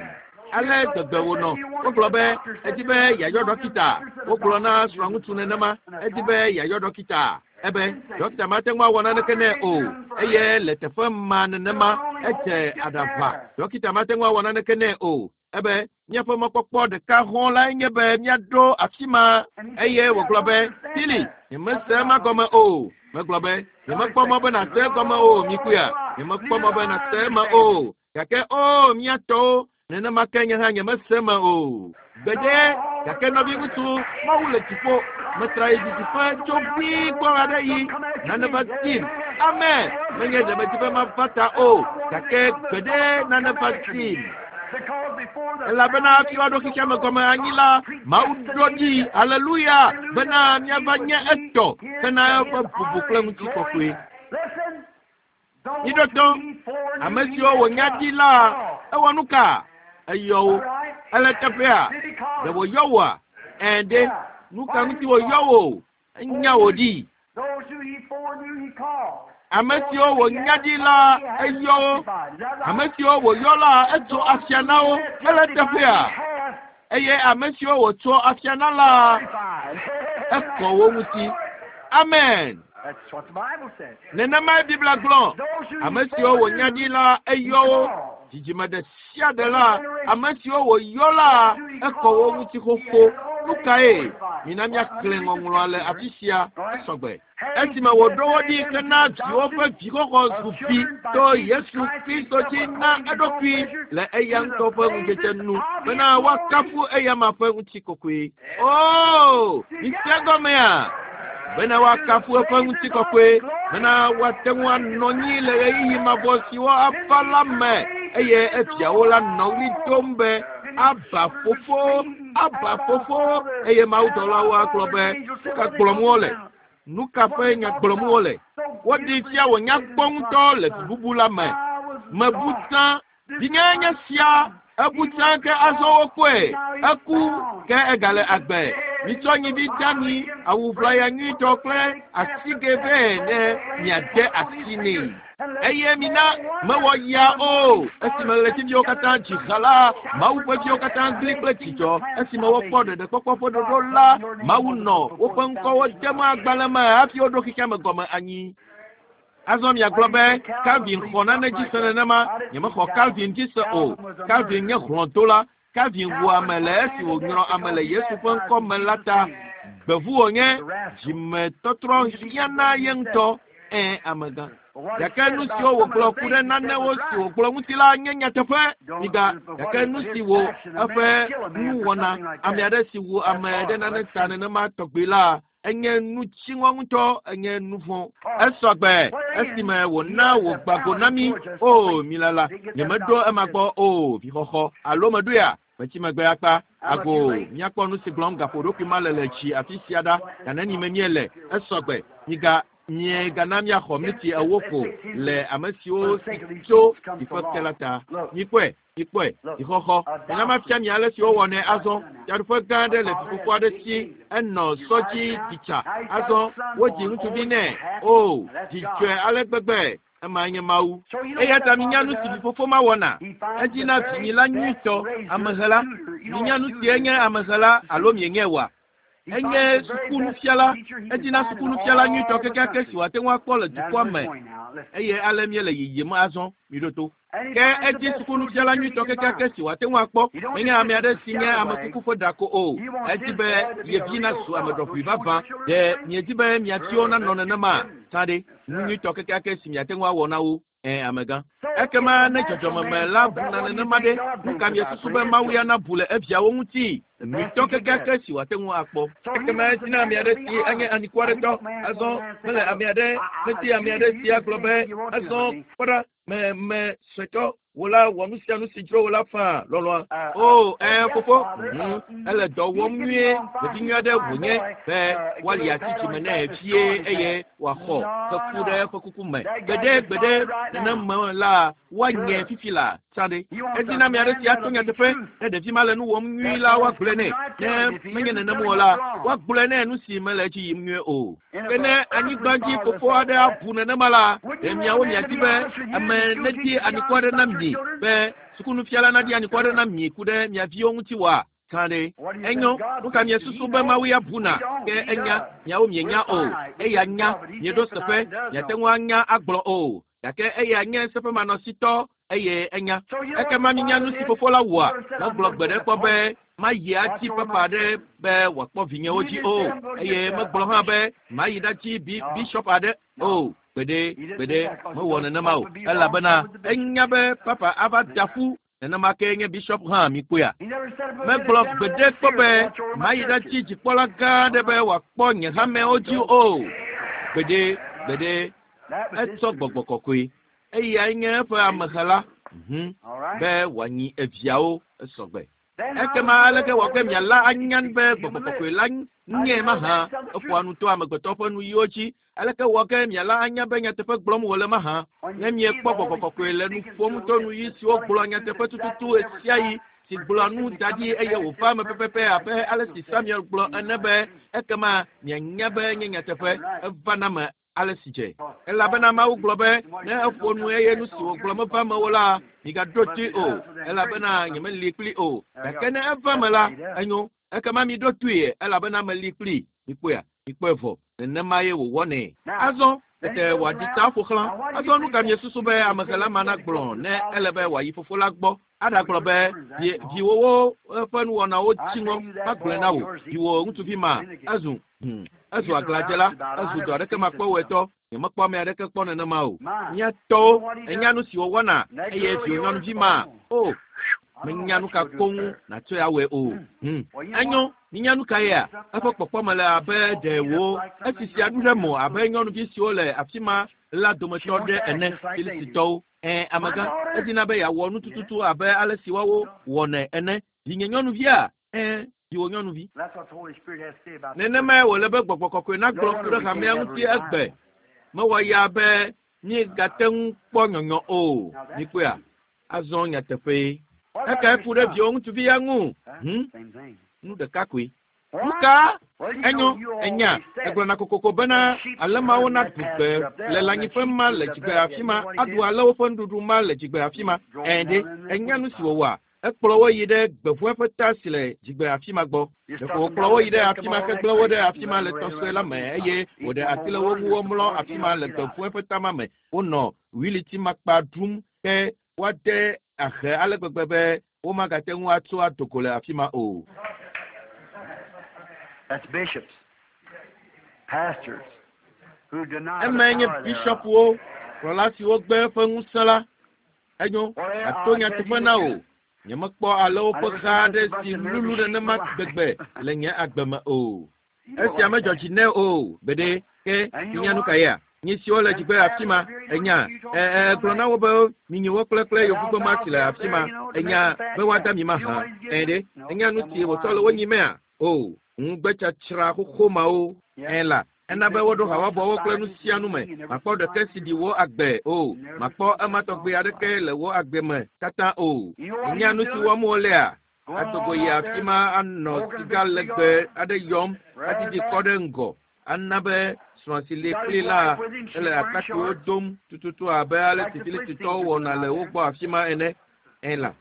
Ale gbegbe wònɔ. Wogblɔ be edi be yeayɔ ɖɔkita. Wogblɔ na srɔ̃ŋutsu nenema. Edi be yeayɔ ɖɔkita. Ebe ɖɔkita mate ŋu awɔ naneke nɛ o. Eye le teƒe ma nenema edze aɖaʋa. Ɖɔkita mate ŋu awɔ naneke nɛ o. Ebe míaƒe mɔkpɔkpɔ ɖeka hɔ̃ lae nye be míaɖo afi ma. Eye wògblɔ be Billy, nyemese ema gɔme o. Megblɔ be nyemekpɔ mɔ be nàse egɔme o, mikpɔea. Nyemekpɔ mɔ be nàse eme o. Gake o mía tɔwo nenema ke nye hã nyemese eme o. Gbeɖe gake nɔviŋutsu Mawu le dziƒo. Metra yi didiƒe tso ʋĩi gbɔ aɖe yi nane va dim. Amen. Menye ɖe medi be mava ta o. Gake gbeɖe nane va dim. Elabena hafi woaɖo xexea me gɔme anyi la, Mawu ɖo ɖi, aleluya, bena míava nye etɔ hena eƒe bubu kple ŋutikɔkɔe. Miɖo to, ame siwo wònya ɖi la, ewɔ nu ka? Eyɔ wo. Ele teƒea? Ɖe wòyɔ wòa? Ẽ ɖe, nu ka ŋuti wòyɔ wò? Enya wò ɖi. Ame siwo wònya ɖi la, eyɔ wo. Ame siwo wòyɔ la, etso afia na wo. Ele teƒea? Eye ame siwo wòtso afia na la, ekɔ wo ŋuti. Amen. Nenemae Biblia gblɔ. Ame siwo wònya ɖi la, eyɔ wo. Dzidzime ɖe sia ɖe la, ame siwo wòyɔ la, ekɔ wo ŋuti xoxo. Nu kae? Mina míaxlẽ ŋɔŋlɔa le afi sia esɔgbe. Esime wòɖo wo ɖi hena viwo ƒe vixɔxɔ zu vi to Yesu Kristo dzi na eɖokui le eya ŋutɔ ƒe ŋudzedze nu bena woakafu eyama ƒe ŋutikɔkɔe. Oo, mise gɔmea? Bena woakafu eƒe ŋutikɔkɔe, bena woate ŋu anɔ anyi le ɣeyiɣi mavɔ siwo ava la me eye eviawo la nɔ ɣli dom be Aba fofo Aba fofo eye mawudɔlawo agblɔ be nu ka gblɔm wole nu ka ƒe nya gblɔm wole woɖi fia wònya kpɔ ŋutɔ le bubu la me mebu tsã vinye nye sia ebu tsã ke azɔ wokpɔe eku ke egale agbe mitsɔ nyivi dami awu ʋlaya nyuitɔ kple asigɛ vɛ ne miade asi nɛ eye mina mewɔ ya o esime ɣletiviwo katã dzi ha la Mawu ƒe viwo katã gli kple dzidzɔ esime wokpɔ ɖeɖekpɔkpɔ ƒe ɖoɖo la Mawu nɔ woƒe ŋkɔwo dem agbalẽ me hafi woɖo xexea me gɔme anyi. Azɔ miagblɔ be Calvin xɔ nane dzi se nenema nyemexɔ Calvin dzi se o. Calvin nye hlɔ̃dola. Calvin wu ame le esi wònyrɔ ame le Yesu ƒe ŋkɔ me la ta. Gbevu wònye dzimetɔtrɔ hiã na ye ŋutɔ ẽ amegã. Gake nu siwo wògblɔ ku ɖe nanewo si wògblɔ ŋuti la nye nyateƒe. Miga gake nu si wo eƒe nuwɔna ame aɖe si wu ame ɖe nane ta nenema tɔgbi la enye nu dziŋɔ ŋutɔ enye nu vɔ̃. Esɔgbe esime wòna wògba go na mí o milala nyemeɖo ema gbɔ o vixɔxɔ alo meɖoea metsi megbe akpa ago míakpɔ nu si gblɔm gaƒoɖokui ma le le tsi afi sia ɖa ganeni me míele esɔgbe miga miegana míaxɔ miniti ewo ko le ame siwo si tso dziƒe ke la ta. Mikpɔe mikpɔe dzixɔxɔ mina mafia mi ale si wowɔnɛ azɔ fiaɖuƒe gã aɖe le fifofo aɖe si enɔ sɔ dzi ɖitsa azɔ wodzi ŋutsuvi nɛ o dzidzɔe ale gbegbe ema nye Mawu. Eya ta minya nu si vifofo ma wɔna edina vinyila nyuitɔ amehela minya nu si enye amehela alo mienye wa enye sukunufiala edina sukunufiala nyuitɔ kekeake si wòate ŋu akpɔ le dukɔa me eye ale míele yiyim azɔ miɖo to. Ke edzi sukunufiala nyuitɔ kekeake si wòate ŋu akpɔ menye ame aɖe si nye ame kuku ƒe ɖako o edi be ye vi nazu ame ɖɔʋui vavã ɖe miedi be mia viwo nanɔ nenema tsã ɖe nu nyuitɔ kekeake si miate ŋu awɔ na wo ẽ amegã. Ekema ne dzɔdzɔmeme la buna nenema ɖe nu ka miesusu be Mawu ya nabu le eviawo ŋuti nyuitɔ kekeake si wòate ŋu akpɔ. Ekema edina ame aɖe si enye anikwaretɔ azɔ mele ame aɖe medi ame aɖe si agblɔ be azɔ kpɔ ɖa me me suetɔ wò la wɔ nu sia nu si dzro wò la faa lɔlɔa. O ɛ fofo hmm ele dɔ wɔm nyuie ɖevi nyui aɖe wònye be woali ati dzime nɛ vie eye wòaxɔ keku ɖe eƒe kuku me. Gbeɖe gbeɖe neneme la woanye fifi la tsã ɖe. Edina ame aɖe si ato nyateƒe ne ɖevi ma le nu wɔm nyuie la woagblɔe nɛ ne menye nenem o la woagblɔe nɛ nu si mele edzi yim nyuie o. Ke ne anyigba dzi fofo aɖe abu nenema la ɖe miawo miadi be ame nedi anikɔ aɖe na mi be sukunufiala nadi anikɔ aɖe na mi ku ɖe mia viwo ŋuti wa tsã ɖe. Enyo nu ka miesusu be Mawu ya buna ke enya miawo mienya o eya nya mieɖo seƒe miate ŋu anya agblɔ o gake eya nye seƒemanɔsitɔ eye enya. Ekema minya nu si fofo la wɔa megblɔ gbe ɖe kpɔ be mayi atsi papa aɖe be wòakpɔ vinyewo dzi o eye megblɔ hã be mayi ɖatsi bi bishop aɖe o gbeɖe gbeɖe mewɔ nenema o elabena enya be papa ava da ƒu nenema ke nye bishop hã mikpɔea. Megblɔ gbeɖe kpɔ be mayi ɖatsi dzikpɔla gã aɖe be wòakpɔ nye hamewo dzi o gbeɖe gbeɖe etsɔ gbɔgbɔ kɔkɔe eyae nye eƒe amexela mhm be wòanyi eviawo esɔgbe. Ekema aleke wɔ ke miala anya be gbɔgbɔ kɔkɔe la nye mahã eƒoa nu to amegbetɔ ƒe nuyiwo dzi aleke wɔ ke miala anya be nyateƒe gblɔm wòle mahã ne miekpɔ gbɔgbɔ kɔkɔe le nu ƒom to nuyi siwo gblɔ nyateƒe tututu ɣesiaɣi si gblɔ nu da ɖi eye wòva eme pɛpɛpɛ abe ale si Samuel gblɔ ene be ekema mianya be nye nyateƒe eva na me ale si dze. Elabena Mawu gblɔ be ne eƒo nu eye nu si wògblɔ meva eme o la migaɖo toe o elabena nyemeli kpli o gake ne eva eme la enyo ekema miɖo toe elabena meli kpli mikpɔea mikpɔe vɔ nenema ye wòwɔnɛ. Azɔ tete wòaɖi ta ƒo xlã azɔ nu ka miesusu be amexela ma nagblɔ ne ele be wòayi fofo la gbɔ aɖagblɔ be viwòwo ƒe nuwɔnawo dzi ŋɔ magblɔe na wò viwò ŋutsuvi ma ezu hmm ezu aglãdzela ezu dɔ aɖeke makpɔwɔetɔ nyemekpɔ ame aɖeke kpɔ nenema o. Mía tɔwo enya nu si wòwɔna eye viwò nyɔnuvi ma o menya nu ka koŋ nàtsɔe awɔe o. Hmm enyo minya nu ka yea eƒe kpɔkpɔ me le abe ɖe wo esisi aɖu ɖe mo abe nyɔnuvi siwo le afi ma la dometɔ ɖe ene Filistitɔwo. Ɛ amegã edina be yeawɔ nu tututu abe ale si woawo wɔnɛ ene. Vinye nyɔnuvia ɛ Viwò nyɔnuvi. Nenemae wòle be gbɔgbɔ kɔkɔe nagblɔ ku ɖe hamea ŋuti egbe. Mewɔ ya be míegate ŋu kpɔ nyɔnyɔ o. Mikpɔea? Azɔ nyateƒee. Ekae ku ɖe viwò ŋutsuvi ya ŋu? Hm? Nu ɖeka koe. Nuka? Enyo, enya, egblɔna kokoko bena alemawo naɖu gbe le lãnyiƒe ma le dzigbe afi ma, aɖu ale woƒe nuɖuɖu ma le dzigbe afi ma. Ɛ̃ ɖe, enya nu si wòwɔa? Ekplɔ wo yi ɖe gbeʋue ƒe ta si le dzigbe afi ma gbɔ. Ɖeko wòkplɔ wo yi ɖe afi ma hegblẽ wo ɖe afi ma le tɔsɔe la me eye wòɖe asi le wo ŋu womlɔ afi ma le gbeʋue ƒe ta ma me. Wonɔ wilitimakpa ɖum ke woade ahe ale gbegbe be womagate ŋu atso adoko le afi ma o. That's bishops, pastors, who deny the Emae nye power thereof. bishɔpwo, kplɔla siwo gbe eƒe ŋusẽ la. Enyo, ato nyateƒe na wò. Nyemekpɔ ale woƒe ha aɖe si lulu nenema gbegbe le nye agbe me o. Esia medzɔ dzi nɛ o. Gbeɖe, ke minya nu ka yea? Nyi siwo le dzigbe afi ma, enya, e e gblɔ na wo be minyi wo kple kple yevugbe ma si le afi ma, enya be woada mi mahã. Ẽ ɖe, enya nu si wòtsɔ le wo nyimea? O, ŋugbetsatsra xoxo mawo. Ẽ la, ena be woɖo habɔbɔwo kple nu sia nu me. Makpɔ ɖeke si ɖi wò agbe o. Makpɔ ema tɔgbi aɖeke le wò agbe me katã o. Enya nu si wɔm wolea? Adogo yi afi ma anɔ siga legbe aɖe yɔm, adidi kɔ ɖe ŋgɔ. Ana be srɔ̃ si li kpli la ele atakpuiwo dom tututu abe ale si Filistitɔwo wɔna le wo gbɔ afi ma ene. Ẽ la,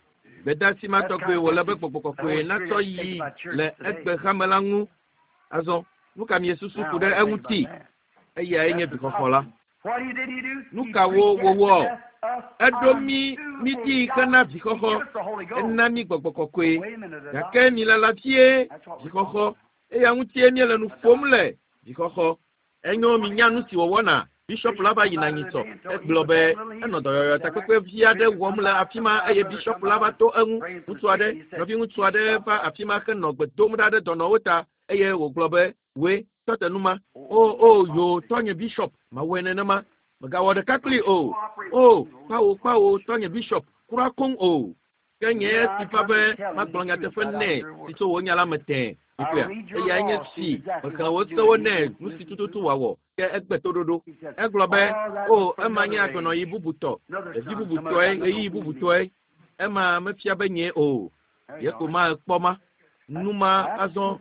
gbedeasi ma tɔgbi wòle be gbɔgbɔ kɔkɔe natsɔ yi le egbe hame la ŋu. Azɔ, nu ka miesusu ku ɖe eŋuti? Eyae nye vixɔxɔ la. What he did he do? Nu kawo wòwɔ? Eɖo mí mí ɖi hena vixɔxɔ. Ena mí gbɔgbɔ kɔkɔe. Gake milala vie vixɔxɔ. Eya ŋutie míele nu ƒom le vixɔxɔ. Enyo minya nu si wòwɔna. Bishɔp la va yina nyitsɔ. Egblɔ be enɔ dɔyɔyɔ takpekpe vi aɖe wɔm le afi ma eye bishɔp la va to eŋu. Ŋutsu aɖe, nɔviŋutsu aɖe va afi ma henɔ gbe dom ɖa ɖe dɔnɔwo ta eye wògblɔ be, "Woe, tɔ te nu ma." O, o, yo, tɔnye bishɔp, mawɔe nenema. Megawɔ ɖeka kpli o. O, kpawo, kpawo, tɔnye bishɔp, kura koŋ o. Ke nye si va be magblɔ nyateƒe nɛ si tso wò nya la me tẽe. Mikpɔea? Eyae nye si mexlẽ wò sewo nɛ nu si tututu wòawɔ. Ke egbe toɖoɖo. Egblɔ be, o, ema nye agbenɔɣi bubutɔ, ɖevi bubutɔe, ɣeyiɣi bubutɔe. Ema mefia be nyee o. Ye ko ma kpɔ ma. Nu ma azɔ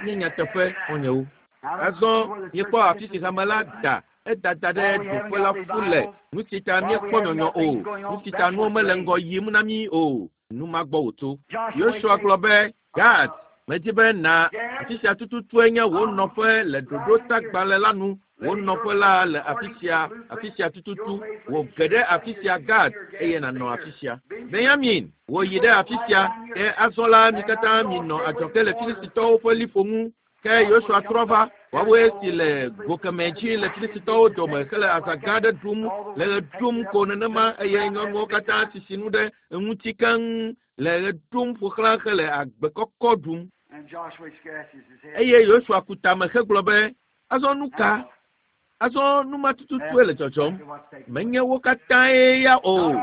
nye nyateƒe xɔ̃nyewo. Azɔ míekpɔ afi si hame la da edada ɖe ɖoƒe la ƒu le. Nu si ta míekpɔ nyɔnyɔ o. Nu si ta nuwo mele ŋgɔ yim na mí o. Nu ma gbɔ wòtso. Yosua gblɔ be, Gad, medi be na afi sia tututue nye wò nɔƒe le ɖoɖotagbalẽ la nu. Wò nɔƒe la le afi sia, afi sia tututu. Wò ge ɖe afi sia Gad eye nànɔ afi sia. Benyamin, wò yi ɖe afi sia. Ke azɔ la mi katã minɔ adzɔge le Filistitɔwo ƒe liƒo ŋu. Ke Yosua trɔ va, woawoe si le go kemɛ dzi le Filistitɔwo dome hele azã gã aɖe ɖum le ɣe ɖum ko nenema eye nyɔnuwo katã sisi nu ɖe eŋuti keŋ le ɣe ɖum ƒo xlã hele agbe kɔkɔ ɖum. And Joshua scratches his head. Eye Yosua ku tame hegblɔ be, azɔ nu ka? Azɔ nu ma tututue le dzɔdzɔm. Menye wo katãe ya o.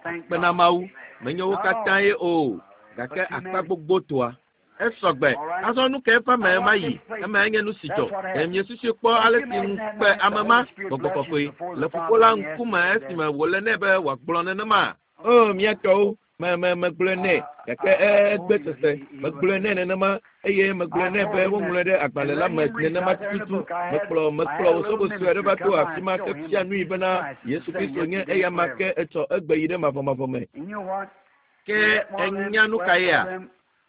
Kpena Mawu, menye wo katãe o. Gake akpa gbogbotoa. Esɔgbe. Azɔ nu ka eƒe ame ma yi? Emae nye nu si dzɔ. Ɖe miesusui kpɔ ale si ŋukpe ame ma, gbɔgbɔ kɔkɔe, le fofo la ŋkume esime wòle nɛ be wòagblɔ nenema? O, mía tɔwo, me me megblɔe nɛ gake egbe sese. Megblɔe nɛ nenema eye megblɔe nɛ be woŋlɔe ɖe agbalẽ la me nenema tututu. Mekplɔ mekplɔ wò sue aɖe va to afi ma ke fia nui bena Yesu Kristo nye eya ma ke etsɔ egbe yi ɖe mavɔmavɔ me. And you know what? Ke enya nu ka yea?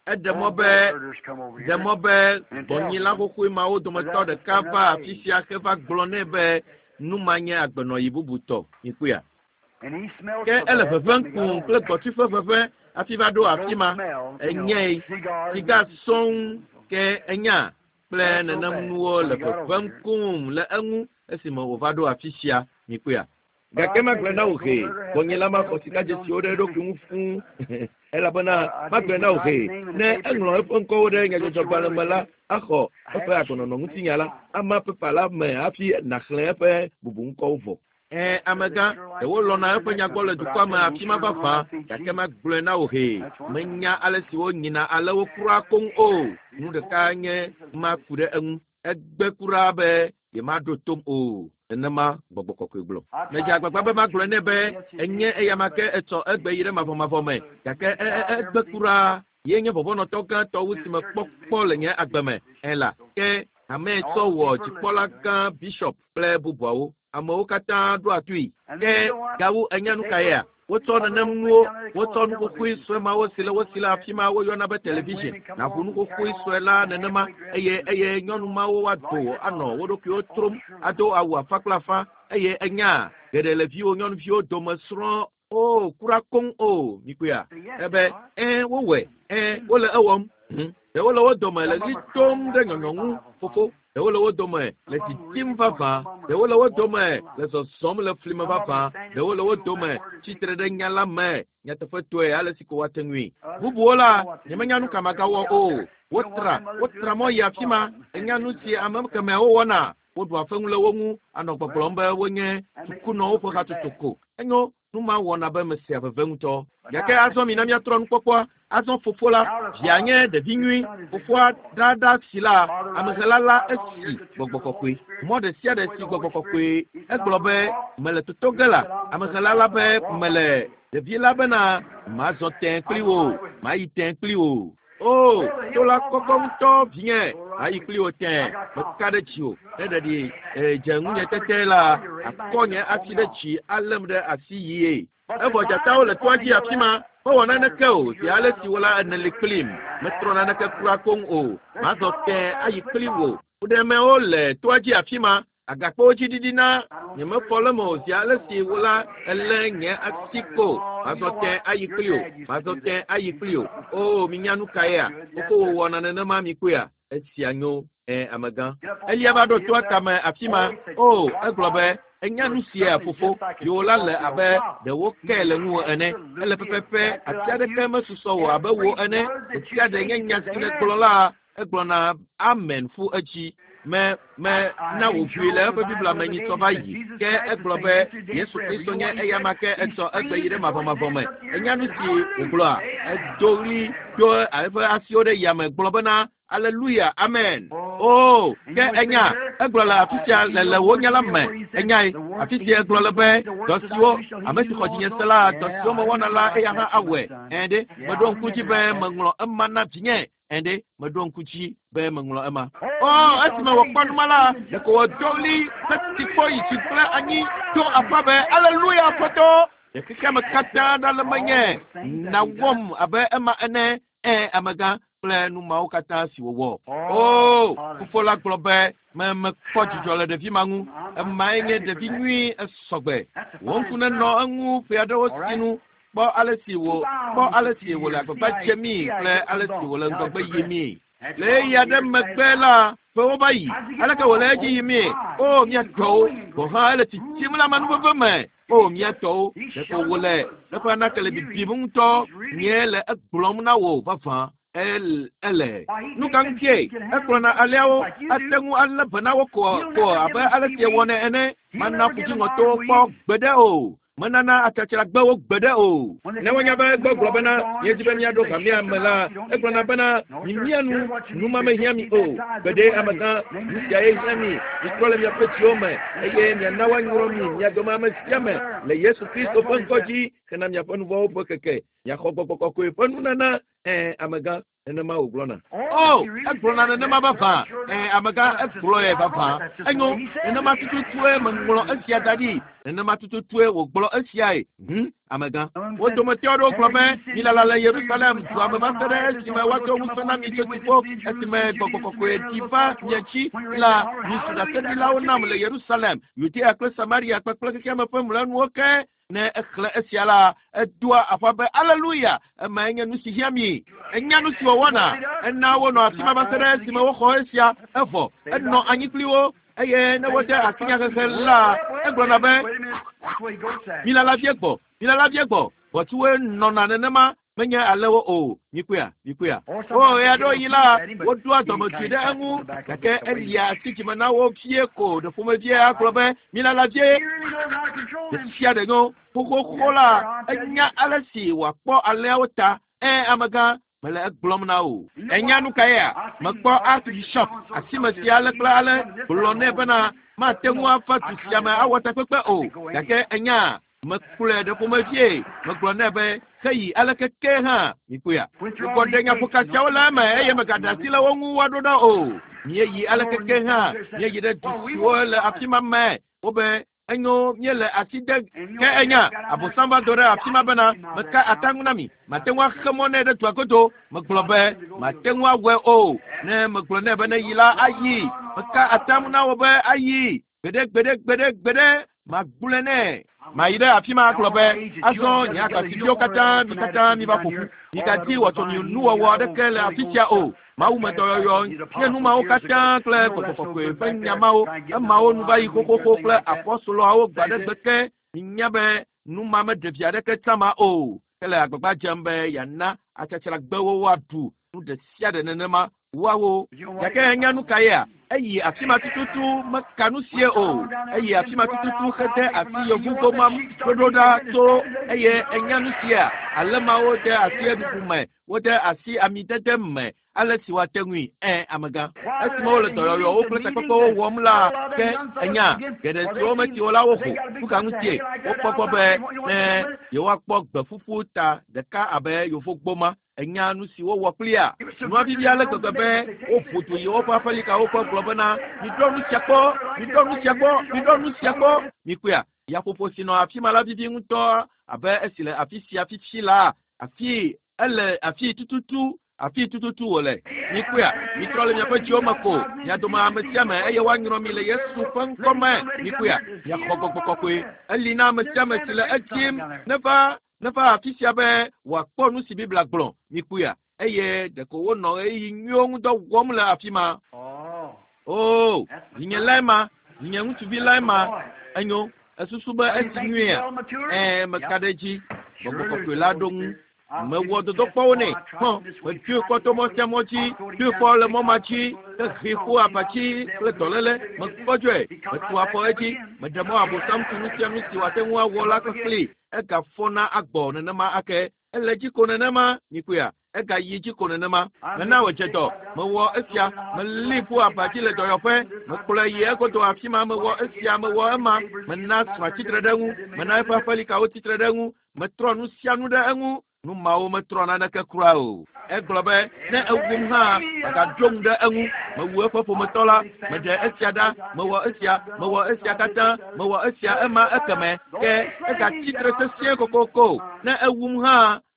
Eɖe mɔ be ɖe mɔ be gbɔnyila xoxoe mawo dometɔ ɖeka va afi sia heva gblɔ nɛ be nu ma nye agbenɔɣi bubutɔ. Mikpɔea? And he smelled Ke so ele bad ʋeʋẽm when he kum got kple over gbɔtui ƒe ʋeʋẽ hafi va ɖo afi ma. Enyae Cigars. siga sɔŋ ke enya kple nenem nuwo le ʋeʋẽm kum le eŋu esime wòva ɖo afi sia. Mikpɔea? Gake magblɔe na wò hee, gbɔnyila maxɔ sikadzesiwo ɖe eɖokui ŋu fũu elabena magblɔe na wò hee, ne eŋlɔ eƒe ŋkɔwo ɖe nyadzɔdzɔgbalẽ me la, axɔ eƒe agbenɔnɔ ŋutinya la, ama pepa la me hafi nàxlẽ eƒe bubuŋkɔwo vɔ. Ɛ amegã ɖewo lɔna eƒe nyagbɔ le dukɔa me afi ma vavã gake magblɔe na wò hee menya ale si wonyina ale wo kura koŋ o nu ɖeka nye ma ku ɖe eŋu egbe kura be yemaɖo tom o nenema gbɔgbɔ kɔkɔe gblɔ medze agbagba be magblɔe nɛ be enye eyama ke etsɔ egbe yi ɖe mavɔmavɔ me gake egbe kura ye nye vɔvɔnɔtɔ gãtɔ wu si mekpɔ kpɔ le nye agbe me ela ke ame tsɔ wɔ dzikpɔla gã bishop kple bubuawo amewo katã ɖoa toe ke gawu enya nu ka yea wotsɔ nenem nuwo wotsɔ nuxoxoe sue mawo si le wo si le afi ma woyɔna be television naʋu nuxoxoe sue la nenema eye eye nyɔnu mawo woado anɔ wo ɖokuiwo trom ado awu afa kple afa eye enya geɖe le viwo nyɔnuviwo dome srɔ̃ o kura koŋ o mikpɔea ebe ɛ wowɔe ɛ wole ewɔm ɖewo le wo dome le ɣli tom ɖe nyɔnyɔ ŋu fofo ɖewo le wo dome le titim vavã ɖewo le wo dome le zɔzɔm le fli me vavã ɖewo le wo dome tsitre ɖe nya la me nyateƒetɔe ale si ko woate ŋui bubuwo la nyemenya nu ka magawɔ o wotra wotra mɔ yi afi ma enya nu si ame kemɛawo wɔna woɖu afeŋu le wo ŋu anɔ gbɔgblɔm be wonye sukunɔwo ƒe hatsotso ko enyo nu ma wɔna be mesea veve ŋutɔ gake azɔ mina míatrɔ nukpɔkpɔa azɔ fofo la via nye ɖevi nyui fofoa ɖaɖa si la amehela la esi gbɔgbɔ kɔkɔe mɔ ɖe sia ɖe si gbɔgbɔ kɔkɔe egblɔ be mele toto ge la amehela la be mele ɖevi la bena mazɔ tẽ kpli wò mayi tẽ kpli wò o to la kɔkɔ ŋutɔ vinye mayi kpli wò tẽ meka ɖe tsi o ne ɖeɖi dze ŋunye tete la akɔ nye asi ɖe tsi além ɖe asi yie evɔ dzatawo le toa dzi afi ma mewɔ naneke o zi ale si wo la ene li kplim metrɔ naneke kura koŋ o mazɔ tẽ ayi kpli wò fuɖemewo le toa dzi afi ma agakpewo dzi ɖiɖi na nyemefɔ le me o zi ale si wo la elé nye asi ko mazɔ tẽ ayi kpli o mazɔ tẽ ayi kpli o o minya nu ka yea fofo wòwɔna nenema mi kpɔea esia nyo ɛ amegã elia va ɖo toa tame afi ma o egblɔ be enya nu sia fofo yiwo la le abe ɖewo ke le ŋuwò ene ele pɛpɛpɛ ati aɖeke mesusɔ wò abe wò ene ɖe sia ɖe nye nya si nègblɔ la egblɔna amen ƒu edzi me me na wòʋui le eƒe biblia me nyitsɔ va yi ke egblɔ be Yesu Kristo nye eyama ke etsɔ egbe yi ɖe mavɔmavɔ me enya nu si wògblɔa edo ɣli do eƒe asiwo ɖe yame gblɔ bena Alléluia, amen. Oh, ke enya egblɔ le afi sia le le wò nya la me enyae afi sia egblɔ le be dɔ siwo ame si xɔ dzinye se la dɔ siwo mewɔna la eya hã awɔe ɛ ɖe meɖo ŋku dzi be meŋlɔ ema na vinye ɛ ɖe meɖo ŋku dzi be meŋlɔ ema. Oh, esime wòkpɔ numa la ɖeko wòdo ɣli heti kpɔ yi dzi kple anyi do aƒa be Alléluia Aƒetɔ ɖe xexea me katã ɖa le menye nawɔm abe ema ene ɛ amegã kple nu mawo katã si wòwɔ. O fofo la gblɔ be me mekpɔ dzidzɔ le ɖevi ma ŋu emae nye ɖevi nyui esɔgbe wò ŋku nenɔ eŋu ƒe aɖewo sinu kpɔ ale si wò kpɔ ale si wòle agbagba dzemii kple ale si wòle ŋgɔgbe yimii le ɣeyiɣi aɖe megbe la ƒewo va yi aleke wòle edzi yimii o mía tɔwo gɔ̃ hã ele tsitsim le amenuveve me o mía tɔwo ɖeko wòle eƒe anake le bibim ŋutɔ nye le egblɔm na wò vavã ele nu ka ŋutie egblɔna aleawo ate ŋu alé be na wo ko ko abe ale si ewɔnɛ ene mana ƒudziŋɔtowo kpɔ gbeɖe o menana atsatsragbewo gbeɖe o ne wonya be egbɔ gblɔ bena míedzi be míaɖo hamea me la egblɔna bena mimia nu numa mehiã mi o gbeɖe amegã nu sia ye hiã mi mitrɔ le miaƒe dziwo me eye miana woanyrɔ mi mia dome ame sia ame le Yesu Kristo ƒe ŋkɔ dzi hena miaƒe nuvɔ̃wo ƒe keke miaxɔ gbɔgbɔ kɔkɔe ƒe nunana ɛ amegã nenema wògblɔna. O egblɔna nenema vavã ɛ amegã egblɔe vavã enyo nenema tututue meŋlɔ esia da ɖi nenema tututue wògblɔ esiae hm amegã wo dometɔ aɖewo gblɔ be milala le Yerusalem dua me va se ɖe esime woado ŋusẽ na mi tso dziƒo esime gbɔgbɔ kɔkɔe ɖi va mia dzi la mizu ɖaseɖilawo nam le Yerusalem Yudea kple Samaria kpakple xexeame ƒe mlɔenuwo ke ne exlẽ esia la edoa aƒa be Aleluya emae nye nu si hiã mi enya nu si wòwɔna ena wonɔ afi ma va se ɖe esime woxɔ esia evɔ enɔ anyi kpli wo eye ne wode asi nyahehe la egblɔna be milala vie gbɔ milala vie gbɔ ʋɔtsuwoe nɔna nenema Menye alewo o mikpɔa mikpɔa o ya ɖo yi la wodoa dɔmedzoe ɖe eŋu gake elia asi dzime na wo vie ko ɖe ƒomevie agblɔ be milala vie ɖe sia ɖe nyo xoxoxo la enya ale si wòakpɔ alẽawo ta ɛ amegã mele egblɔm na o enya nu ka yea mekpɔ archbishop asime sia ale kple ale gblɔ nɛ bena mate ŋu ava du sia me awɔ takpekpe o gake enya mekplɔe ɖe ƒomevie megblɔ nɛ be heyi aleke ke hã mikpɔea gbugbɔ ɖe nyaƒoka siawo le eme eye megaɖe asi le wo ŋu woaɖo ɖa o míeyi aleke ke hã míeyi ɖe du siwo le afi ma me wobe enyo míele asi de ke enya abosam va do ɖe afi ma bena meka ata ŋu na mi mate ŋu axe mɔ nɛ ɖe dua godo megblɔ be mate ŋu awɔe o ne megblɔ nɛ be ne yi la ayi meka ata ŋu na wo be ayi gbeɖe gbeɖe gbeɖe gbeɖe magblɔe nɛ mayi ɖe afi ma agblɔ be azɔ nye agbasiviwo katã mi katã mi va ƒo ƒu migadi wɔtsɔ mi nuwɔwɔ aɖeke le afi sia o mawu me dɔyɔyɔ nye nu mawo katã kple gbɔgbɔ kɔkɔe ƒe nya mawo emawo nu va yi xoxoxo kple apɔstoloawo gba ɖe gbe ke minya be nu ma meɖe vi aɖeke tsã o ke le agbagba dzem be yeana atsatsragbewo woaɖu nu ɖe sia ɖe nenema woawo gake enya nu ka yea eyi afi ma tututu meka nu sie o eyi afi ma tututu hede asi yevugboma ɖoɖo ɖa to eye enya nu sia ale mawo de asi eɖuɖu me wode asi amidede me ale si woate ŋui ɛ amegã esime wole dɔyɔyɔwo kple takpekpewo wɔm la ke enya geɖe siwo meti wo la woho nuka ŋutie wokpɔ gbɔ be ne yewoakpɔ gbeƒuƒu ta ɖeka abe yevugboma enya nu si wowɔ kplia nua vivi ale gbegbe be woƒo du yi woƒe aƒelikawo ƒe gblɔ bena miɖɔ nu sia kpɔ miɖɔ nu sia kpɔ miɖɔ nu sia kpɔ mikpɔea yaƒoƒo si nɔ afi ma la vivi ŋutɔ abe esi le afi sia fifi la afi ele afi tututu afi tututu wòle mikpɔea mitrɔ le miaƒe dziwo me ko mia dome ame sia ame eye woanyrɔ mi le Yesu ƒe ŋkɔ me mikpɔea miaxɔ gbɔgbɔ kɔkɔe eli na ame sia ame si le edzim neva neva afi sia be wòakpɔ nu si Biblia gblɔ mikpɔea eye ɖeko wonɔ ɣeyiɣi nyuiwo ŋu dɔ wɔm le afi ma o vinye lae ma vinye ŋutsuvi lae ma enyo esusu be esi nyuia ɛɛ meka ɖe edzi gbɔgbɔ kɔkɔe la ɖo ŋu mewɔ dodokpɔwo nɛ hɔn metsoe kpɔ to mɔ sia mɔ dzi tsoe kpɔ le mɔ ma dzi hehe ƒo abatsi kple dɔléle mekpɔdzɔe metu afɔ edzi meɖe mɔ abosam tu nu sia nu si wòate ŋu awɔ la kpekpli egafɔna agbɔ nenema ake ele dzi ko nenema mikpɔea egayi dzi ko nenema mena wòdze dɔ mewɔ esia melĩ ƒo abatsi le dɔyɔƒe mekplɔe yi egodo afi ma mewɔ esia mewɔ ema mena srɔ̃a tsitre ɖe eŋu mena eƒe aƒelikawo tsitre ɖe eŋu metrɔ nu sia nu ɖe eŋu nu mawo metrɔ naneke kura o egblɔ be ne ewum hã magaɖo ŋu ɖe eŋu mewu eƒe ƒometɔ la meɖe esia ɖa mewɔ esia mewɔ esia katã mewɔ esia ema ekeme ke egatsitre sesĩe kokoko ne ewum hã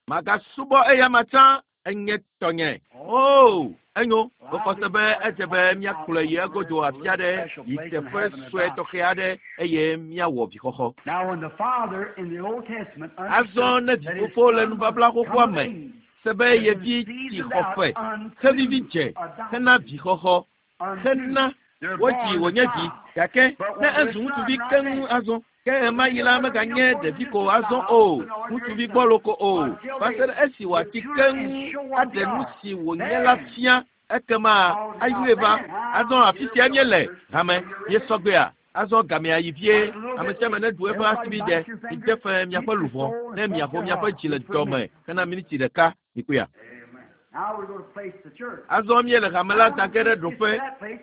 magasubɔ eya ma tsã enye tɔnye o enyo mexɔ se be edze be míakplɔe yi egodo afi aɖe yi teƒe sue tɔxɛ aɖe eye míawɔ vixɔxɔ azɔ ne vifofo le nubabla xoxoa me se be yevi tsi xɔfe xevivi dze hena vixɔxɔ hena wodzi wònye vi gake ne ezu ŋutsuvi keŋ azɔ ke ɣema yi la meganye ɖevi ko azɔ o ŋutsuvi gbɔlo ko o va se ɖe esi wòatsi keŋ aɖe nu si wònye la fia ekema ayɔe va azɔ afi sia míele hame míesɔgbea azɔ gamea yi vie ame sia ame neɖu eƒe asibidɛ mide fe miaƒe luʋɔ ne miaƒo miaƒe dzi le dɔme hena miniti ɖeka mikpɔea azɔ míele hame la da ge ɖe ɖoƒe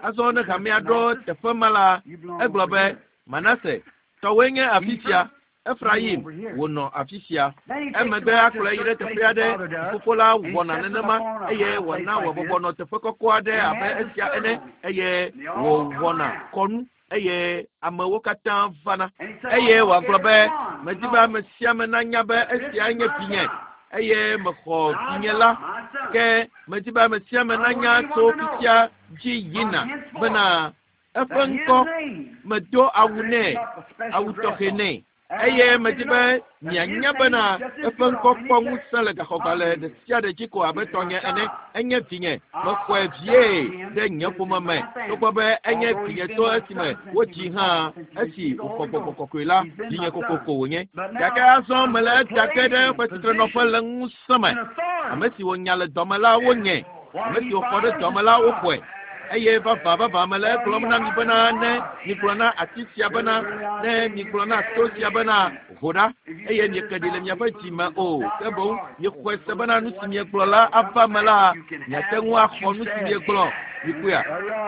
azɔ ne hamea ɖo teƒe ma la egblɔ be Manase tɔwoe nye afi sia Efraim wònɔ afi sia emegbe akplɔe yi ɖe teƒe aɖe fofo la wɔna nenema eye wòna wòbɔbɔ nɔ teƒe kɔkɔ aɖe abe esia ene eye wòwɔna kɔnu eye amewo katã vana eye wòagblɔ be medi be ame sia ame nanya be esia nye vinye eye mexɔ vinye la ke medi be ame sia ame nanya tso fifia dzi yina bena eƒe ŋkɔ medo awu nɛ awu tɔxɛ nɛ Eye medi be mianya bena eƒe ŋkɔ kpɔ ŋusẽ le gaxɔgbalẽ ɖe sia ɖe dzi ko abe tɔnye ene. Enye vinye, mexɔe vie ɖe nye ƒome me togbɔ be enye vinye tso esime wodzi hã esi wòxɔ gbɔgbɔ kɔkɔe la vinye kokoko wònye. Gake azɔ mele eda ge ɖe eƒe tsitrenɔƒe le ŋusẽ me. Ame si wonya le dɔme la wonye, ame si woxɔ ɖe dɔme la woxɔe. Eye vavã vavã mele egblɔm na mi bena ne migblɔ na ati sia bena ne migblɔ na to sia bena ho ɖa eye mieke ɖi le miaƒe dzi me o ke boŋ miexɔe se bena nu si miegblɔ la ava me la miate ŋu axɔ nu si miegblɔ. Mikpɔea?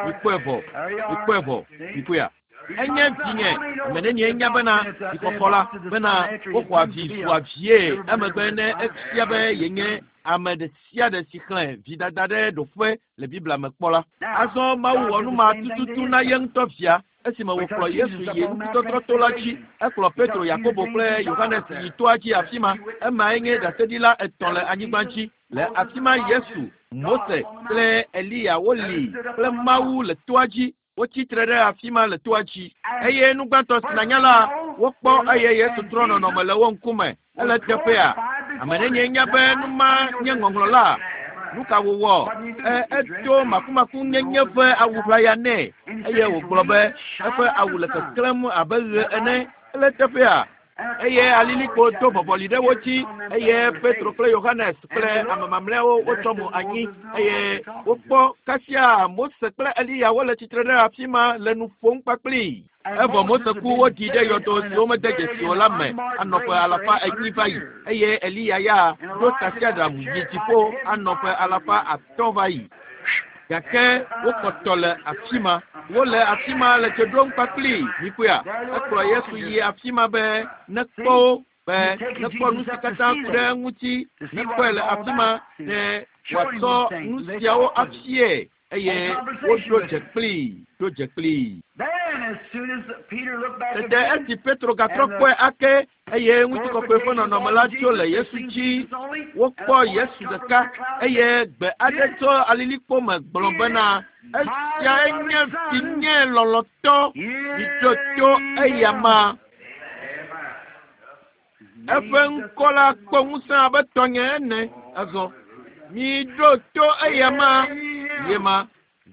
Mikpɔe vɔ. Mikpɔe vɔ. Mikpɔea? Enye vinye ame nenie nya bena vixɔxɔ la bena woxɔa vi zua vie emegbe ne efia be yenye ame ɖe sia ɖe si xlẽ vidada ɖe ɖoƒe le Biblia me kpɔ la. Azɔ Mawu wɔ nu ma tututu na ye ŋutɔ via esime wòkplɔ Yesu yi ŋutitɔtrɔto la dzi. Ekplɔ Petro, Yakobo kple Yohanes yi toa dzi afi ma. Emae nye ɖaseɖila etɔ̃ le anyigba dzi. Le afi ma Yesu, Mose kple Eliya woli kple Mawu le toa dzi. Wotsi tre ɖe afi ma le toa dzi. Eye nu gbãtɔ si nanya la, wokpɔ eye Yesu trɔ nɔnɔme le wo ŋkume. Ele teƒea. Ame nenye nya be nu ma nye ŋɔŋlɔ la. Nu ka wòwɔ? E, edo makumakunyenye ƒe awu ʋlaya nɛ eye wògblɔ be eƒe awu le keklẽm abe ɣe ene. Ele teƒea. Eye alilikpo do vɔvɔli ɖe wo dzi eye Petro kple Yohanes kple ame mamlɛawo wotsɔ mo anyi eye wokpɔ kasia Mose kple Eliya wole tsitre ɖe afi ma le nu ƒom kpakplii. Evɔ Mose ku woɖi ɖe yɔdo siwo mede dzesi o la me anɔ ƒe alafa enyi va yi eye Eliya ya ɖo tasiaɖam yi dziƒo anɔ ƒe alafa atɔ̃ va yi. Gake wokpɔtɔ le afi ma. Wole afi ma le dze ɖom kpakplii. Mikpɔea? Ekplɔ Yesu yi afi ma be nekpɔ wo be nekpɔ nu si katã ku ɖe eŋuti nekpɔe le afi ma ne wòatsɔ nu siawo afie eye woɖo dze kplii ɖo dze kplii. Then, as soon as Peter looked back Tete again, esi Petro gatrɔ kpɔe ake eye ŋutikɔkɔe ƒe nɔnɔme la tso le Yesu dzi wokpɔ Yesu ɖeka eye gbe aɖe tso alilikpo me gblɔ bena esiae nye vinye lɔlɔ̃tɔ miɖo to eya ma. Eƒe ŋkɔ la kpɔ ŋusẽ abe tɔnye ene azɔ. Miɖo to eya ma ye ma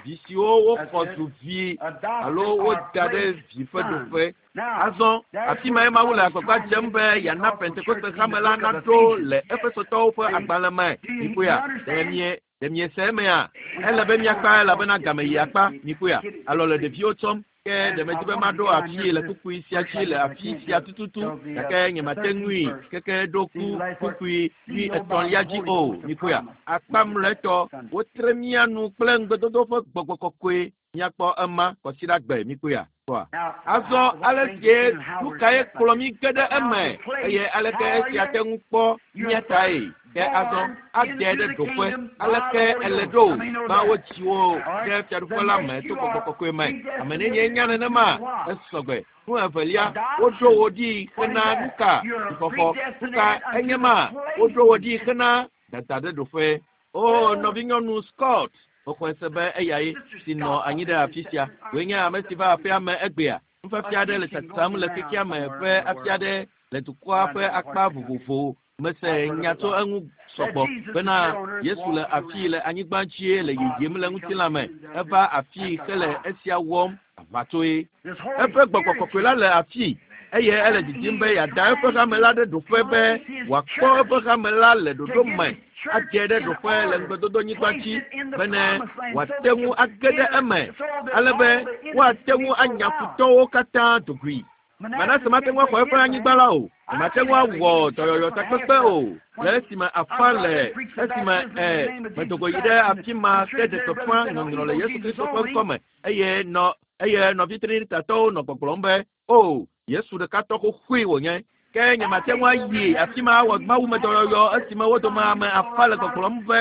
vi siwo woxɔ zu vi alo woda ɖe vi ƒe ɖoƒe. Azɔ afi mae Mawu le agbagba dzem be yeana Pentekoste hame la naɖo le Efesotɔwo ƒe agbalẽ me. Mikpɔea? Ɖe mie ɖe miese emea? Ele be miakpa elabena game yi akpa. Mikpɔea? Alɔ le ɖeviwo tsɔm. Ke ɖe medi be maɖo afii le kpukpui sia dzi le afi sia tututu gake nyemate ŋui keke ɖo ku kpukpui wui etɔ̃lia dzi o. Mikpɔea? Akpa mlɔetɔ wotre mía nu kple ŋugbedodo ƒe gbɔgbɔ kɔkɔe. Míakpɔ ema kɔsiɖagbe. Mikpɔea? Kpɔa? Azɔ ale sie nu kae kplɔ mí ge ɖe eme eye aleke esia te ŋu kpɔ mía tae? Ke azɔ ade ɖe ɖoƒe aleke ele ɖo gbã wodzi wo ɖe fiaɖuƒe la me to gbɔgbɔ kɔkɔe me. Ame nenye nya nenema esɔgbe. Nu evelia woɖo wo ɖi hena nu ka vixɔxɔ. Nu ka enye ma woɖo wo ɖi hena dada ɖe ɖoƒe. O nɔvinyɔnu Scott mexɔe se be eyae si nɔ anyi ɖe afi sia. Wòe nye ame si va aƒea me egbea. Nufiafia aɖe le tsatsam le xexea me ƒe afi aɖe le dukɔa ƒe akpa vovovowo. Mese nya tso eŋu sɔgbɔ bena Yesu le afii le anyigba dzie le yiyim le ŋutilã me. Eva afii hele esia wɔm aʋatsoe. this Holy Eƒe gbɔgbɔ Spirit kɔkɔe la le afii eye ele didim be yeada eƒe hame la ɖe ɖoƒe be wòakpɔ eƒe hame la le ɖoɖo me adze ɖe ɖoƒe le ŋugbedodonyigba dzi bene wòate ŋu age ɖe eme ale be woate ŋu anya futɔwo katã dogui. Manase mate ŋu axɔ eƒe anyigba la o. Mate ŋu awɔ dɔyɔyɔ takpekpe o. Le esime afa le esime ɛ medogo yi ɖe afi ma ke ɖe gbeƒã ŋɔŋlɔ le Yesu Kristo ƒe ŋkɔme eye nɔ eye nɔvi Trinitatɔwo nɔ gbɔgblɔm be o Yesu ɖekatɔ xoxoe wònye. Ke nyemate ŋu ayi afi ma awɔ mawumedɔyɔyɔ esime wo dome ame afa le gbɔgblɔm be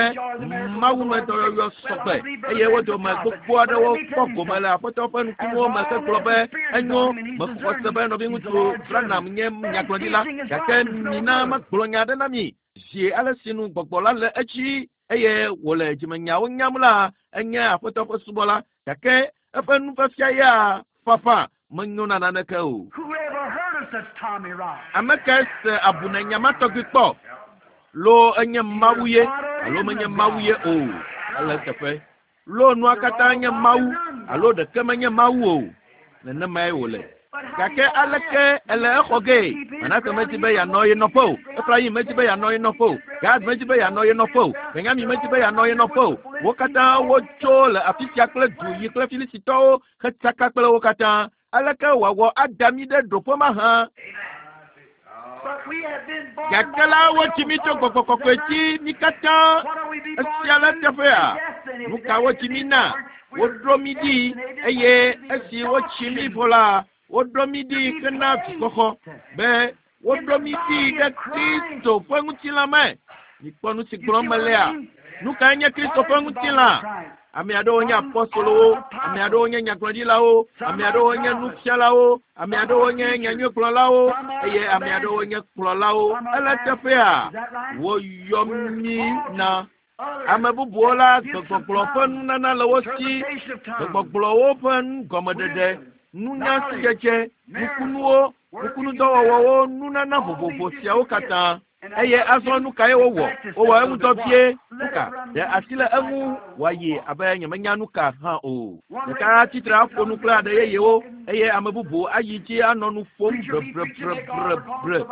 mawumedɔyɔyɔ sɔgbe eye wo dome gbogbo aɖewo kpɔ gome le Aƒetɔ ƒe nukunuwo me hegblɔ be enyo mexɔ se be nɔviŋutsu Branham nye nyagblɔɖila gake mina magblɔ nya aɖe na mi zi ale si nu gbɔgbɔ la le edzi eye wòle dzimenyawo nyam la enye Aƒetɔ ƒe subɔla gake eƒe nufiafia ya fafa menyo na naneke o. Who ever heard of Ame kae se abunenya ma tɔgbi kpɔ? Lo enye Mawu ye alo menye Mawu ye o. Ele teƒe. Lo nua katã nye Mawu alo ɖeke menye Mawu o. Nenemae wòle. Gake aleke ele exɔ ge? Manase medi be yeanɔ ye nɔƒe o. Efraim medi be yeanɔ ye nɔƒe o. Gad medi be yeanɔ ye nɔƒe o. Benyamin medi be yeanɔ ye nɔƒe o. Wo katã wotso le afi sia kple du yi kple Filistitɔwo hetsaka kple wo katã. Aleke wòawɔ ada mí ɖe ɖoƒe mahã? Gake la wotsi mí tso gbɔgbɔ kɔkɔe dzi mí katã. Esia le teƒea. Nu ka wotsi mí na? Woɖo mí ɖi eye esi wotsi mí vɔ la, woɖo mí ɖi hena vixɔxɔ be woɖo mí ɖi ɖe Kristo ƒe ŋutilã me. Mikpɔ nu si gblɔm melea. Nu kae nye Kristo ƒe ŋutilã? Ame aɖewo nye apɔstolowo, ame aɖewo nye nyagblɔɖilawo, ame aɖewo nye nufialawo, ame aɖewo nye nyanyuigblɔlawo eye ame aɖewo nye kplɔlawo. Ele teƒea, woyɔ mí na. Ame bubuwo la, gbegbɔgblɔ ƒe nunana le wo si, gbegbɔgblɔwo ƒe nugɔmeɖeɖe, nunya sidzedze, nukunuwo, nukunudɔwɔwɔwo, nunana vovovo siawo katã. Eye azɔ nu kae wowɔ? Wowɔ eŋudɔ vie. Nuka? Ɖe asi le eŋu wòayi abe nyemenya nu ka hã o. Ɖeka atsitre aƒo nu kple aɖe yeyewo eye ame bubu ayi dzi anɔ nu ƒom brebrebrebrebre.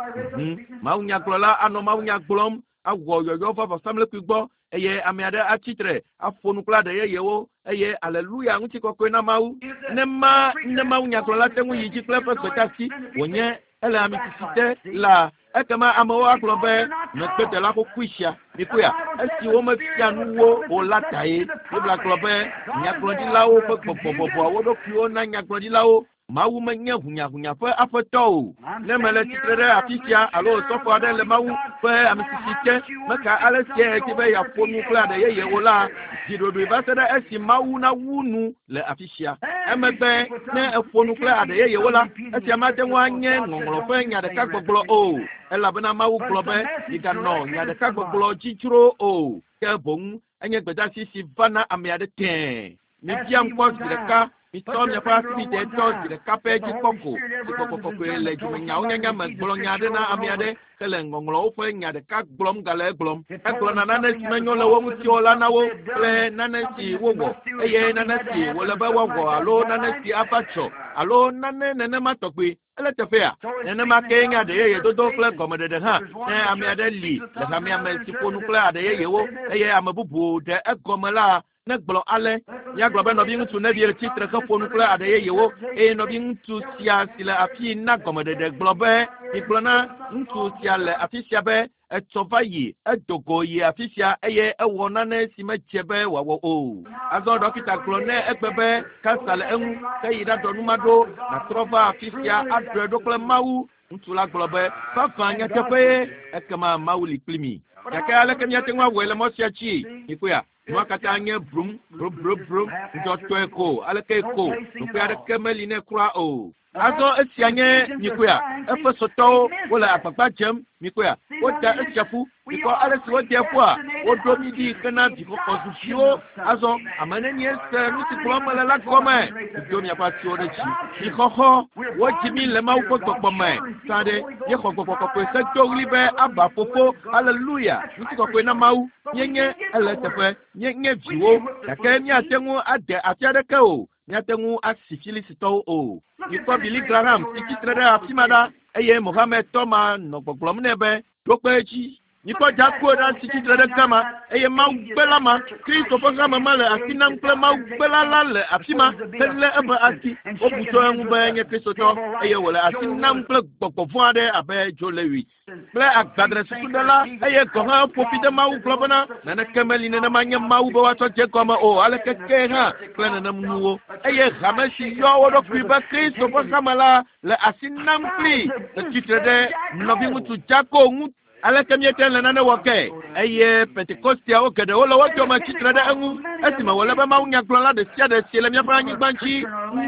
Mawunyagblɔla anɔ mawunya gblɔm awɔ yɔyɔ va vɔsamlekpui gbɔ eye ame aɖe atsitre aƒo nu kple aɖe yeyewo eye aleluya ŋutikɔkɔe na Mawu. Ne ma ne mawunyagblɔla te ŋu yi dzi kple eƒe gbedeasi wònye ele ame sisi te la, ekema amewo agblɔ be megbedela xoxoe sia. Mikuya, esi womefia nu wo o la tae. Biblia gblɔ be nyagblɔɖilawo ƒe gbɔgbɔ bɔbɔa wo ɖokuiwo na nyagblɔɖilawo. Mawu menye hunyahunya ƒe aƒetɔ o. Ne mele tsitre ɖe afi sia alo sɔfo aɖe le Mawu ƒe ame sisi te, meka ale sie dzi be yeaƒo nu kple aɖe yeye o la, dzi ɖoɖoe va se ɖe esi Mawu nawu nu le afi sia. Emegbe ne eƒo nu kple aɖe yeyewo la, esia mate ŋu anye ŋɔŋlɔ ƒe nya ɖeka gbɔgblɔ o. Elabena Mawu gblɔ be miganɔ nya ɖeka gbɔgblɔ dzi dzro o. Ke boŋ enye gbedeasi si va na ame aɖe tẽe. Mibiam kpɔ zi ɖeka. Mitsɔ miaƒe asibidɛ tɔ zi ɖeka pɛ dzi kpɔ ko. Si gbɔgbɔ kɔkɔe le dzimenyawo nyanya me gblɔ nya aɖe na ame aɖe hele ŋɔŋlɔwo ƒe nya ɖeka gblɔm gale egblɔm. Egblɔna nane si menyo le wo ŋuti o la na wo kple nane si wowɔ eye nane si wòle be woawɔ alo nane si ava dzɔ alo nane nenema tɔgbi. Ele teƒea. Nenema kee nye aɖe yeye dodo kple gɔmeɖeɖe hã. Ne ame aɖe li le hamea me si ƒo nu kple aɖe yeyewo eye ame bubu ɖe egɔme la, negblɔ ale. Míagblɔ be nɔviŋutsu Neville tsitre heƒo nu kple aɖe yeyewo eye nɔviŋutsu sia si le afi na gɔmeɖeɖe gblɔ be migblɔ na ŋutsu sia le afi sia be etsɔ va yi edo go yi afi sia eye ewɔ nane si medze be wòawɔ o. Azɔ ɖɔkita gblɔ nɛ egbe be kansa le eŋu ke yi ɖaɖɔ nu ma ɖo nàtrɔ va afi sia aɖɔe ɖo kple Mawu. Ŋutsu la gblɔ be vavã nyateƒe ye ekema Mawu li kpli mi. Gake aleke míate ŋu awɔe le mɔ sia dzi? Mikpɔea? Nua katã nye brum brum brum brum ŋudzɔtɔe ko aleke ko ɖoƒe aɖeke meli nɛ kura o. Azɔ esia nye mikpɔea? Efesotɔwo wole agbagba dzem mikpɔea? Woda esia ƒu. Mikpɔ ale si wode ƒua, woɖo mí ɖi hena vixɔxɔ zu viwo. Azɔ ame nenie se nu si gblɔm mele la gɔme. Mido miaƒe asiwo ɖe dzi. Vixɔxɔ, wodzi mí le Mawu ƒe gbɔgbɔ me. Sã ɖe, míexɔ gbɔgbɔ kɔkɔe hedo ɣli be Aba fofo, aleluya, ŋutikɔkɔe na Mawu. Míenye ele teƒe, míenye viwo, gake míate ŋu ade afi aɖeke o. Míate ŋu asi Filistitɔwo o. Mikpɔ Billy Graham si tsitre ɖe afi ma ɖa eye Mohammed tɔ ma nɔ gbɔgblɔm nɛ be ɖo kpe edzi. Mikpɔ Jakob ɖa si tsitre ɖe gama eye Mawu gbela ma, Kristo ƒe hame ma le asi nam kple Mawu gbela la le afi ma helé eƒe asi. Wobu tso eŋu be enye Kristotɔ eye wòle asi nam kple gbɔgbɔ vɔ̃ aɖe abe Joe Lewis kple agbadre susuɖela eye gɔ̃ hã ƒo fi de Mawu gblɔ bena naneke meli nenema nye Mawu be woatsɔ dze gɔme o aleke ke hã kple nenem nuwo. Eye hame si yɔ wo ɖokui be Kristo ƒe hame la le asi nam kpli le tsitre ɖe nɔviŋutsu Jakob ŋu. Aleke míete le nane wɔ ke? Eye Pentekosteawo geɖewo le wo dome tsitre ɖe eŋu esime wòle be mawunyagblɔla ɖe sia ɖe si le míaƒe anyigba dzi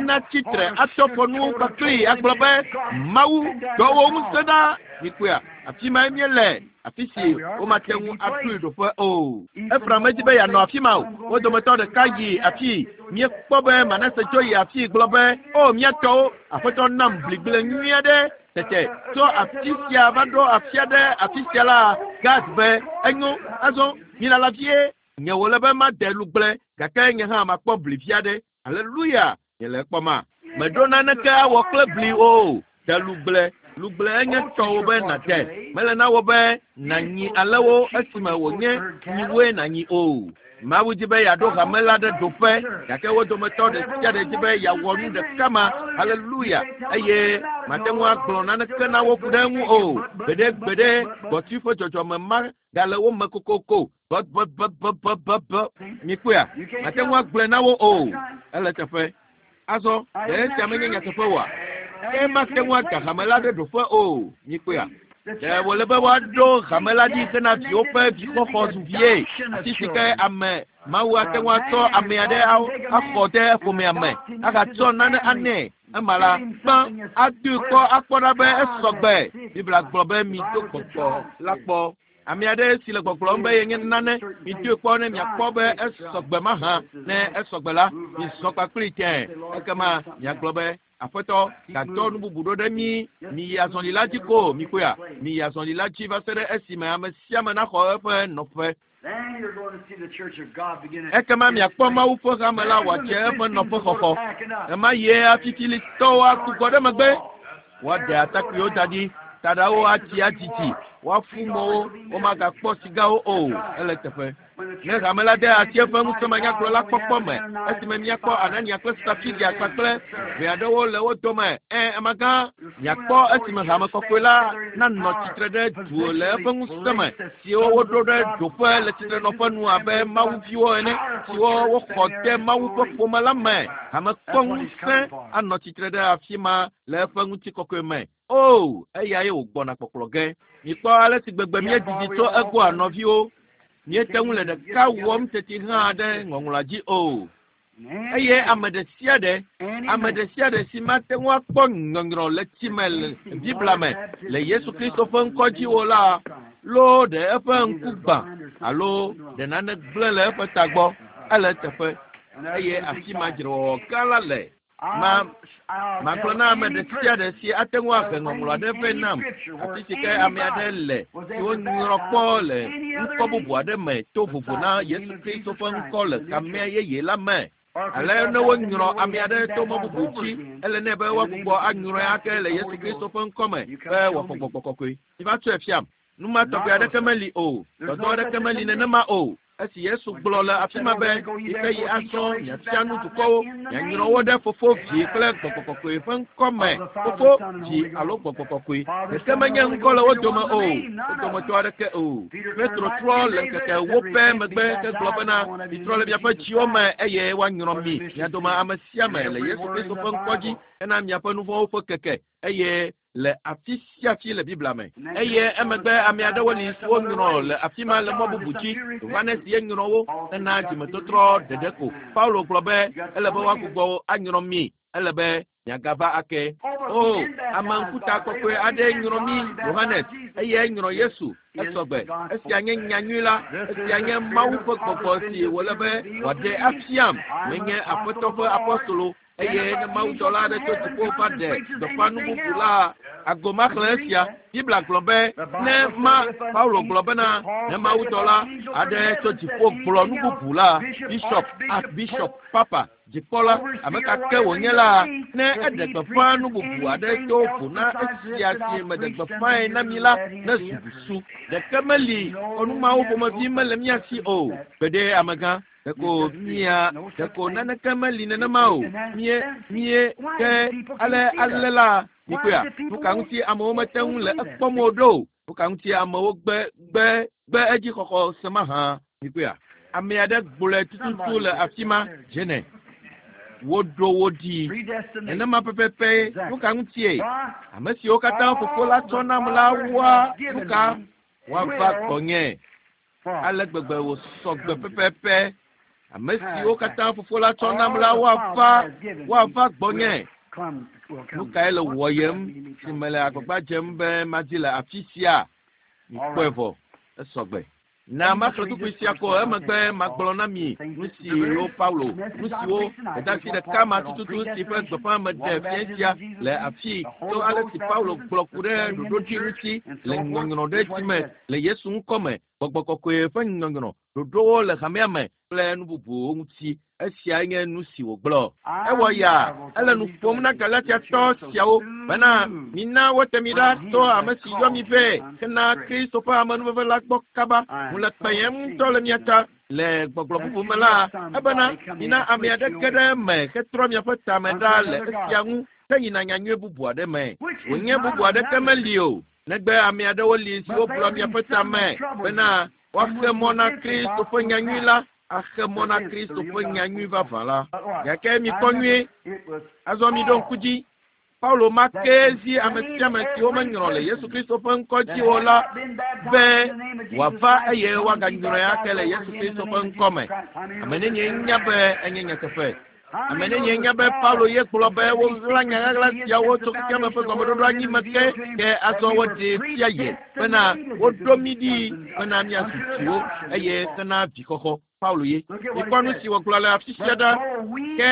natsitre atɔ fɔ nu kpakpli agblɔ be Mawu dɔ wò ŋusẽ ɖa. Mikpɔea, afi mae míele, afi si womate ŋu aɖoe ɖoƒe o. Efraim medzi be yeanɔ afi ma o. Wo dometɔ ɖeka yi afii. Míekpɔ be Manase dzo yi afii gblɔ be o mía tɔwo, aƒetɔ nam bligble nyui aɖe. Tete tso afi sia va ɖo afi aɖe afi sia la Gad be enyo azɔ milala vie nye wòle be made lugble gake nye hã makpɔ bli vi aɖe. Aleluya nye le ekpɔma. Meɖo naneke awɔ kple bli o. De lugble. Lugble enye tɔwò be nàde. Mele na wò be nànyi alẽwo esime wònye nyiwoe nànyi o. Mawu dzi be yeaɖo hame la ɖe ɖoƒe gake wo dometɔ ɖe sia ɖe dzi be yeawɔ nu ɖeka ma. Aleluya eye mate ŋu agblɔ naneke na wo ku ɖe eŋu o. Gbeɖe gbeɖe gbɔti ƒe dzɔdzɔme ma gale wo me kokoko. Bɔbɔbɔbɔbɔbɔ mikpɔea mate ŋu agblɔe na wo o. Ele teƒe. Azɔ ɖe esia menye nyateƒe oa? Ke mate ŋu ada hame la ɖe ɖoƒe o. Mikpɔea? Ɖe wòle be woaɖo hame la ɖi hena viwo ƒe vixɔxɔ zu vie. Afi si ke ame Mawu ate ŋu atsɔ ame aɖe axɔ ɖe ƒomea me agatsɔ nane anɛ. Ema la gbã adoe kpɔ akpɔ ɖa be esɔgbe. Biblia gblɔ be mido gbɔgbɔ la kpɔ. Ame aɖe si le gbɔgblɔm be yenye nane midoe kpɔ ne miakpɔ be esɔgbe mahã. Ne esɔgbe la mizɔ kpakpli tẽ. Ekema miagblɔ be Aƒetɔ gadɔ nu bubu ɖo ɖe mí miyi azɔli la dzi ko mikpɔea miyi azɔli la dzi va se ɖe esime ame sia ame naxɔ eƒe nɔƒe. Ekema miakpɔ Mawu ƒe hame la wòadze eƒe nɔƒe xɔxɔ. Ema yie afifilitɔwo agbugbɔ ɖe megbe. Woaɖe atakpuiwo da ɖi, taɖawo atsi adzidzi, woafu mɔwo, womagakpɔ sigawo o. Ele teƒe. Ne hame la de asi eƒe ŋusẽmenyagblɔ la kpɔkpɔ me esime miakpɔ Anania kple Safiria kpakple ʋe aɖewo le wo dome. Ẽ amegã miakpɔ esime hame kɔkɔe la nanɔ tsitre ɖe du le eƒe ŋusẽ me siwo woɖo ɖe ɖoƒe le tsitrenɔƒe nu abe mawuviwo ene siwo woxɔ de Mawu ƒe ƒome la me. Hame kpɔ ŋusẽ anɔ tsitre ɖe afi ma le eƒe ŋutikɔkɔe me. O eyae wògbɔna kpɔkplɔ ge. Mikpɔ ale si gbegbe míedidi tso egbɔa nɔviwo. Míete ŋu le ɖeka wɔm teti hã ɖe ŋɔŋlɔa dzi o. Eye ame ɖe sia ɖe, ame ɖe sia ɖe si mate ŋu akpɔ nyɔnyrɔ le tsi me le Biblia me le Yesu Kristo ƒe ŋkɔ dzi o la, loo ɖe eƒe ŋku gbã alo ɖe nane gblẽ le eƒe tagbɔ. Ele teƒe eye afi ma dzrewɔwɔ gã la le. Ma magblɔ na ame ɖe sia ɖe si ate ŋu ahe ŋɔŋlɔ aɖe vɛ nam afi si ke ame aɖe le si wonyrɔ kpɔ le ŋkɔ bubu aɖe me to vovo na Yesu Kristo ƒe ŋkɔ le hamea yeye la me. Ale ne wonyrɔ ame aɖe to mɔ bubu dzi, ele nɛ be woagbugbɔ anyrɔe ake le Yesu Kristo ƒe ŋkɔ me be wòaxɔ gbɔgbɔ kɔkɔe. Miva tsɔe fiam. Nu ma tɔgbi aɖeke meli o. Dɔdɔ aɖeke meli nenema o. Esi Yesu gblɔ le afi ma be yi ke yi azɔ miafia nu dukɔwo, mianyrɔ wo ɖe Fofo, Vi kple Gbɔgbɔ kɔkɔe ƒe ŋkɔ me. Fofo, Vi alo Gbɔgbɔ kɔkɔe. Ɖeke menye ŋkɔ le wo dome o. Wo dometɔ aɖeke o. Petro trɔ le ŋkeke ewo pɛ megbe ke gblɔ bena mitrɔ le miaƒe dziwo me eye woanyrɔ mi mia dome ame sia ame le Yesu Kristo ƒe ŋkɔ dzi hena miaƒe nu vɔ̃wo ƒe keke eye le afi sia afi le Biblia me. Eye emegbe ame aɖewo li siwo nyrɔ le afi ma le mɔ bubu dzi. Yohanes ye nyrɔ wo hena dzimetɔtrɔ ɖeɖe ko. Paulo gblɔ be ele be woagbugbɔ anyrɔ mi. Ele be miagava ake. O ame ŋkuta kɔkɔe aɖe nyrɔ mi Yohanes eye nyrɔ Yesu. Esɔgbe. Esia nye nyanyui la. Esia nye Mawu ƒe gbɔgbɔ si wòle be wòaɖe afiam. Menye Aƒetɔ ƒe apostolo. Eye ne mawudɔla aɖe tso dziƒo va ɖe gbeƒã nu bubu la, agbo maxlẽ esia. Biblia gblɔ be ne ma Paulo gblɔ bena ne mawudɔla aɖe tso dziƒo gblɔ nu bubu la, bishop, archbishop, papa, dzikpɔla, ame ka ke wònye la, ne eɖe gbeƒã nu bubu aɖe to vo na esia si meɖe gbeƒãe na mi la, ne zu busu. Ɖeke meli kɔnu mawo ƒomevi mele mía si o. Gbeɖe amegã. Ɖeko mia ɖeko naneke meli nenema o. Mie mie ke ale ale la mikpɔea nu ka ŋuti amewo mete ŋu le ekpɔm o ɖo. Nu ka ŋuti amewo gbe gbe gbe edzi xɔxɔ se mahã mikpɔea. Ame aɖe gblɔe tututu le afi ma dzene. Woɖo wo ɖi. Nenema pɛpɛpɛ nu ka ŋutie ame siwo katã fofo la tsɔ nam la woa nu ka woava gbɔnye. Ale gbegbe wòsɔ gbe pɛpɛpɛ. Ame siwo katã fofo la tsɔ nam la woava woava gbɔnye. Nu kae le wɔyem si mele agbagba dzem be madi le afi sia? Mikpɔe vɔ. Esɔgbe. Na maxlẽ kpukpui sia ko emegbe magblɔ na mi nu siwo Paulo, nu siwo dɔdeasi ɖeka ma tututu si ƒe gbeƒã meɖe fia sia le afii to ale si Paulo gblɔ ku ɖe ɖoɖoɖi ŋuti le nyɔnyrɔ ɖe tsi me le Yesu ŋkɔ me, gbɔgbɔ kɔkɔe ƒe nyɔnyrɔ, ɖoɖowo le hamea me kple nu bubuwo ŋuti. Esia nye nu si wògblɔ. Ewɔ ya ele nu ƒom na Galatiatɔ siawo bena mina wote mi ɖa to ame si yɔ mi vɛ hena Kristo ƒe amenuveve la gbɔ kaba. Ŋu le kpeyem ŋutɔ le mia ta le gbɔgblɔ bubu me la, ebena mina ame aɖe ge ɖe eme hetrɔ miaƒe tame ɖa le esia ŋu heyina nyanyui bubu aɖe me. Wònye bubu aɖeke meli o, negbe ame aɖewo li siwo gblɔ miaƒe tame bena woaxe mɔ na Kristo ƒe nyanyui la, axe mɔ na Kristo ƒe nyanyui vavã la. Gake mikpɔ nyuie, azɔ miɖo ŋku dzi. Paulo ma ke zi ame sia ame siwo menyrɔ le Yesu Kristo ƒe ŋkɔ dzi o la be wòava eye woaganyrɔe ake le Yesu Kristo ƒe ŋkɔ me. Ame nenye nya be enye nyateƒe. Ame nenye nya be Paulo ye gblɔ be woɣla nya ɣaɣla siawo tso xexeame ƒe gɔmeɖoɖo anyi me ke, ke azɔ woɖee fia ye bena woɖo mí ɖi bena míazu viwo eye hena vixɔxɔ. Paulo ye. Mikpɔ nu si wògblɔ le afi sia ɖa. Ke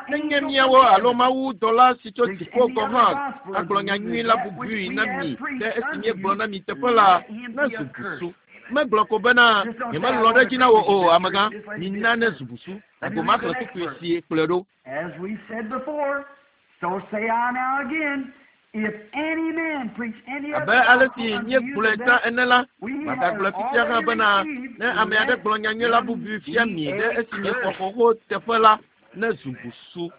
nenye míawo alo Mawu dɔla si tso dziƒo gɔ̃ hã agblɔ nyanyui la bubui na mi ɖe esi míegblɔ na mi teƒe la, nezu busu. Megblɔ ko bena nyemelɔ̃ ɖe edzi na wò o, amegã, mina nezu busu. Gago maxlẽ kpukpui si kplɔe ɖo. As we said before, so say I now again, if any man preach any Abe other ale gospel si unto you míegblɔe than tsã that ene la, we magagblɔe have fifia hã already bena received, ne ame aɖe let gblɔ nyanyui la him bubui fia be mi ɖe a esi miexɔ curse. xoxo teƒe la, nezu busu.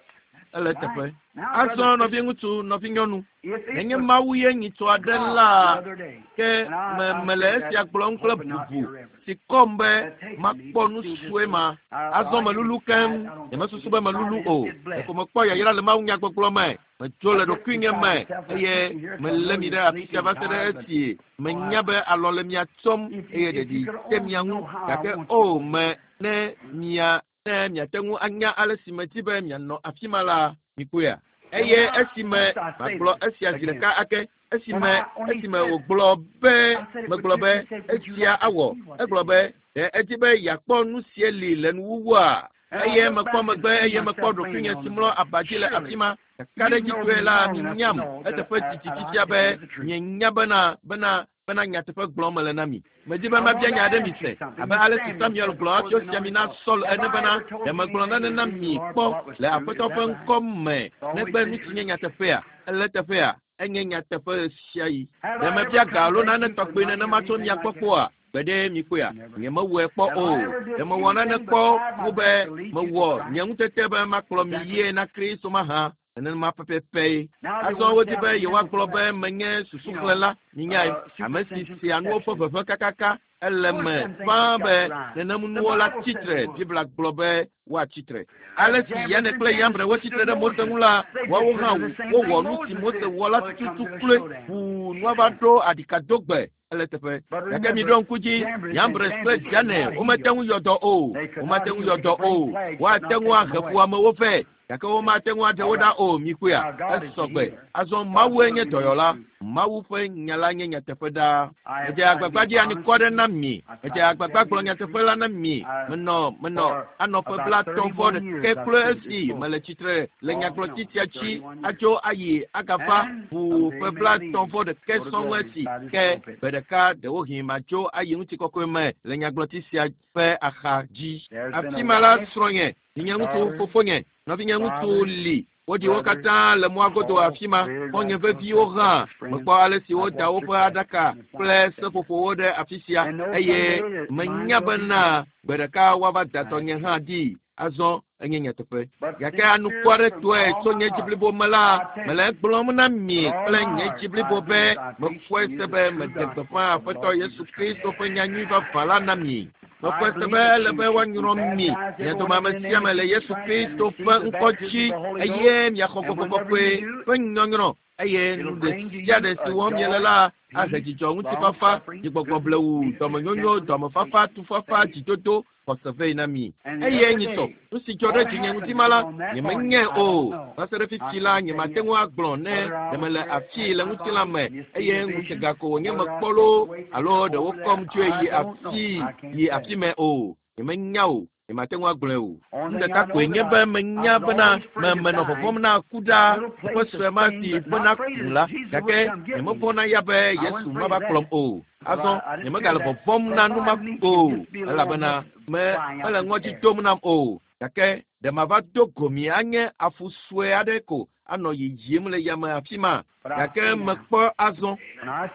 Ele teƒe. Now, Azɔ brother, nɔviŋutsu, nɔvinyɔnu, if it nenye was Mawu ye nyitsɔ aɖe God the la, other day, ke and I, me I mele said esia that gblɔm kple hoping not be bubu irreverent. si kɔm be That taken me, makpɔ but nu still just sue ma. I, Azɔ I melulu I, keŋ, I don't nyemesusu think be it melulu I o. just get blessed. Ɖeko mekpɔ yayra le Mawu nyagbɔgblɔ me. Metso I le just ɖokuinye beside me myself. I eye sit here 'cause I melé know mi you're ɖe afi sia sleepy va and se ɖe tired, but esi oh, I, menya be alɔ le mia tsɔm if you eye if ɖeɖi you could te only mia ŋu. know how I Gake want o you. me ne mia ne miate ŋu anya ale si medi be mianɔ afi ma la, mikpɔea. And Eye now, esime must I say magblɔ this esia zi again? ɖeka ake, esime When I when he esime said, wògblɔ be I said it, would megblɔ you? be He said, would you esia like to awɔ. see what Egblɔ this be is? ɖe edi be yeakpɔ nu sie li le nuwuwua. And I Eye looked mekpɔ back and megbe see eye mekpɔ myself laying ɖokuinye on si the mlɔ bed. aba dzi le afi Surely ma. you Kakaɖedzitɔe know me la long enough to minyam know that eteƒe I, didi that I fifia tell be you the truth. mienya bena bena bena nyateƒe gblɔm mele na mi. Medi be I want mabia to nya aɖe mi ask you se something. abe ale si Samuel Samuel said gblɔ before hafi the wosi ami anointing na oil, Saul Have ene I bena ever told ɖe you megblɔ anything nane na against the mi Lord kpɔ but what was le true? Aƒetɔ Is ƒe that right? ŋkɔ me It's always negbe been nu si true. nye nyateƒea. Ele teƒea enye nyateƒe ɣe sia ɣi. Have Ɖe I ever mebia ga come alo beg nane you for tɔgbi money or nenema tso anything mia like gbɔ that? kpɔa? Gbeɖe mikpɔea? Never. Nyemewɔe kpɔ Have o. I ever Ɖe did mewɔ nane anything kpɔ but tried my wu be best to lead you to mewɔ Christ? nye ŋutete be makplɔ mi Exactly. yie na Kristo mahã. Nenema pɛpɛpɛ. Now they Azɔ want to wodi say be I'm a mental yewoagblɔ be select, menye you know, susuxlẽla. Minyae, uh, ame si supersensual sea nuwo ƒe perception. veve kakaka ele Of course, me them things ƒãa has got be to rise. nenem The nuwo la Bible tsi says tre. they would. Biblia gblɔ be woatsi tre. As Ale si Jambres Yane and kple Jannes Yambre wotsi tre withstood ɖe Mose Moses, ŋu la, they did woawo hã sort of the same wowɔ thing nu si Moses Mose did wɔ la till it comes tututu to a kloe showdown. ʋuu nua va ɖo aɖikadogbe. Ele teƒe. But Gake remember, miɖo ŋku dzi, Jambres and Yambres kple Jannes could Jane not womete heal. ŋu yɔ dɔ o. They could not Womate ŋu heal. yɔ They dɔ could bring o. plagues, but Woate not ŋu take them ahe away. fuamewo vɛ gake womate ŋu aɖe wo All ɖa right. o. Mikpɔea? Now God is the Esɔgbe. healer. Azɔ God's Mawue word nye remains dɔyɔla. true. Mawu ƒe nya la nye nyateƒe ɖaa. I have Medze tried to be agbagba dzi honest anukɔ ɖe with na you. mi. I've Medze tried to agbagba tell gblɔ you the nyateƒe truth. la na mi. I, Menɔ menɔ for anɔ ƒe about blaetɔ̃ vɔ thirty-one ɖekɛ years I've kloe stood at this esi mele pulpit. tsitre le Off and nyagblɔtsi on, sia dzi thirty-one years. atso ayi agava And ʋuu someday ƒe may blaetɔ̃ leave, vɔ ɖekɛ go to sɔŋ glory esi by this ke pulpit. gbe ɖeka ɖewohĩ matso ayi ŋutikɔkɔe me le nyagblɔtsi sia ƒe axa dzi. There's been Afi a ma la wife, srɔ̃nye, vinyeŋutsu, daughter, fofonye, nɔvinyeŋutsu father, li. Woɖi wo brother, katã le mɔa godo all afi ma. reared Xɔ̃nye like veviwo those hã. precious friends. Mekpɔ ale si I've woda watched woƒe their aɖaka casket and kple flowers set there. seƒoƒowo ɖe afi sia And know eye someday that mine menya will be bena too. gbe ɖeka woava da I tɔnye hã ɖi. Azɔ enye nyateƒe. But Gake sincere anukware from tɔe all tso my nye dzi heart, blibo me la, I tell mele you, egblɔm na mi with all kple my nye heart, dzi I blibo be believe I preach mexɔe to you se the be true meɖe gospel gbeƒã of the Aƒetɔ Lord Yesu Jesus Christ. Kristo ƒe nyanyui vavã la na mi. I Mexɔe se believe be that ele you be should be woanyrɔ mi, baptized, mia every dome one of ame you, in the sia name ame of le Jesus Yesu Christ, and Kristo receive ƒe the ŋkɔ baptism dzi of the Holy Ghost. eye miaxɔ And Gbɔgbɔ whenever Kɔkɔe you do, ƒe nyɔnyrɔ eye it'll nu ɖe bring to sia you ɖe si a wɔm miele joy, la ahe peace, dzidzɔ, long ŋutifafa, suffering, dzigbɔgbɔ goodness, blewu, meekness, dɔmenyonyo, gentleness, dɔmefafa, patience, tufafa, faith. dzidodo, xɔse vɛ na mi. And the Eye other nyitsɔ, day, nu si dzɔ ɖe what dzinye happened ŋuti ma la, on that morning, nyemenyae I o. don't know. Va se ɖe fifi la nyemate ŋu agblɔ ne ɖe mele afii le ŋutilã me eye ŋutega ko wònye mekpɔ loo alo ɖe wokɔm tsoe yi afii yi afi me o. Nyemenya o. Nyemate ŋu agblɔe o. Nu ɖeka koe nye be menya bena me menɔ vɔvɔ̃m na ku ɖa teƒe sue ma si ƒena kum la gake nyemevɔ̃na ya be Yesu mava kplɔm o. Azɔ nyemegale vɔvɔ̃m na nu ma o elabena me mele ŋɔdzi dom nam o. Gake ɖe mava do go mi anye afu sue aɖe ko anɔ yiyim le yame afi ma. Gake mekpɔ azɔ.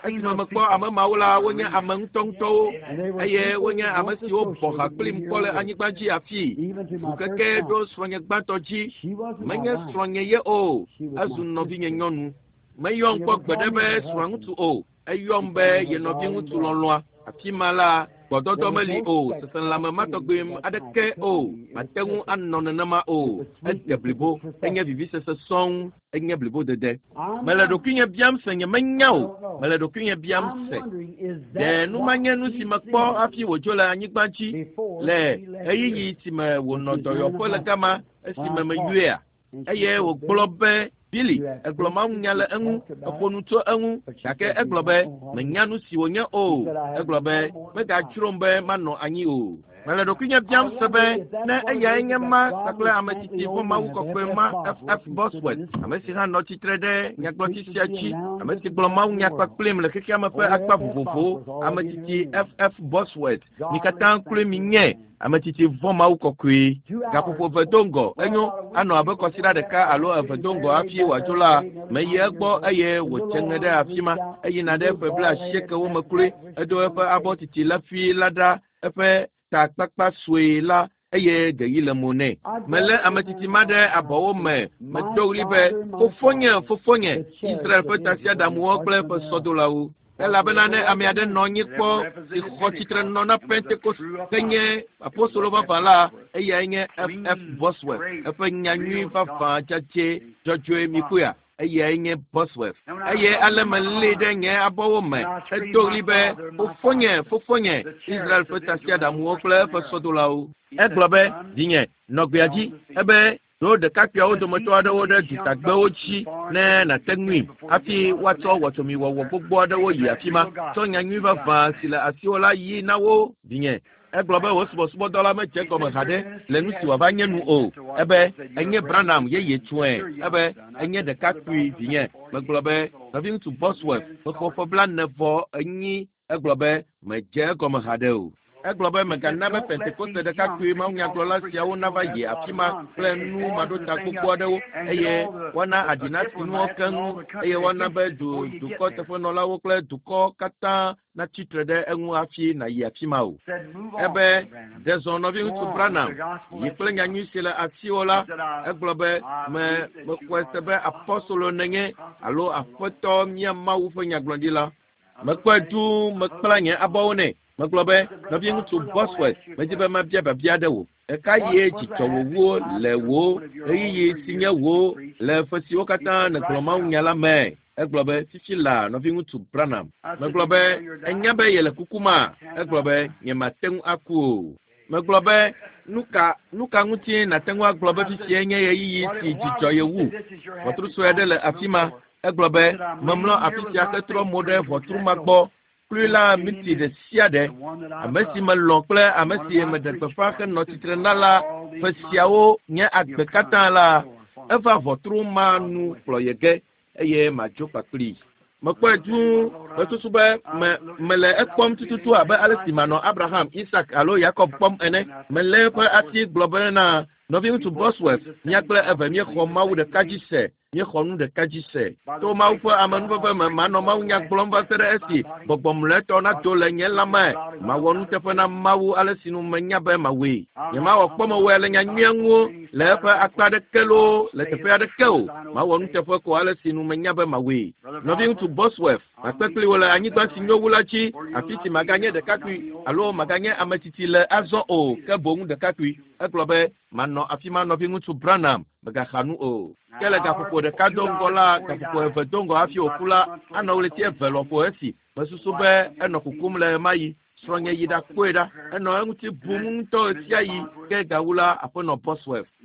Esime mekpɔ ame mawo la, wonye ame ŋutɔŋutɔwo eye wonye ame siwo bɔ ha kplim kpɔ le anyigba dzi afii. Ŋukeke ɖo srɔ̃nye gbãtɔ dzi. Menye srɔ̃nye ye o, ezu nɔvinye nyɔnu. Meyɔm kpɔ gbeɖe be srɔ̃ŋutsu o, eyɔm be ye nɔviŋutsu lɔlɔ̃a. Afi ma la, gbɔdɔdɔ meli o, seselãme ma tɔgbi aɖeke o, mate ŋu anɔ nenema o. Ede blibo, enye vivisese sɔŋ, enye blibodede. Mele ɖokuinye biam se nyemenya o, mele ɖokuinye biam se. Ɖe nu ma nye nu si mekpɔ hafi wòdzo le anyigba dzi le ɣeyiɣi si me wònɔ dɔyɔƒe le gama esime meyɔea? Eye wògblɔ be Billy, egblɔ mawunya le eŋu, eƒo nu tso eŋu, gake egblɔ be menya nu si wònye o. Egblɔ be megadzrom be manɔ anyi o. Mele ɖokuinye biam se be ne eyae nye ma kpakple ame tsitsi ƒe Mawu kɔkɔe ma F F Bosworth, ame si hã nɔ tsitre ɖe nyagblɔtsi sia dzi, ame si gblɔ mawunya kpakplim le xexea me ƒe akpa vovovowo, ame tsitsi F F Bosworth, mi katã kloe mi nye ame tsitsi vɔ̃ Mawu kɔkɔe. Gaƒoƒo eve do ŋgɔ, enyo anɔ abe kɔsiɖa ɖeka alo eve do ŋgɔ hafi wòadzo la, meyi egbɔ eye wòdze ŋe ɖe afi ma. Eyina ɖe ƒe blaasiekewo me kloe, edo eƒe abɔ titi lefi la ɖa eƒe takpakpa sue la eye geyi le mo nɛ. Melé ame tsitsi ma ɖe abɔwo me, medo ɣli be, fofonye, fofonye, Israel ƒe tasiaɖamuwo kple eƒe sɔdolawo. Elabena ne ame aɖe nɔ anyi kpɔ si xɔ tsitre nɔ na Pentekost ke nye apostolo vavã la, eyae nye F F Bosworth. Eƒe nyanyui vavã dzadzɛ dzɔdzɔe mikuya. Eyae nye Bosworth. Eye ale melée ɖe nye abɔwo me hedo ɣli be, fofonye, fofonye, Israel ƒe tasiaɖamuwo kple eƒe sɔdolawo. Egblɔ be, vinye, nɔ gbea dzi. Ebe ɖo ɖekakpuiawo dometɔ aɖewo ɖe dutagbewo dzi ne nàte ŋui hafi woatsɔ wɔtsomiwɔwɔ gbogbo aɖewo yi afi ma. Tsɔ nyanyui vavã si le asiwò la yi na wo, vinye. Egblɔ be wò subɔsubɔdɔ la medze gɔme haɖe le nu si wòava nye nu o. Ebe enye Branham yeye tsɔe. Ebe enye ɖekakpui vinye. Megblɔ be nɔviŋutsu Bosworth mexɔ ƒe blaene vɔ enyi. Egblɔ be medze egɔme haɖe o. Egblɔ be megana be Pentekoste ɖekakpui mawunyagblɔla siawo nava yi afi ma kple nu maɖota gbogbo aɖewo eye woana aɖi nasi nuwo keŋ eye woana be du dukɔ teƒenɔlawo kple dukɔ katã natsi tre ɖe eŋu hafi nàyi afi ma o. Ebe ɖe zɔ nɔviŋutsu Branham yi kple nyanyui si le asiwò la. Egblɔ be me mexɔe se be apostolo nenye alo aƒetɔ mía Mawu ƒe nyagblɔɖila. Mekpɔe duu mekpla nye abɔwo nɛ. Megblɔ be nɔviŋutsu Bosworth, medi be mabia biabia ɖe wò. Ɣeka ye dzidzɔ wòwuwo le wò ɣeyiɣi si nye wò le ƒe siwo katã nègblɔ mawunya la me? Egblɔ be fifi la nɔviŋutsu Branham. Megblɔ be enya be yele kuku ma? Egblɔ be nyemate ŋu aku o. Megblɔ be nu ka nu ka ŋuti nàte ŋu agblɔ be fifia nye ɣeyiɣi si dzidzɔ ye wu? Ʋɔtru sue aɖe le afi ma. Egblɔ be memlɔ afi sia hetrɔ mo ɖe ʋɔtru ma gbɔ. Klui la miti ɖe sia ɖe. Ame si melɔ̃ kple ame si meɖe gbeƒã henɔ tsitre na la ƒe siawo nye agbe katã la, eva ʋɔtru ma nu kplɔ ye ge eye madzo kpakplii. Mekpɔe duu mesusu be me mele ekpɔm tututu abe ale si manɔ Abraham, Isak alo Yakob kpɔm ene. Melé eƒe asi gblɔ bena nɔviŋutsu Bosworth, mía kple eve míexɔ Mawu ɖeka dzi se. Míexɔ nu ɖeka dzi se. To Mawu ƒe amenuveve me manɔ mawunya gblɔm va se ɖe esi gbɔgbɔ mlɔetɔ nato le nye lãme. Mawɔ nuteƒe na Mawu ale si nu menya be mawɔe. Nyemawɔ kpɔmewɔe le nyanyuia ŋu le eƒe akpa aɖeke loo le teƒe aɖeke o. Mawɔ nuteƒe ko ale si nu menya be mawɔe. Nɔviŋutsu Bosworth, makpe kpli wò le anyigba si nyo wu la dzi, afi si maganye ɖekakpui alo maganye ame tsitsi le azɔ o, ke boŋ ɖekakpui. Egblɔ be manɔ afi ma nɔviŋutsu Branham, megaxa nu o. Ke le gaƒoƒo ɖeka do ŋgɔ la, gaƒoƒo eve do ŋgɔ hafi wòku la, anɔ ɣleti eve lɔƒo esi mesusu be enɔ kukum le ɣemaɣi. Srɔ̃nye yi ɖakpɔe ɖa. Enɔ eŋuti bum ŋutɔ ɣesiaɣi ke gawu la aƒenɔ Bosworth.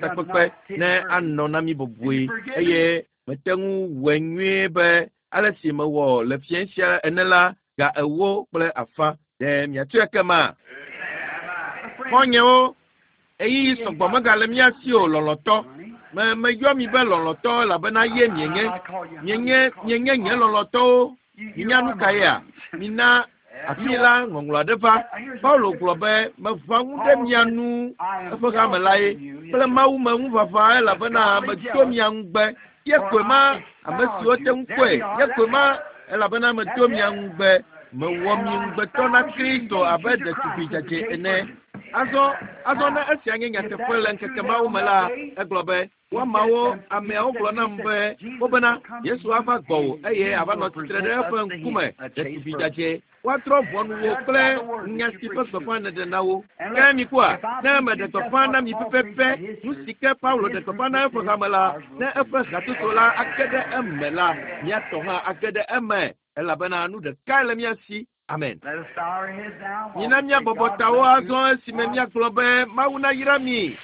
takpekpe ne anɔ na mi bɔbɔe eye mete ŋu wɔe nyuie be ale si mewɔ le fiẽ sia ene la ga ewo kple afã ɖe miatɔe kema. Xɔnyewo, ɣeyiɣi sɔgbɔ megale mía si o lɔlɔ̃tɔ. Me meyɔ mi be lɔlɔ̃tɔ elabena ye mienye. Mienye mienye nye lɔlɔ̃tɔwo. Minya nu ka yea? Mina Afi la ŋɔŋlɔ aɖe va. Paulo gblɔ be meʋã ŋu ɖe mia nu eƒe hame la ye kple Mawu me ŋuʋaʋã elabena medo mia ŋugbe. Ye koe ma ame siwo te ŋu kpɔe. Ye koe ma elabena medo mia ŋugbe. Mewɔ mi ŋugbetɔ na Kristo abe ɖetugbi dzadzɛ ene. Azɔ azɔ ne esia nye nyateƒe le ŋkeke mawo me la, egblɔ be woamawo ameawo gblɔ nam be wobena Yesu ava gbɔwò eye ava nɔ tsitre ɖe eƒe ŋkume ɖetugbi dzadzɛ. Woatrɔ ʋɔnu wò kple nya si ƒe gbeƒã nèɖe na wo. Ke mikpɔa, ne meɖe gbeƒã na mi pɛpɛpɛ, nu si ke Paulo ɖe gbeƒã na eƒe hame la, ne eƒe hatoto la age ɖe eme la, míatɔ hã age ɖe eme elabena nu ɖekae le mía si. Amen. Let us bow our heads now. while Mina we say míabɔbɔ God tawo bless you. azɔ esime míagblɔ be Mawu nayra mi.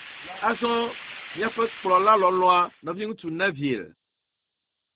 Azɔ míaƒe kplɔla lɔlɔ̃a nɔviŋutsu Neville.